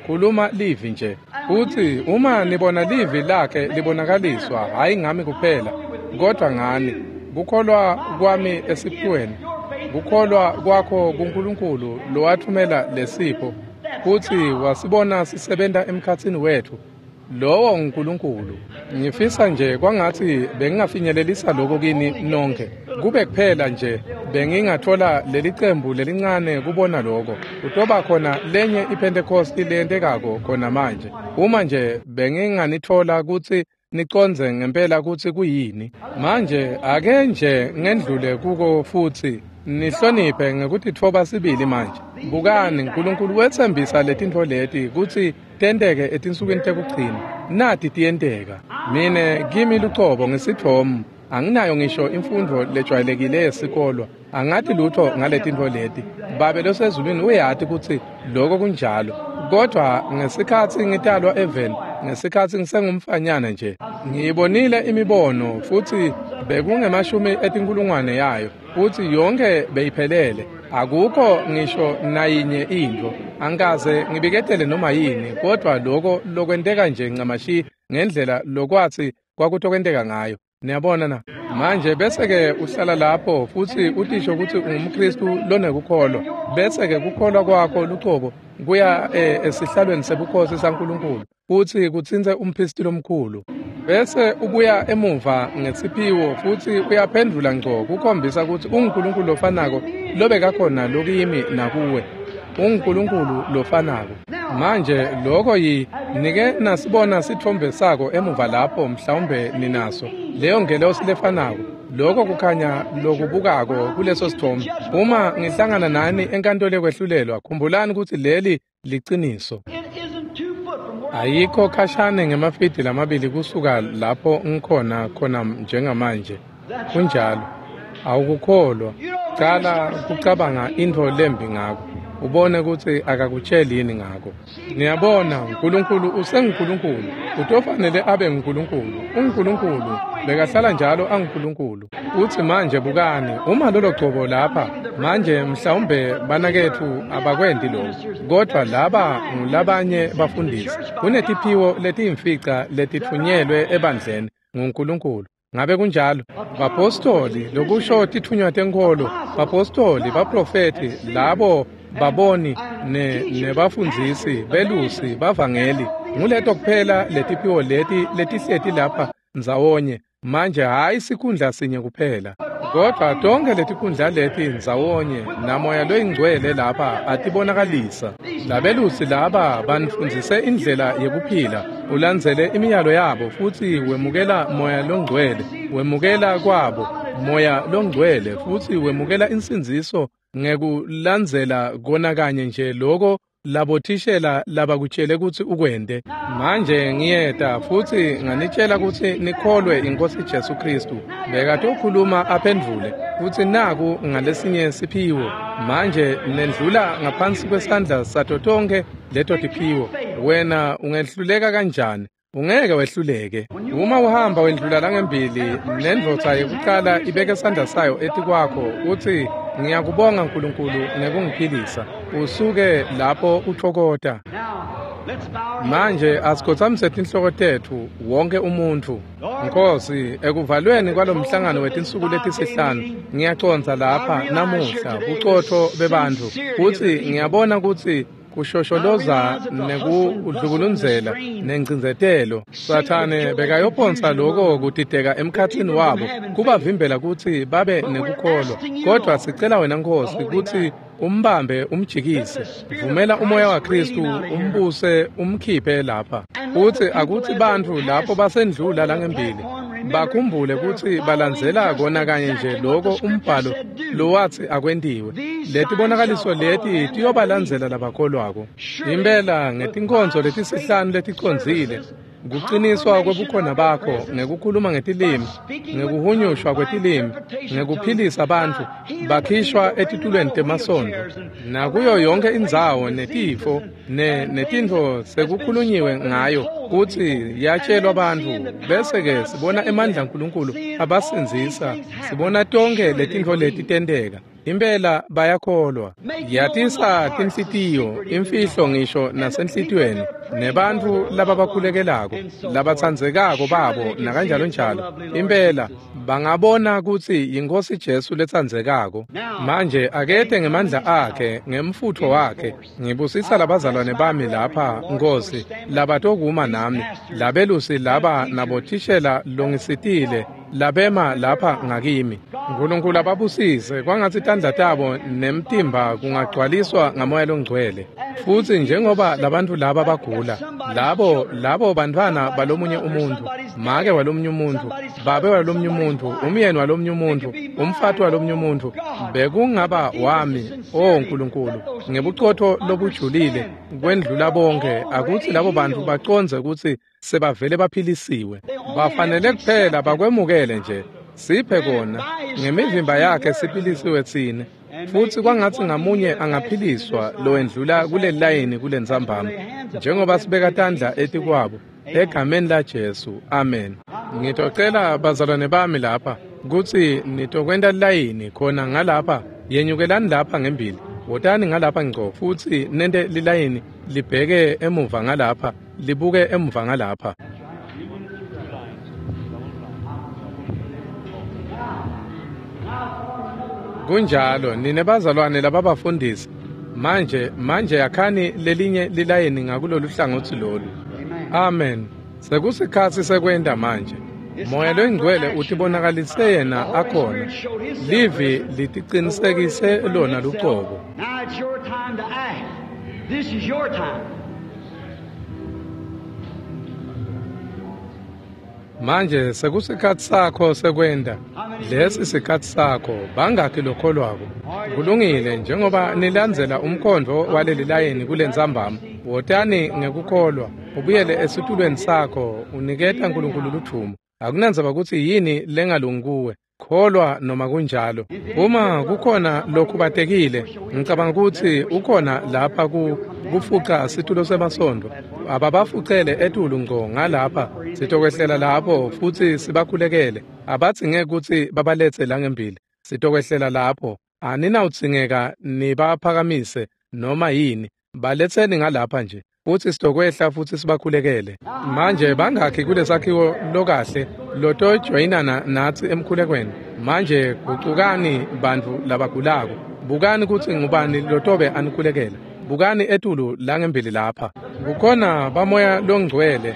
Khuluma livi nje. Futsi uma nibona livi lakhe libonakaliswa, hhayi ngami kuphela, kodwa ngani, kukholwa kwami esiphiweni, kukholwa kwakho kuNkulunkulu lowathumela lesipho, futsi wasibona sisebenta emkhatsini wetfu. Lowo nguNkulunkulu. Ngifisa nje kwangatsi bengingafinyelelisa lokho kini nonke. Kube kuphela nje bengingathola leli cembu lelincane kubona lokho. Kutoba khona lenye iPhentekosti leyentekako khona manje. Uma nje benginganithola kutsi nicondze ngempela kutsi kuyini. Manje ake nje ngendlule kuko futsi nihloniphe ngekutitfoba sibili manje. Bukani, uNkulunkulu wetsembisa letintfo leti kutsi tenteke etinsukwini tekugcina. Nati tiyenteka. Mine kimi lucobo ngisithomu, anginayo ngisho imfundvo lejwayelekile yesikolwa. Angati lutho ngaletintfo leti. Babe losezulwini uyati kutsi lokho kunjalo. Kodwa ngesikhatsi ngitalwa eveni, ngesikhatsi ngisengumfanyana nje, ngiyibonile imibono futsi bekungemashumi etinkulungwane yayo, futsi yonke beyiphelele. Akukho ngisho nayinye intfo. Angikaze ngibiketele noma yini, kodwa lokho lokwenteka nje ncamashi ngendlela lokwatsi kwakutokwenteka ngayo. Niyabona na? Manje bese-ke uhlala lapho futsi utisho kutsi ungumKhristu lonekukholwa, bese-ke kukholwa kwakho lucobo kuya esihlalweni sebukhosi saNkulunkulu futsi kutsintse umphristi lomkhulu. Bese ubuya emuva ngesiphiwo futsi uyaphendvula ngco kukhombisa kutsi unguNkulunkulu lofanako lobekakhona lokimi nakuwe. UnguNkulunkulu lofanako. Manje lokho yi nike nasibona sitfombe sako emuva lapho, mhlawumbe ninaso leyo ngelosi lefanako. Lokho kukhanya lokubukako kuleso sithombe. Uma ngihlangana nani enkantolo yekwehlulelwa, khumbulani kutsi leli liciniso. Ayikho khashane ngemafidi lamabili kusuka lapho ngikhona khona njengamanje. Kunjalo. Awukukholwa. Cala kucabanga intfo lembi ngako. Ubone kutsi akakutsheli yini ngako. Niyabona, uNkulunkulu usenguNkulunkulu. Utofanele abe nguNkulunkulu. UNkulunkulu bekahlala njalo anguNkulunkulu. Uthi manje bukani, uma lolo gcobo lapha, manje mhlawumbe banaketfu abakwendi lokho. Kodwa laba ngulabanye bafundisi. Kunetiphiwo letiyimfica letitfunyelwe ebandleni nguNkulunkulu. Ngabe kunjalo? Bapostoli, lokusho titfunywa tenkholo, bapostoli, baprofethi, labo baboni ne nebafundzisi, belusi, bavangeli. Nguleto kuphela letiphiwo leti letihleti lapha ndzawonye. Manje hayi sikhundla sinye kuphela, kodwa tonke letikhundla leti ndzawonye namoya loyingcwele lapha atibonakalisa. Labelusi laba banifundzise indlela yekuphila, ulandzele imiyalo yabo futsi wemukela moya longcwele, wemukela kwabo moya longcwele futsi wemukela insindziso ngekulandzela kona kanye nje loko labothishela labakutshele kutsi ukwente. Manje ngiyeta futsi nganitshela kutsi nikholwe iNkosi Jesu Kristu. Bekatokhuluma aphendvule futsi naku ngalesinye siphiwo. Manje nendlula ngaphansi kwesandla sato tonkhe leto tiphiwo. Wena ungehluleka kanjani? Ungeke wehluleke. Uma uhamba wendlula langembili nendvodza yekuqala ibeke sandla sayo etikwakho uthi ngiyakubonga uNkulunkulu ngekungiphilisa, usuke lapho uthokota. Manje asikhotsamise tinhloko tetfu wonke umuntfu. Nkosi, ekuvalweni kwalomhlangano wetinsuku letisihlanu ngiyacondza lapha namuhla bucotfo bebantfu futsi ngiyabona kutsi kushosholoza nekudlukulunzela nencindzetelo. Sathane bekayophonsa loko kutideka emkhatsini wabo kubavimbela kutsi babe nekukholwa. Kodwa sicela wena Nkosi kutsi umbambe umjikise. Vumela umoya waKristu umbuse umkhiphe lapha. Futsi akutsi bantfu lapho basendlula langembili bakhumbule kutsi balandzela kona kanye nje loko umbhalo lowatsi akwentiwe. Letibonakaliso leti tiyobalandzela labakholwako. Impela ngetinkonzo letisihlanu leticondzile, kuqiniswa kwebukhona bakho ngekukhuluma ngetilimi, ngekuhunyushwa kwetilimi, ngekuphilisa bantfu bakhishwa etitulweni temasondo, nakuyo yonke indzawo netifo ne netintfo sekukhulunyiwe ngayo kutsi yatshelwa bantfu. Bese-ke sibona emandla aNkulunkulu abasindzisa, sibona tonke letintfo leti tenteka. Impela bayakholwa. Yatisa tinhlitiyo, imfihlo ngisho nasenhlitiyweni, nebantfu lababakhulekelako, labatsandzekako babo nakanjalo njalo. Impela bangabona kutsi yiNkosi Jesu letsandzekako. Manje akete ngemandla akhe, ngemfutfo wakhe. Ngibusisa labazalwane bami lapha, Nkosi, labatokuma nami, labelusi laba nabothishela longisitile, labema lapha ngakimi. Nkulunkulu ababusise kwangatsi tandla tabo nemtimba kungagcwaliswa ngamoya longcwele. Futsi njengoba labantfu laba bagula, labo labo bantfwana balomunye umuntfu, make walomunye umuntfu, babe walomunye umuntfu, umyeni walomunye umuntfu, umfati walomunye umuntfu, bekungaba wami, o Nkulunkulu, ngebucotfo lobujulile kwendlula bonke, akutsi labo bantfu bacondze kutsi sebavele baphilisiwe. Bafanele kuphela bakwemukele nje. Siphe kona ngemivimba yakhe siphilisiwe tsine. Futsi kwangatsi ngamunye angaphiliswa lowendlula kuleli layini kulentsambama, njengoba sibeka tandla etikwabo egameni laJesu. Amen. Ngitocela bazalwane bami lapha kutsi nitokwenta lilayini khona ngalapha. Yenyukelani lapha ngembili, wotani ngalapha ngco futsi nente lilayini libheke emuva ngalapha, libuke emuva ngalapha. Kunjalo nine bazalwane lababafundisi. Manje manje yakhani lelinye lilayini ngakulolu hlangotsi lolu. Amen. Sekusikhatsi sekwenta manje. Moya loyingcwele utibonakalise yena akhona. Livi litiqinisekise lona lucobo. Now it's your time to act. This is your time. Manje sekusikhatsi sakho sekwenta. Lesi sikhatsi sakho. Bangakhi lokholwako? Kulungile, njengoba nilandzela umkhondvo waleli layini kulentsambama, wotani ngekukholwa. Ubuyele esitulweni sakho, uniketa Nkulunkulu ludvumo. Akunandzaba kutsi yini lengalungi kuwe, kholwa noma kunjalo. Uma kukhona lokhubatekile, ngicabanga kutsi ukhona lapha ku kufuca situlo semasondo. Ababafucele etulu ngco ngalapha, sitokwehlela lapho futsi sibakhulekele. Abadzinge kutsi babaletse langembili. Sitokwehlela lapho. Aninawudzingeka nibaphakamise noma yini. Baletseni ngalapha nje. Futsi sitokwehla futsi sibakhulekele. Manje bangakhi kulesakhiwo lokahle lotojoyinana natsi emkhulekweni? Manje gucukani bantfu labagulako. Bukani kutsi ngubani lotobe anikhulekela. Bukani etulu langembili lapha. Kukhona bamoya longcwele.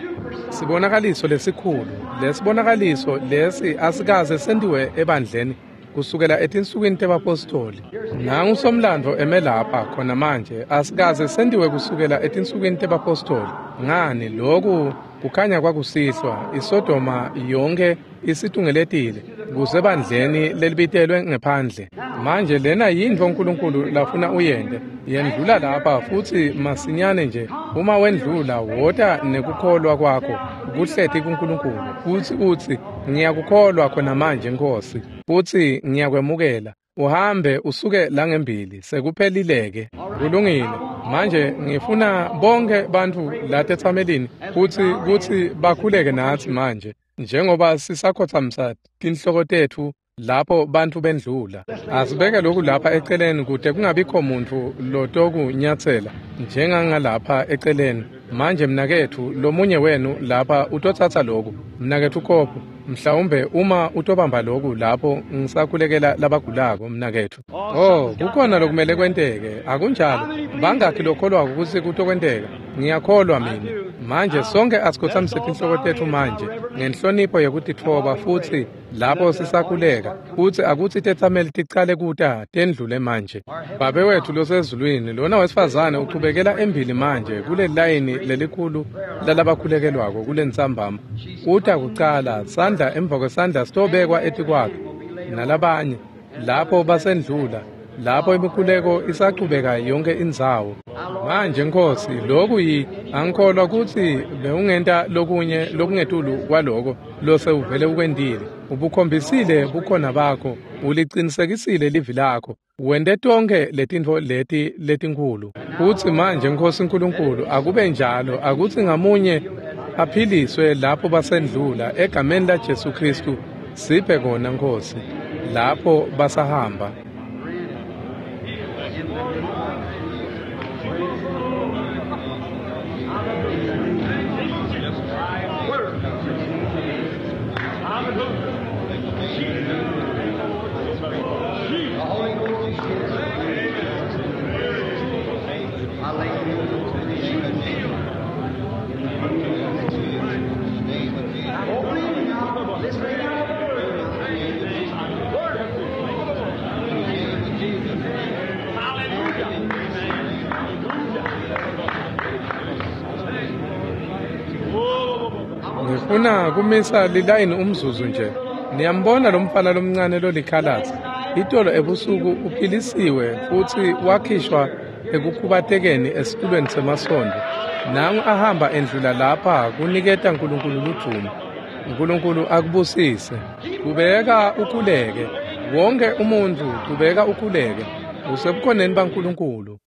Sibonakaliso lesikhulu. Lesibonakaliso lesi asikaze sentiwe ebandleni kusukela etinsukwini tebapostoli. Nangu somlandvo eme lapha khona manje asikaze sentiwe kusukela etinsukwini tebapostoli. Ngani lokhu kukhanya kwakusihlwa iSodoma yonke isitungeletile kusebandleni lelibitelwe ngephandle. Manje lena yintfo uNkulunkulu lafuna uyente. Yendlula lapha futsi masinyane nje uma wendlula wota nekukholwa kwakho kuhleti kuNkulunkulu futsi utsi ngiyakukholwa khona manje Nkosi futsi ngiyakwemukela. Uhambe usuke langembili sekuphelileke. Kulungile. Manje ngifuna bonke bantfu latetsamelini kutsi kutsi bakhuleke natsi manje njengoba sisakhotsamisa tinhloko tetfu lapho bantfu bendlula. Asibeke lokhu lapha eceleni kute kungabikho muntfu lotokunyatsela njengangalapha eceleni. Manje mnaketfu lomunye wenu lapha utotsatsa lokhu. Mnaketfu Kopho, mhlawumbe uma utobamba lokhu lapho ngisakhulekela labagulako mnaketfu. Oh, kukhona lokumele kwenteke, akunjalo? Bangakhi lokholwako kutsi kutokwenteka? Ngiyakholwa mina. Manje sonke asikhotsamise tinhloko tetfu manje ngenhlonipho yekutitfoba futsi lapho sisakhuleka futsi akutsi tetsameli ticale kuta tendlule manje. Babe wetfu losezulwini, lona wesifazane uchubekela embili manje kuleli layini lelikhulu lalabakhulekelwako kulentsambama. Uta kucala sandla emva kwesandla sitobekwa etikwakhe nalabanye lapho basendlula lapho imikhuleko isachubeka yonke indzawo. Manje Nkosi, lokhu yi angikholwa kutsi bewungenta lokunye lokungetulu kwaloko losewuvele ukwentile. Ubukhombisile bukhona bakho, ulicinisekisile livi lakho, wente tonkhe letintfo leti letinkhulu. Futsi manje Nkosi Nkulunkulu, akube njalo, akutsi ngamunye aphiliswe lapho basendlula egameni la Jesu Kristu. Siphe kona Nkosi lapho basahamba. Ngifuna kumisa lilayini umzuzu nje. Niyambona lo mfana lomncane lolikhalatsi. Itolo ebusuku uphilisiwe futsi wakhishwa ekukhubatekeni esitulweni semasondo. Nangu ahamba endlula lapha kuniketa Nkulunkulu ludvumo. Nkulunkulu akubusise. Kubeka ukhuleke. Wonke umuntfu kubeka ukhuleke. Usebukhoneni baNkulunkulu.